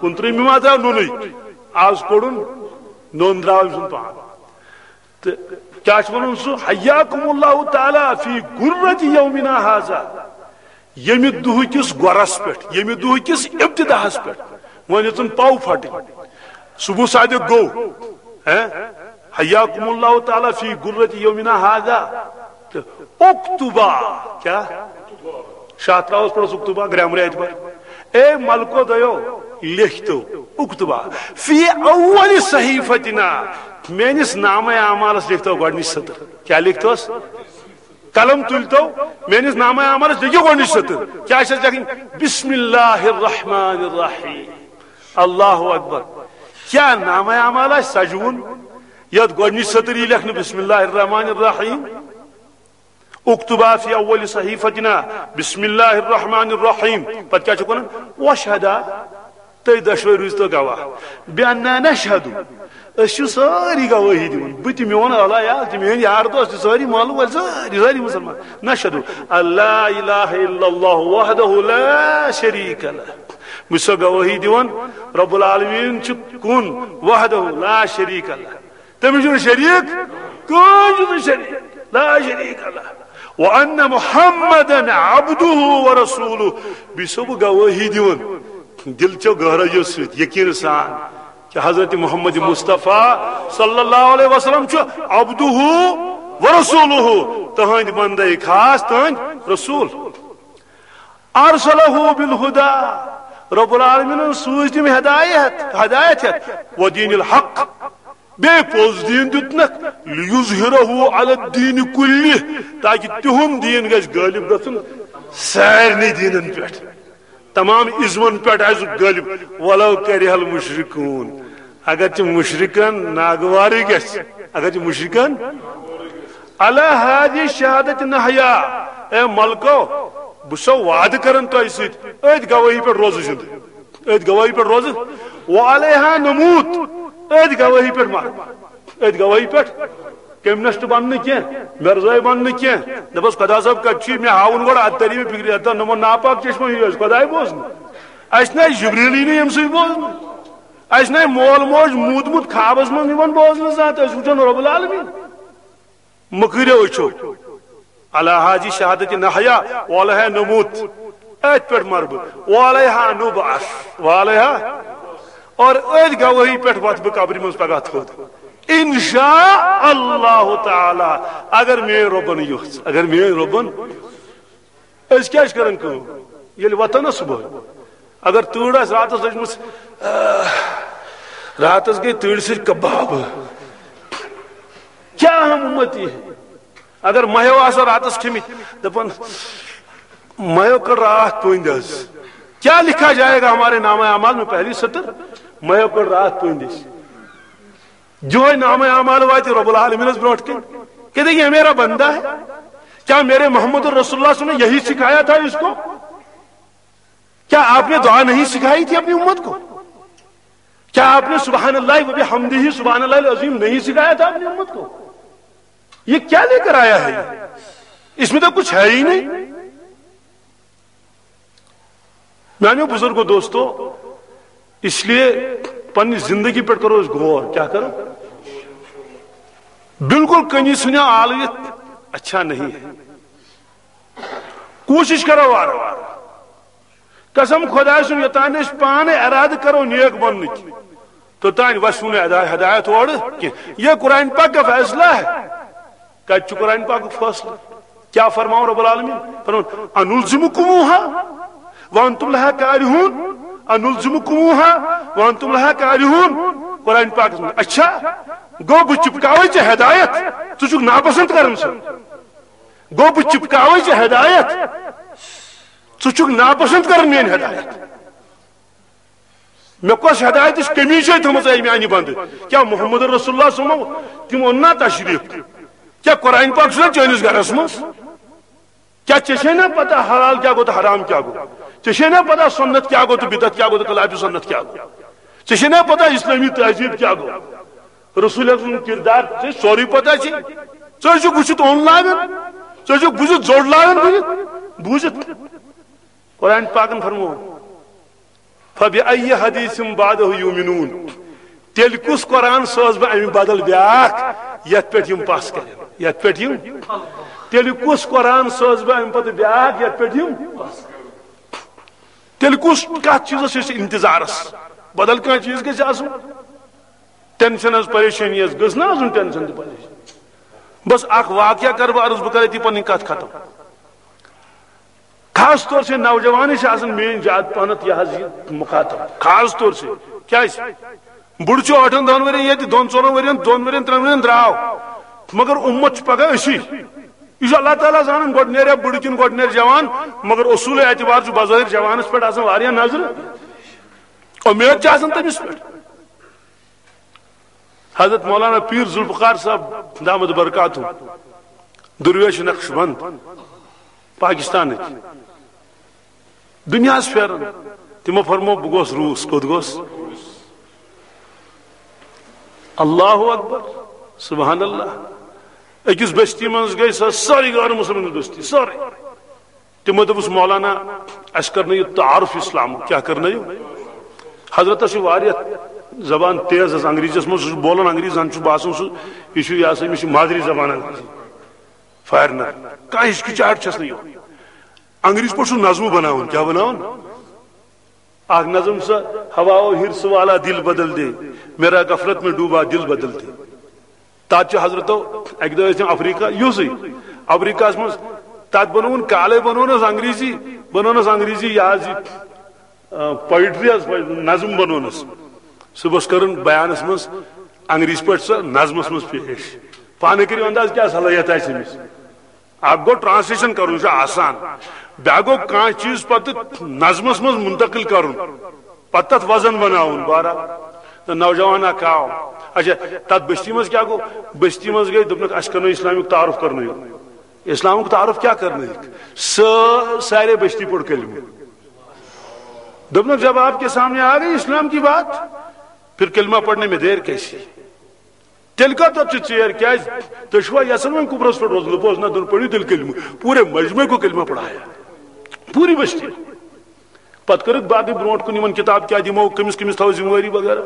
کُنترٛہمہِ ما درٛاو نوٚنُے، از کوٚڑُن نوٚن، درٛاو أمۍ سُنٛد پان۔ تہٕ کیٛاہ چھُ وَنان سُہ؟ "حیاکم اللہ تعالیٰ فی غرۃ یومنا ھذا"، ییٚمہِ دُہہٕ کِس گۄرس پٮ۪ٹھ، ییٚمہِ دُہہٕ کِس ابتداہس پٮ۪ٹھ۔ وۄنۍ ییٚژٕن پاو پھٹٕنۍ، صبح صادق گوٚو، ہیں؟ "حیاکم اللہ تعالیٰ فی غرۃ یومنا ھذا"۔ تہٕ اکتبا، کیٛاہ؟ شاہ تراوس پڑھس اکتبا، گرامر اعتبار۔ اے ملکو دۄیو، لیکھتو، اکتبا فی اول صحیفتنا، میٲنِس نامہ اعمالس لیکھتو گۄڈٕنِچ سطر۔ کیٛاہ لیکھتوس؟ قلم تُلتو، میٲنِس نامہ اعمالس لیکھِو گۄڈٕنِچ سطر۔ کیٛاہ چھس لیکھٕنۍ؟ بسم اللہ الرحمن الرحیم۔ اللہ اکبر۔ کیٛاہ نامہ اعمال آسہِ سجوُن، یتھ گۄڈٕنِچ سطر یی لیکھنہٕ بسم اللہ الرحمن الرحیم؟ اکتبا فی اول صحیفتنا بسم اللہ الرحمن الرحیم۔ پتہٕ کیٛاہ چھُکھ ونان؟ واشہدا، تُہۍ دۄشوَے روٗزتو گواہ۔ بِأَنَّا نَشْهَدُ، أسۍ چھِ سٲری گوٲہی دِوان، بہٕ تہِ، میون علایا تہِ، میٲنۍ یار دوس تہِ، سٲری محلہٕ وٲلۍ، سٲری، سٲری مُسلمان۔ نَشْهَدُ أَنْ لَا إِلَٰهَ إِلَّا اللَّهُ وَحْدَهُ لَا شَرِيكَ لَهُ۔ بہٕ چھُسو گوٲہی دِوان، رب العالمین چھُ کُن، وحدہ لا شریک لہ، تٔمِس چھُنہٕ شریٖک، کٕہٕنۍ چھُنہٕ شریٖک، لا شریک لہ۔ وَأَنَّ مُحَمَّدًا عَبْدُهُ وَرَسُولُهُ۔ بیٚیہِ چھُسو بہٕ گوٲہی دِوان، دِل چو گہرٲیو سۭتۍ، یقیٖن سان، کہ حضرت محمد مصطفیٰ صلی اللہ علیہ وسلم چھُ عبدہ و رسولہ، تہنٛدۍ بندے خاص، تہنٛدۍ رسول۔ ارسلہ بالہدی، رب العالمینن سوٗز تِم ہدایت، ہدایت ہیتھ، و دین الحق، بیٚیہِ پوٚز دیٖن دیُتنکھ، لیظہرہ علی الدین کلہ، تاکہ تِہُنٛد دیٖن گژھِ غٲلب گژھُن سارنٕے دیٖنن پٮ۪ٹھ، تمام ازمن پٮ۪ٹھ آسہِ غٲلب، ولو کرہ المشرکون، اگرچہ مشرکن ناگوارٕے گژھِ، اگرچہ مشرکن۔ علی ہذہ شہادت نحیا، اے ملکو، بہٕ چھُسو وعدٕ کران تۄہہِ سۭتۍ، أتھۍ گوٲہی پٮ۪ٹھ روزٕ زِندٕ، أتھۍ گوٲہی پٮ۪ٹھ روزٕ، وعلیہا نموت، أتھۍ گوٲہی پٮ۪ٹھ مرٕ، أتھۍ گوٲہی پٮ۪ٹھ۔ کمیونسٹ بنہٕ نہٕ کینٛہہ، مرزٲے بنہٕ نہٕ کینٛہہ۔ دپس خدا صٲب کتہِ چھُے؟ مےٚ ہاوُن گۄڈٕ، اتہِ تری مےٚ فکرِ، اتہِ نمو ناپاک چشمہ ہیوٗ اَسہِ خداے بوزنہٕ۔ اَسہِ نہ آسہِ جبریٖلٕے نہٕ ییٚمہِ سۭتۍ بوزنہٕ۔ اَسہِ نہ آسہِ مول موج موٗدمُت خوابس منٛز یِوان بوزنہٕ زانٛہہ تہٕ أسۍ وٕچھو رب العالمین۔ مہٕ کٔرِو أچھو۔ علی ہذہ شہادت نحیا، وعلیہا نموت۔ أتھۍ پٮ۪ٹھ مرٕ بہٕ۔ وعلیہا نبعث۔ وعلیہا۔ اور أتھۍ گوٲہی پٮ۪ٹھ وۄتھٕ بہٕ قبرِ منٛز پگاہ تھوٚد۔ انشاء اللہ تعالیٰ، اگر میٲنۍ رۄبن یوٚژھ، اگر میٲنۍ رۄبن۔ أسۍ کیٛاہ چھِ کران کٲم؟ ییٚلہِ وۄتھان نا صبحٲے، اگر تۭر آسہِ راتس لٔجمٕژ، آہ، راتس گٔے تۭرِ سۭتۍ کباب، کیا ہم امتی ہے؟ اگر مہیو آسو راتس کھیٚمٕتۍ، دپان، مہیو کٔڑ راتھ پٔنٛدۍ حظ، کیا لکھا جائے گا ہمارے نامہ اعمال میں؟ پہلی سطر، مہیو کٔڑ راتھ پٔنٛدۍ أسۍ۔ یہوے نامہ اعمال واتہِ رب العالمینس برونٹھ کن کہ دیکھیے، یہ میرا بندہ ہے، کیا میرے محمد رسول اللہ صلی اللہ علیہ وسلم نے یہی سکھایا تھا اس کو؟ کیا آپ نے دعا نہیں سکھائی تھی اپنی امت کو؟ کیا آپ نے سبحان اللہ و بحمدہ سبحان اللہ العظیم نہیں سکھایا تھا اپنی امت کو؟ یہ کیا لے کر آیا ہے؟ اس میں تو کچھ ہے ہی نہیں۔ میانیو بزرگو دوستو، اس لیے پننی زندگی پر کرو اس غور۔ کیا کرو؟ بالکل کنی سنیا آلویت اچھا نہیں ہے۔ کوشش کرو وار وار۔ قسم خدا سُنٛد، یوٚتام أسۍ پانہٕ ارادٕ کرو نیک بننٕکۍ، توٚتام وسہِ نہٕ ہدا-، ہدایت اورٕ کینٛہہ۔ یہ قرآن پاک کا فیصلہ ہے۔ کتہِ چھُ قرآن پاکُک فٲصلہٕ؟ کیا فرماوُن رب العالمین؟ فرماوُن، "انلزمکموہا وانتم لہا کارہون، انلزمکموہا وانتم لہا کارہون۔" قرآن پاکس منٛز۔ اچھا، گوٚو بہٕ چپکاوے ژےٚ ہدایت، ژٕ چھُکھ ناپسند کران سُہ۔ گوٚو بہٕ چپکاوے ژےٚ ہدایت، ژٕ چھُکھ ناپسند کران میٲنۍ ہدایت۔ مےٚ کۄس ہدایتٕچ کٔمی چھے تھٲومٕژ اے میانہِ بندٕ؟ کیٛاہ محمد رسول اللہ صلی اللہ علیہ وسلم تِم اوٚن نا تشریف؟ کیٛاہ قرآن پاک چھُنہ چٲنِس گرس منٛز؟ کیٛاہ ژےٚ چھے نا پتہ حلال کیٛاہ گوٚو تہٕ حرام کیٛاہ گوٚو؟ ژےٚ چھے نا پتہ سنت کیٛاہ گوٚو تہٕ بدعت کیٛاہ گوٚو تہٕ خلاف سنت کیٛاہ گوٚو؟ ژےٚ چھے نا پتہ اسلٲمی تہذیب کیٛاہ گوٚو؟ رسول اکرم سُنٛد کردار ژےٚ سورُے پتہ چھے۔ ژٕ ٲسِکھ وٕچھِتھ اوٚن لاگان، ژٕ ٲسِکھ بوٗزِتھ زوٚڑ لاگان بوٗزِتھ، بوٗزِتھ۔ قرآن پاکن فرموو، "فبأي حديث بعده يؤمنون؟" تیٚلہِ کُس قرآن سوز بہٕ اَمہِ بدل بیٛاکھ یَتھ پٮ۪ٹھ یِم پَس کَرن؟ یَتھ پٮ۪ٹھ یِم؟ تیٚلہِ کُس قرآن سوز بہٕ اَمہِ پتہٕ بیٛاکھ یَتھ پٮ۪ٹھ یِم؟ تیٚلہِ کُس، کَتھ چیٖزَس چھِ أسۍ اِنتظارَس؟ بدل کانٛہہ چیٖز گژھِ آسُن۔ ٹینشن حظ، پریشٲنی حظ گٔژھ نہ آسُن، ٹینشن تہٕ پریشٲنی۔ بس اکھ واقعہ کرٕ بہٕ عرض، بہٕ کرٕ أتی پنٕنۍ کتھ ختم۔ خاص طور سے نوجوانٕے چھِ آسان میٲنۍ زیادٕ پہنتھ یہِ حظ یہِ مخاطب۔ خاص طور سے کیازِ؟ بُڈٕ چھُ ٲٹھن دہن ؤرین ییٚتہِ، دۄن ژورن ؤرین، دۄن ؤرین، ترٛٮ۪ن ؤرین درٛاو، مگر اُمت چھُ پگاہ أسی۔ یہِ چھُ اللہ تعالیٰ زانان، گۄڈٕ نیرِ بُڈٕ کِنہٕ گۄڈٕ نیرِ جوان، مگر اصوٗل اعتبار چھُ بظٲہر جوانس پٮ۪ٹھ آسان واریاہ نظرٕ۔ اُمید چھِ آسان تٔمِس پٮ۪ٹھ۔ حضرت مولانا پیر ذوالفقار صاحب دامت برکاتہم، درویش نقشبند، پاکستانٕکۍ، دُنیاہس پھیران۔ تِمو فرمو، بہٕ گوس روٗس۔ کوٚت گوس؟ اللہ اکبر، سبحان اللہ۔ أکِس بستی منٛز گٔے سۄ سٲرٕے غٲر مسلم بستی، سٲرٕے۔ تِمو دوٚپُس، مولانا، اَسہِ کرنٲیِو تعارف اسلامُک۔ کیٛاہ کرنٲیِو؟ حضرتس چھِ واریاہ زبان تیز حظ انگریزیس منٛز، سُہ چھُ بولان انگریز، زن چھُ باسان سُہ، یہِ چھُ، یہِ ہسا، أمِس چھِ مادری زبان انگریزی۔ فارنر، کانٛہہ ہچکچاہٹ چھَس نہٕ یِوان۔ انگریز پٲٹھۍ چھُ نظمہٕ بناوُن، کیٛاہ بناوُن؟ اکھ نظم سا، ہواؤ حرص والا دل بدل دے، میرا غفلت میں ڈوبا دل بدل دے۔ تتھ چھُ حضرتو اکہِ دۄہ ٲسۍ تِم افریقہ، یُسٕے افریقہس منٛز، تتھ بنووُن کالے، بنوونس انگریزی، بنوونس انگریزی یہِ حظ یہِ، آ، پوئٹری حظ، نظم بنوونس۔ صبحس کٔرٕن بیانس منٛز انگریزی پٲٹھۍ سۄ نظمس منٛز پیش۔ پانہٕ کٔرِو انداز کیٛاہ صلٲحیت آسہِ أمِس۔ اکھ گوٚو ٹرانسلیشن کرُن، چھُ آسان، بیٛاکھ گوٚو کانٛہہ چیٖز پتہٕ نظمس منٛز منتقل کرُن، پتہٕ تتھ وزن بناوُن۔ بہرحال، تہٕ نوجوان اکھ آو۔ اچھا، تتھ بستی منٛز کیٛاہ گوٚو؟ بستی منٛز گٔے، دوٚپنکھ، اسہِ کرنٲیِو اسلامیُک تعارف کرنٲیِو۔ اسلامُک تعارف کیٛاہ کرنٲیِکھ؟ سٲ-، سارے بستی پوٚر کلمہٕ۔ دوٚپنکھ، جب آپ کے سامنے آ گئی اسلام کی بات، پھر کلمہ پڑھنے میں دیر کیسی؟ تیٚلہِ کَتھ تَتھ چھِ ژیر؟ کیٛازِ؟ تُہۍ چھِوا یَژھان وۄنۍ قُبرَس پٮ۪ٹھ روزُن؟ دوٚپُس، نہ، دوٚپُن، پٔرِو تیٚلہِ کلمہٕ۔ پوٗرے مجمعے کو کلمہ پڑھایا، پوٗری بستی۔ پَتہٕ کٔرٕکھ باقٕے برونٛٹھ کُن یِمَن کِتاب کیٛاہ دِمو، کٔمِس کٔمِس تھاوو ذمہٕ وٲری وغیرہ۔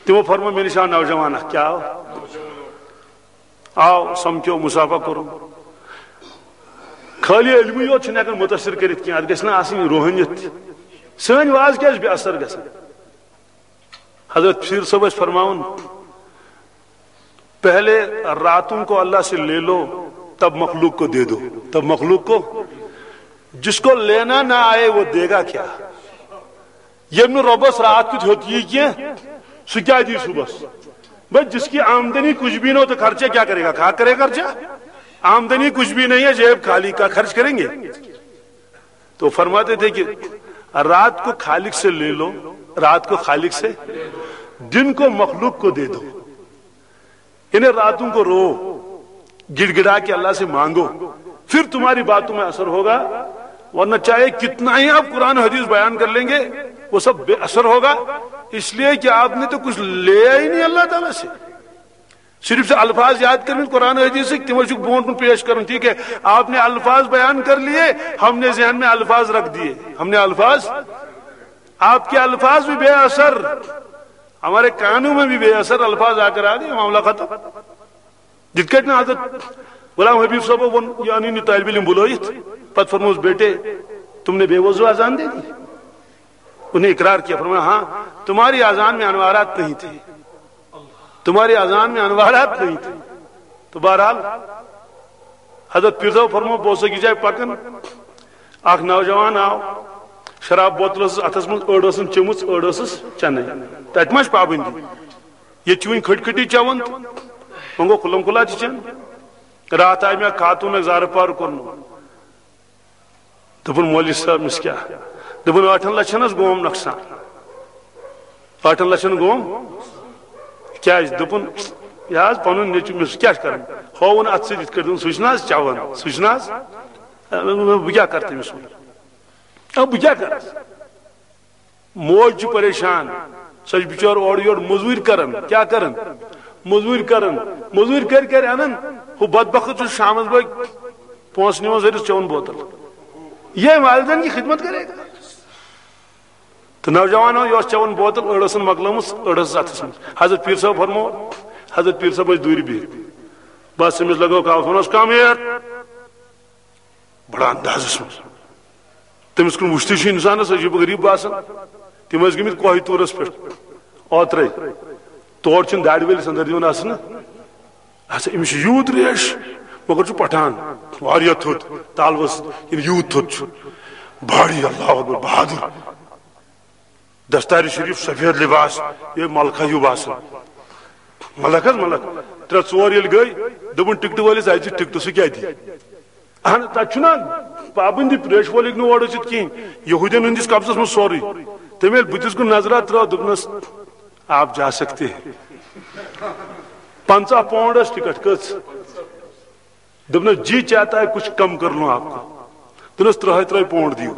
تِمو فرموو، مےٚ نِش آو نوجوان اکھ، کیٛاہ آو؟ آو، سَمکھیو، مُصافہ کوٚرُن۔ خٲلی علمٕے یوت چھُنہٕ ہٮ۪کان مُتٲثر کٔرِتھ کینٛہہ، اَتھ گژھِ نہ آسٕنۍ روحٲنیت تہِ۔ سٲنۍ واز کیٛازِ بے اثر گژھان؟ حضرت پیر صٲب ٲسۍ فرماوان، پہلے راتوں کو اللہ سے لے لو، تب مخلوق کو دے دو۔ تب مخلوق کو، جس کو لینا نہ آئے، وہ دے گا کیا؟ ییٚمۍ نہٕ رۄبس راتھ کیُتھ ہیوٚت یی کینٛہہ، سُہ کیٛاہ دی صُبحس؟ بھائی، جس کی آمدنی کچھ بھی نہ ہو تو خرچہ کیا کرے گا؟ کھا کرے خرچہ؟ آمدنی کچھ بھی نہیں ہے، جیب خالی، کیا خرچ کریں گے؟ تو فرماتے تھے کہ رات کو خالق سے لے لو، رات کو خالق سے، دن کو مخلوق کو دے دو۔ یعنی راتوں کو رو، گڑ گڑا کے اللہ سے مانگو، پھر تمہاری باتوں میں اثر ہوگا۔ ورنہ چاہے کتنا ہی آپ قرآن حدیث بیان کر لیں گے، وہ سب بے اثر ہوگا، اس لیے کہ آپ نے تو کچھ لیا ہی نہیں اللہ تعالیٰ سے۔ صرف سے الفاظ یاد کرنے قرآن حدیث سے، تمہیں چھ بونٹ کن پیش کرن، ٹھیک ہے؟ آپ نے الفاظ بیان کر لیے، ہم نے ذہن میں الفاظ رکھ دیے، ہم نے الفاظ، آپ کے الفاظ بھی بے اثر، ہمارے کانوں میں بھی بے اثر الفاظ آ کر آ گئے، معاملہ ختم۔ یِتھ کٲٹھۍ نہٕ حضرت غلام حبیب صٲبو ووٚن، یہِ اَنٕنۍ یہِ طٲلبِ علم بُلٲیِتھ، پتہٕ فرمووُس، بیٹے، تم نے بے وضو اذان دے دی؟ انہیں اقرار کیا، فرمایا، ہاں، تمہاری اذان میں انوارات نہیں تھے، تمہاری اذان میں انوارات نہیں تھے۔ تو بہرحال، حضرت پیر صٲب فرموو، بہٕ اوسُس أکِس جایہِ پکان، اکھ نوجوان آو، شراب بوتل ٲسٕس اتھس منٛز، أڑ ٲسٕم چٔمٕژ، أڑ ٲسٕس چنٕے۔ تتہِ ما چھِ پابندی؟ ییٚتہِ چھِ وٕنہِ کھٔٹۍ کھٔٹی چٮ۪وان تہٕ وۄنۍ گوٚو کھُلم کھُلا تہِ چٮ۪ن۔ راتھ آیہِ مےٚ خاتوٗن اکھ زارٕ پار کوٚرمُت۔ دوٚپُن، مولوی صٲب، أمِس کیٛاہ؟ دوٚپُن، ٲٹھن لچھن حظ گوم نۄقصان۔ ٲٹھن لچھن گوم؟ کیٛازِ؟ دوٚپُن، یہِ حظ پنُن نیٚچوٗ، مےٚ سُہ کیٛاہ چھُ کران؟ ہووُن اتھٕ سۭتۍ یِتھ کٲٹھۍ، دوٚپُن، سُہ چھُنہٕ حظ چٮ۪وان، سُہ چھُنہٕ حظ؟ بہٕ کیٛاہ کرٕ تٔمِس وۄنۍ؟ آ، بہٕ کیٛاہ کرٕ؟ موج چھِ پریشان، سۄ چھِ بِچٲر اورٕ یورٕ مٔزوٗرۍ کران، کیٛاہ کران؟ مٔزوٗرۍ کران، مٔزوٗرۍ کٔرۍ کٔرۍ اَنان، ہُہ بدبخت چھُ شامَس بٲگۍ پونٛسہٕ نِوان زٔرِس چٮ۪وان بوتل۔ یہ والدین کی خدمت کرے گا؟ تہٕ نوجوان یہِ اوس چٮ۪وان بوتل، أڑ ٲسٕن مۄکلٲمٕژ، أڑ ٲسٕس اَتھَس منٛز۔ حضرت پیٖر صٲب فرموو، حضرت پیٖر صٲب ٲسۍ دوٗرِ بِہِتھ، بس أمِس لگٲو کاوَس، ووٚنُس، "Come here، بڑا اندازس منٛز۔" تٔمِس کُن وٕچھتھٕے چھُ انسانس عجیب و غریب باسان۔ تِم ٲسۍ گٔمٕتۍ کوہ طورس پٮ۪ٹھ اوترے۔ تور چھِنہٕ دارِ وٲلِس اندر دِوان اژنہٕ۔ اچھا، أمِس چھُ یوٗت ریش، مگر چھُ پٹھان واریاہ تھوٚد، تالوس کِنہٕ یوٗت تھوٚد چھُ۔ بھاری، اللہ اکبر، بہادر۔ دستار شریف، سفید لباس، یہِ ملکہ ہیوٗ باسان۔ ملک حظ ملک۔ ترٛےٚ ژور ییٚلہِ گٔے، دوٚپُن ٹکٹہٕ وٲلِس، "اَسہِ دِ ٹکٹہٕ، سُہ کیٛاہ دِ؟" اہن، تَتہِ چھُنہ پابندی، پریش وول ہیٚکہِ نہٕ اورٕ ٲسِتھ کِہیٖنۍ۔ یہوٗدین ہٕنٛدِس قبضس منٛز سورُے۔ تٔمۍ ییٚلہِ بٕتھِس کُن نظرا ترٲو، دوٚپنس، "آپ جا سکتے ہیں۔" پنٛژاہ پونڈ ٲس ٹکٹ، کٔژ؟ دوٚپنَس، "جی چاہتا ہے کچھ کم کر لوں آپ کو۔" دوٚپنَس، "ترٛہَے ترٛہَے پونڈ دِیِو۔"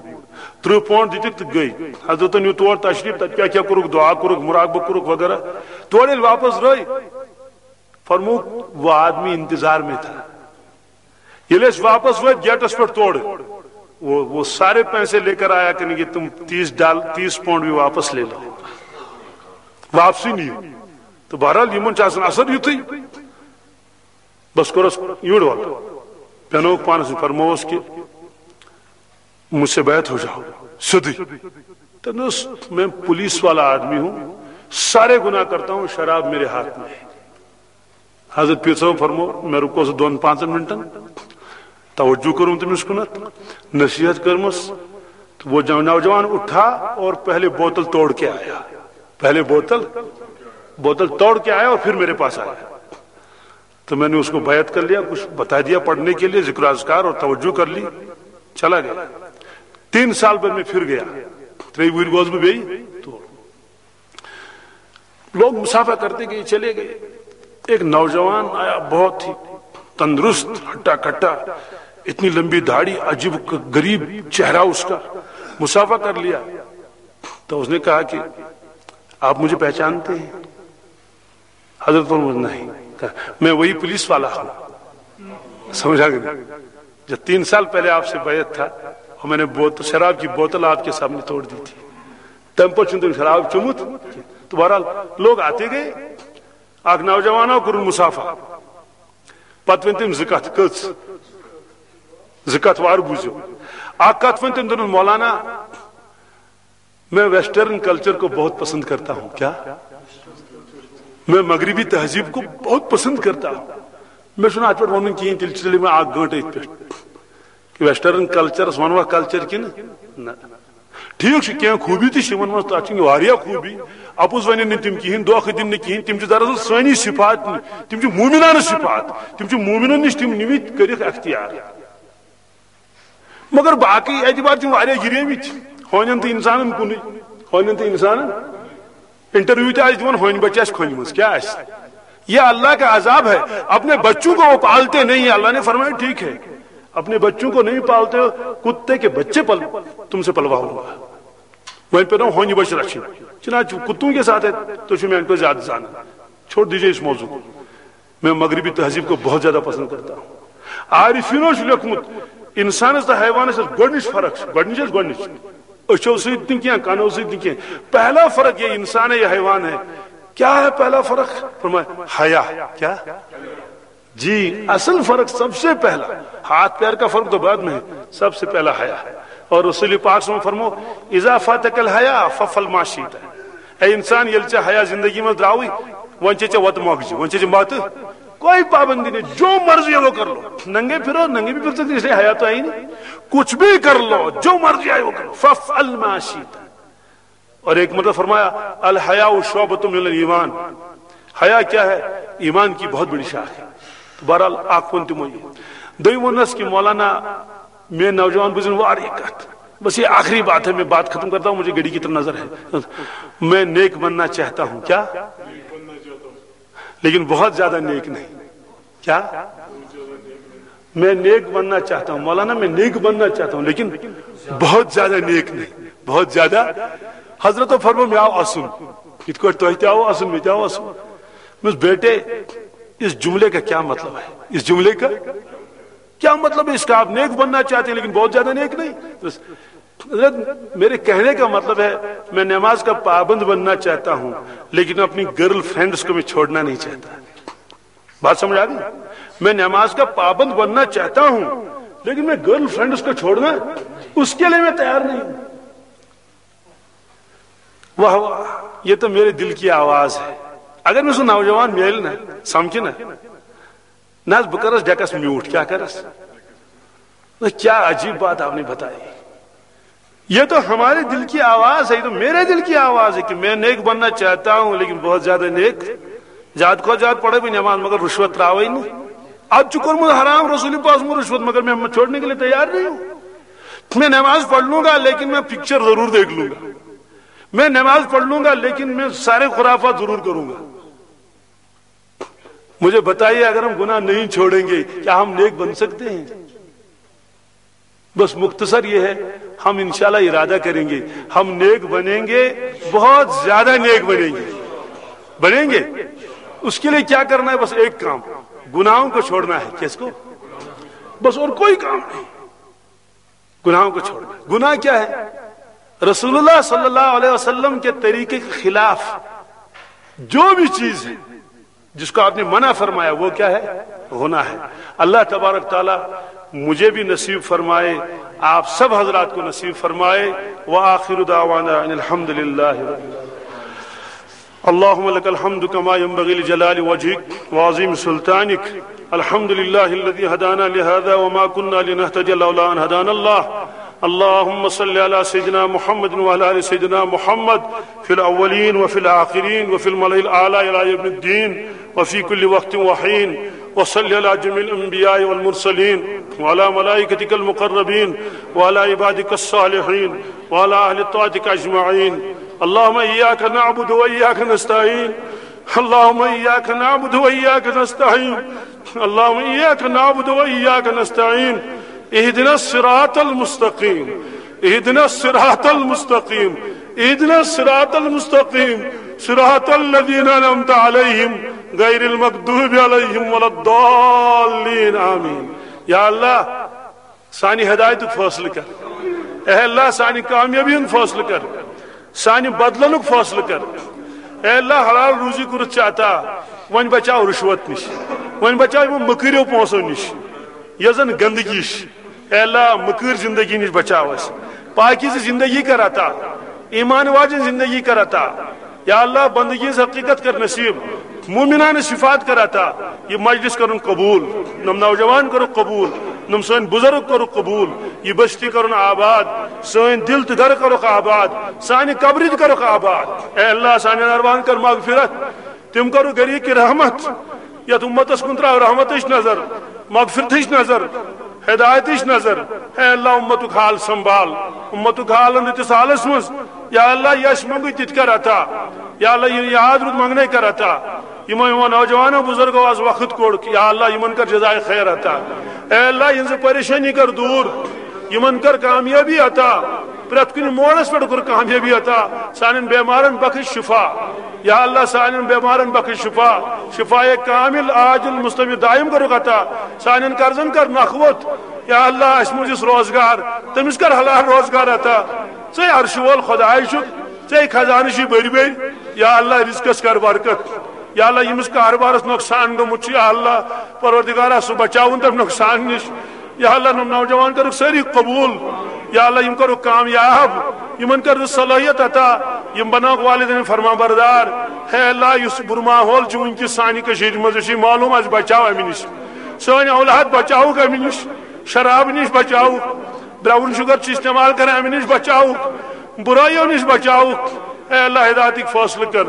ترٕٛہ پونڈ دِتِکھ تہٕ گٔے۔ حضرتن نیوٗ تور تشریف، تتہِ کیٛاہ کیٛاہ کوٚرُکھ، دعا کوٚرُکھ، مراقبہٕ کوٚرُکھ وغیرہ۔ تورٕ ییٚلہِ واپس درٛاے، فرمووُکھ، وہ آدمی انتظار میں تھا۔ ییٚلہِ أسۍ واپس وٲتۍ گیٹس پٮ۪ٹھ تورٕ، وہ وہ سارے پیسے لے کر آیا کہ نہیں، تم تیس ڈال، تیس پونڈ بھی واپس لے لو۔ واپسٕے نِیِو۔ تہٕ بہرحال یِمن چھُ آسان اثر یُتھُے۔ بس کوٚرُس یوٗرۍ وَتھ۔ پیٛانووُکھ پانس نِش، فرمووُس کہ مجھ سے بیعت ہو جاؤ، سیوٚدُے۔ تٔمۍ دوٚپُس، میں پولیس والا آدمی ہوں، سارے گناہ کرتا ہوں، شراب میرے ہاتھ میں ہے۔ حضرت پیر صٲب فرمو، مےٚ رُکو سُہ دۄن پانٛژن منٹن، توجہ کوٚرُم تٔمِس کُنتھ، نصیحت کٔرمٕژ۔ تو وہ جو-، نوجوان اٹھا اور پہلے بوتل توڑ کے آیا۔ پہلے بوتل، بوتل توڑ کے آیا اور پھر میرے پاس آیا۔ تو میں نے اس کو بیعت کر لیا، کچھ بتا دیا پڑھنے کے لیے، ذکر اذکار اور توجہ کر لی، چلا گیا۔ تین سال بعد میں پھر گیا، ترٛیٚیہِ وُہٕرۍ گوس بہٕ بیٚیہِ تور۔ لوگ مسافہ کرتے گئے، چلے گئے۔ ایک نوجوان آیا، بہت ہی تندرست، ہٹا کٹا، اتنی لمبی داڑھی، عجیب غریب چہرہ اس کا۔ مسافہ کر لیا تو اس نے کہا کہ آپ مجھے پہچانتے ہیں؟ حضرت فرمایا، نہیں۔ کہا، میں وہی پولیس والا ہوں۔ سمجھا کہ نہیں؟ جو تین سال پہلے آپ سے بیعت تھا اور میں نے بوتل، شراب کی بوتل آپ کے سامنے توڑ دی تھی۔ تمہِ پتہٕ چھُنہٕ تٔمۍ شراب چوٚمُت۔ تو بہرحال لوگ آتے گئے، اکھ نوجوان آو، کوٚرُن مسافہ۔ پتہٕ ؤنۍ تٔمۍ زٕ کتھٕ، کٔژ؟ زٕ کتھٕ وارٕ بوٗزِو۔ اکھ کتھ ؤنۍ تٔمۍ، دوٚپُن، مولانا، میں ویسٹرن کلچر کو بہت پسند کرتا ہوں۔ کیا؟ میں مغربی تہذیب کو بہت پسند کرتا ہوں۔ مےٚ چھُنہٕ اتھ پٮ۪ٹھ ونُن کِہیٖنۍ، تیٚلہِ چھِ، تیٚلہِ مےٚ اکھ گٲنٛٹہٕ أتھۍ پٮ۪ٹھ۔ کہ ویسٹرن کلچرس ونوا کلچر کِنہٕ نہ؟ ٹھیک چھُ، کینٛہہ خوٗبی تہِ چھِ یِمن منٛز، تتھ چھِ واریاہ خوٗبی۔ اپُز ونن نہٕ تِم کِہیٖنۍ، دھوکہٕ دِن نہٕ کِہیٖنۍ، تِم چھِ دراصل سٲنی صفات، تِم چھِ مومنانہٕ صفات، تِم چھِ مومنن نِش تِم نِمٕتۍ کٔرِکھ اختیار۔ مگر باقی اعتبار چھِ واریاہ گِریمٕتۍ، ہونٮ۪ن تہٕ انسانن کُنُے، ہونٮ۪ن تہٕ انسانن۔ انٹرویو تہِ آسہِ دِوان، ہونۍ بچہِ آسہِ کھۄنہِ منٛز، کیٛاہ آسہِ؟ یہ اللہ کا عذاب ہے۔ اپنے بچوں کو وہ پالتے نہیں ہیں۔ اللہ نے فرمایا، ٹھیک ہے، اپنے بچوں کو نہیں پالتے ہو، کتے کے بچے پل، تم سے پلواؤں گا۔ وۄنۍ پیٚنو ہونہِ بچہِ رچھِنۍ۔ چنانچہ کتوں کے ساتھ ہے، تُہۍ چھِو میانہِ کھۄتہٕ زیادٕ زانان۔ چھوڑ دیجیے اس موضوع کو۔ میں مغربی تہذیب کو بہت زیادہ پسند کرتا ہوں۔ عارفینو چھُ لیوٚکھمُت، انسانس تہٕ حیوانس چھِ گۄڈنِچ فرق، چھِ گۄڈنِچ، چھِ گۄڈنِچ۔ أچھو سۭتۍ نہٕ کینٛہہ، کَنو سۭتۍ نہٕ کینٛہہ۔ پہلا فرق یہ انسان ہے یا حیوان ہے۔ کیا ہے پہلا فرق؟ فرمایا، حیا۔ کیا؟ جی، اصل فرق سب سے پہلا، ہاتھ پیر کا فرق تو بعد میں ہے، سب سے پہلا حیا ہے۔ اور رسول پاک صلی اللہ علیہ وسلم فرمو، اذا فاتک الحیا ففعل ما شئت۔ اے انسان، ییٚلہِ ژےٚ حیا زندگی منٛز درٛاوٕے، وۄنۍ چھے ژےٚ وتہٕ مۄکجہِ، وۄنۍ چھے ژےٚ متہٕ، کوئی پابندی نہیں، جو مرضی ہے وہ کر لو۔ ننگے پھرو، ننگے بھی پھر سکتے، اس لیے حیا تو ہے ہی نہیں۔ کچھ بھی کر لو، جو مرضی آئے وہ کر لو، ففعل ما شئت۔ اور ایک مطلب فرمایا، الحیاء شعبۃ من الایمان۔ حیا کیا ہے؟ ایمان کی بہت بڑی شاخ ہے۔ تو بہرحال، اکھ ووٚن تِمو یہِ۔ دوٚیِم ووٚننس کہ مولانا، میٲنۍ نوجوان بوٗزِن واریاہ کتھ۔ بس یہ آخری بات ہے، میں بات ختم کرتا ہوں، مجھے گھڑی کی طرف نظر ہے۔ میں نیک بننا چاہتا ہوں۔ کیا؟ لیکن بہت زیادہ نیک نہیں۔ کیا؟ میں نیک بننا چاہتا ہوں مولانا، میں نیک بننا چاہتا ہوں، لیکن بہت زیادہ نیک نہیں، بہت زیادہ۔ حضرت فرمو، مےٚ آو اَسُن، یِتھ کٲٹھۍ تۄہہِ تہِ آو اَسُن، مےٚ تہِ آو اَسُن۔ مےٚ ووٚنُس، بیٹے، اس جملے کا کیا مطلب ہے؟ اس جملے کا کیا مطلب ہے اس کا؟ آپ نیک بننا چاہتے ہیں لیکن بہت زیادہ نیک نہیں۔ بس، حضرت، میرے کہنے کا مطلب ہے، میں نماز کا پابند بننا چاہتا ہوں، لیکن اپنی گرل فرینڈز کو میں چھوڑنا نہیں چاہتا۔ بات سمجھ آ گئی؟ میں نماز کا پابند بننا چاہتا ہوں، لیکن میں گرل فرینڈز کو چھوڑنا، اس کے لیے میں تیار نہیں ہوں۔ واہ واہ، یہ تو میرے دل کی آواز ہے۔ اگر مےٚ سُہ نوجوان میلہِ نا، سمکھِ نا، نہ حظ، بہٕ کرس ڈیکس میوٗٹھ، کیٛاہ کرس؟ نہ، کیا عجیب بات آپ نے بتائی۔ یہ تو ہمارے دل کی آواز ہے، یہ تو میرے دل کی آواز ہے کہ میں نیک بننا چاہتا ہوں، لیکن بہت زیادہ نیک، زیادٕ کھۄتہٕ زیادٕ پرٕ بہٕ نماز، مگر رشوت ترٛاوٕے نہٕ۔ اتھ چھُ کوٚرمُت حرام رسول پاک سُنٛد رشوت، مگر میں چھوڑنے کے لیے تیار نہیں ہوں۔ میں نماز پڑھ لوں گا، لیکن میں پکچر ضرور دیکھ لوں گا۔ میں نماز پڑھ لوں گا، لیکن میں سارے خرافات ضرور کروں گا۔ مجھے بتائیے، اگر ہم گناہ نہیں چھوڑیں گے، کیا ہم نیک بن سکتے ہیں؟ بس مختصر یہ ہے، ہم انشاءاللہ ارادہ کریں گے، ہم نیک بنیں گے، بہت زیادہ نیک بنیں گے۔ بنیں گے؟ اس کے لیے کیا کرنا ہے؟ بس ایک کام، گناہوں کو چھوڑنا ہے۔ کس کو؟ بس، اور کوئی کام نہیں، گناہوں کو چھوڑنا ہے۔ گناہ کیا ہے؟ رسول اللہ صلی اللہ علیہ وسلم کے طریقے کے خلاف جو بھی چیز ہے، جس کو آپ نے منع فرمایا، وہ کیا ہے؟ گناہ ہے۔ اللہ تبارک تعالیٰ مجھے بھی نصیب فرمائے، آپ سب حضرات کو نصیب فرمائے۔ وآخر دعوانا ان الحمد للہ رب العالمین۔ اللهم لك الحمد كما ينبغي لجلال وجهك وعظيم سلطانك۔ الحمد لله الذي هدانا لهذا وما كنا لنهتدي لولا أن هدانا الله۔ اللهم صل على سيدنا محمد وعلى آل سيدنا محمد في الأولين وفي الآخرين وفي الملأ الأعلى إلى يوم الدين وفي كل وقت وحين۔ وصل على جميع الأنبياء والمرسلين وعلى ملائكتك المقربين وعلى عبادك الصالحين وعلى أهل طاعتك أجمعين۔ اللهم إياك نعبد وإياك نستعين۔ اللهم إياك نعبد وإياك نستعين۔ اللهم إياك نعبد وإياك نستعين۔ اهدنا الصراط المستقيم۔ اهدنا الصراط المستقيم۔ اهدنا الصراط المستقيم۔ صراط الذين أنعمت عليهم غير المغضوب عليهم ولا الضالين۔ آمين۔ یا اللہ، سانہِ ہدایتُک فٲصلہٕ کر۔ اے اللہ، سانہِ کامیٲبی ہُنٛد فٲصلہٕ کر۔ سانہِ بدلنُک فٲصلہٕ کر۔ اے اللہ، حلال روزی کوٚرُتھ ژےٚ عطا، وۄنۍ بچاو رُشوت نِش، وۄنۍ بچاو یِمو مٔکٕرٮ۪و پونٛسو نِش، یۄس زن گندگی چھِ۔ اے اللہ، مٔکٕر زندگی نِش بچاو اَسہِ، پاکیزٕ زندگی کر عطا، ایمان واجن زندگی کر عطا۔ یا اللہ، بندگی ہٕنٛز حقیقت کر نصیب، مومنانہٕ صفات کر عطا۔ یہِ مجلس کرُن قبول، نم نوجوان کرُکھ قبول، نم سٲنۍ بزرگ کرُکھ قبول، یہِ بستی کرُن آباد، سٲنۍ دل تہٕ گرٕ کرُکھ آباد، سانہِ قبرِ تہِ کرُکھ آباد۔ اے اللہ، سانٮ۪ن ارواحن کر مغفرت، تِم کرُکھ غریق رحمت، یتھ امتس کُن تراو رحمتٕچ نظر، مغفرتٕچ نظر، ہدایتٕچ نظر۔ اے اللہ، امتُک حال سنبھال، امتُک حال ان رٕتِس حالس منٛز۔ یا اللہ، یس منٛگُے تہِ تہِ کر عطا۔ یا اللہ، یہِ یاد روٗد منٛگنے کر عطا۔ یِمو، یِمو نوجوانو بزرگو از وقت کوٚڑ، یا اللہ، یِمن کر جزائے خیر عطا۔ اے اللہ، یِہنٛزٕ پریشٲنی کر دوٗر، یِمن کر کامیٲبی عطا، پرٛٮ۪تھ کُنہِ موڑس پٮ۪ٹھ کر کامیٲبی عطا۔ سانٮ۪ن بٮ۪مارن بخش شفا۔ یا اللہ، سانٮ۪ن بٮ۪مارن بخش شفا، شفایے کامل عاجل مستمر دائم کرُکھ عطا۔ سانٮ۪ن قرضن کر نکھ ووٚتھ۔ یا اللہ، اَسہِ منٛز یُس روزگار، تٔمِس کر حلال روزگار عطا۔ ژے عرشہِ وول خداے چھُکھ، ژے خزانہٕ چھِ بٔرۍ بٔرۍ۔ یا اللہ، رزقس کر برکت۔ یا اللہ، ییٚمِس کاربارس نۄقصان گوٚمُت چھُ، یا اللہ، پروردگارا، سُہ بچاوُن تَمہِ نۄقصان نِش۔ یا اللہ، یِم نوجوان کٔرٕکھ سٲری قبول۔ یا اللہ، یِم کٔرٕکھ کامیاب، یِمن کٔرٕکھ صلٲحیت عطا، یِم بناوکھ والدین فرما بردار۔ ہے اللہ، یُس بُرٕ ماحول چھُ وٕنکیٚس سانہِ کٔشیٖرِ منٛز، یہِ چھُ معلوم، اَسہِ بچاو اَمہِ نِش، سٲنۍ اولاد بچاوُکھ اَمہِ نِش، شراب نِش بچاوُکھ، براؤن شوگر چھِ استعمال کران، اَمہِ نِش بچاوُکھ، بُرٲیو نِش بچاوُکھ۔ اے اللہ، ہدایتٕکۍ فٲصلہٕ کر۔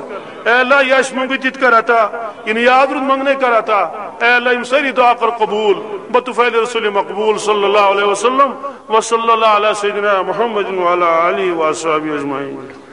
اے اللہ، یہِ اَسہِ منٛگُے تہِ تہِ کر عطا، یہِ نہٕ یاد روٗد منٛگنے کر عطا۔ اے اللہ، یِم سٲری دعا کر قبول۔ بطفیل رسول مقبول صلی اللہ علیہ وسلم۔ وصلی اللہ علی سیدنا محمد وعلی آلہ وصحبہ اجمعین۔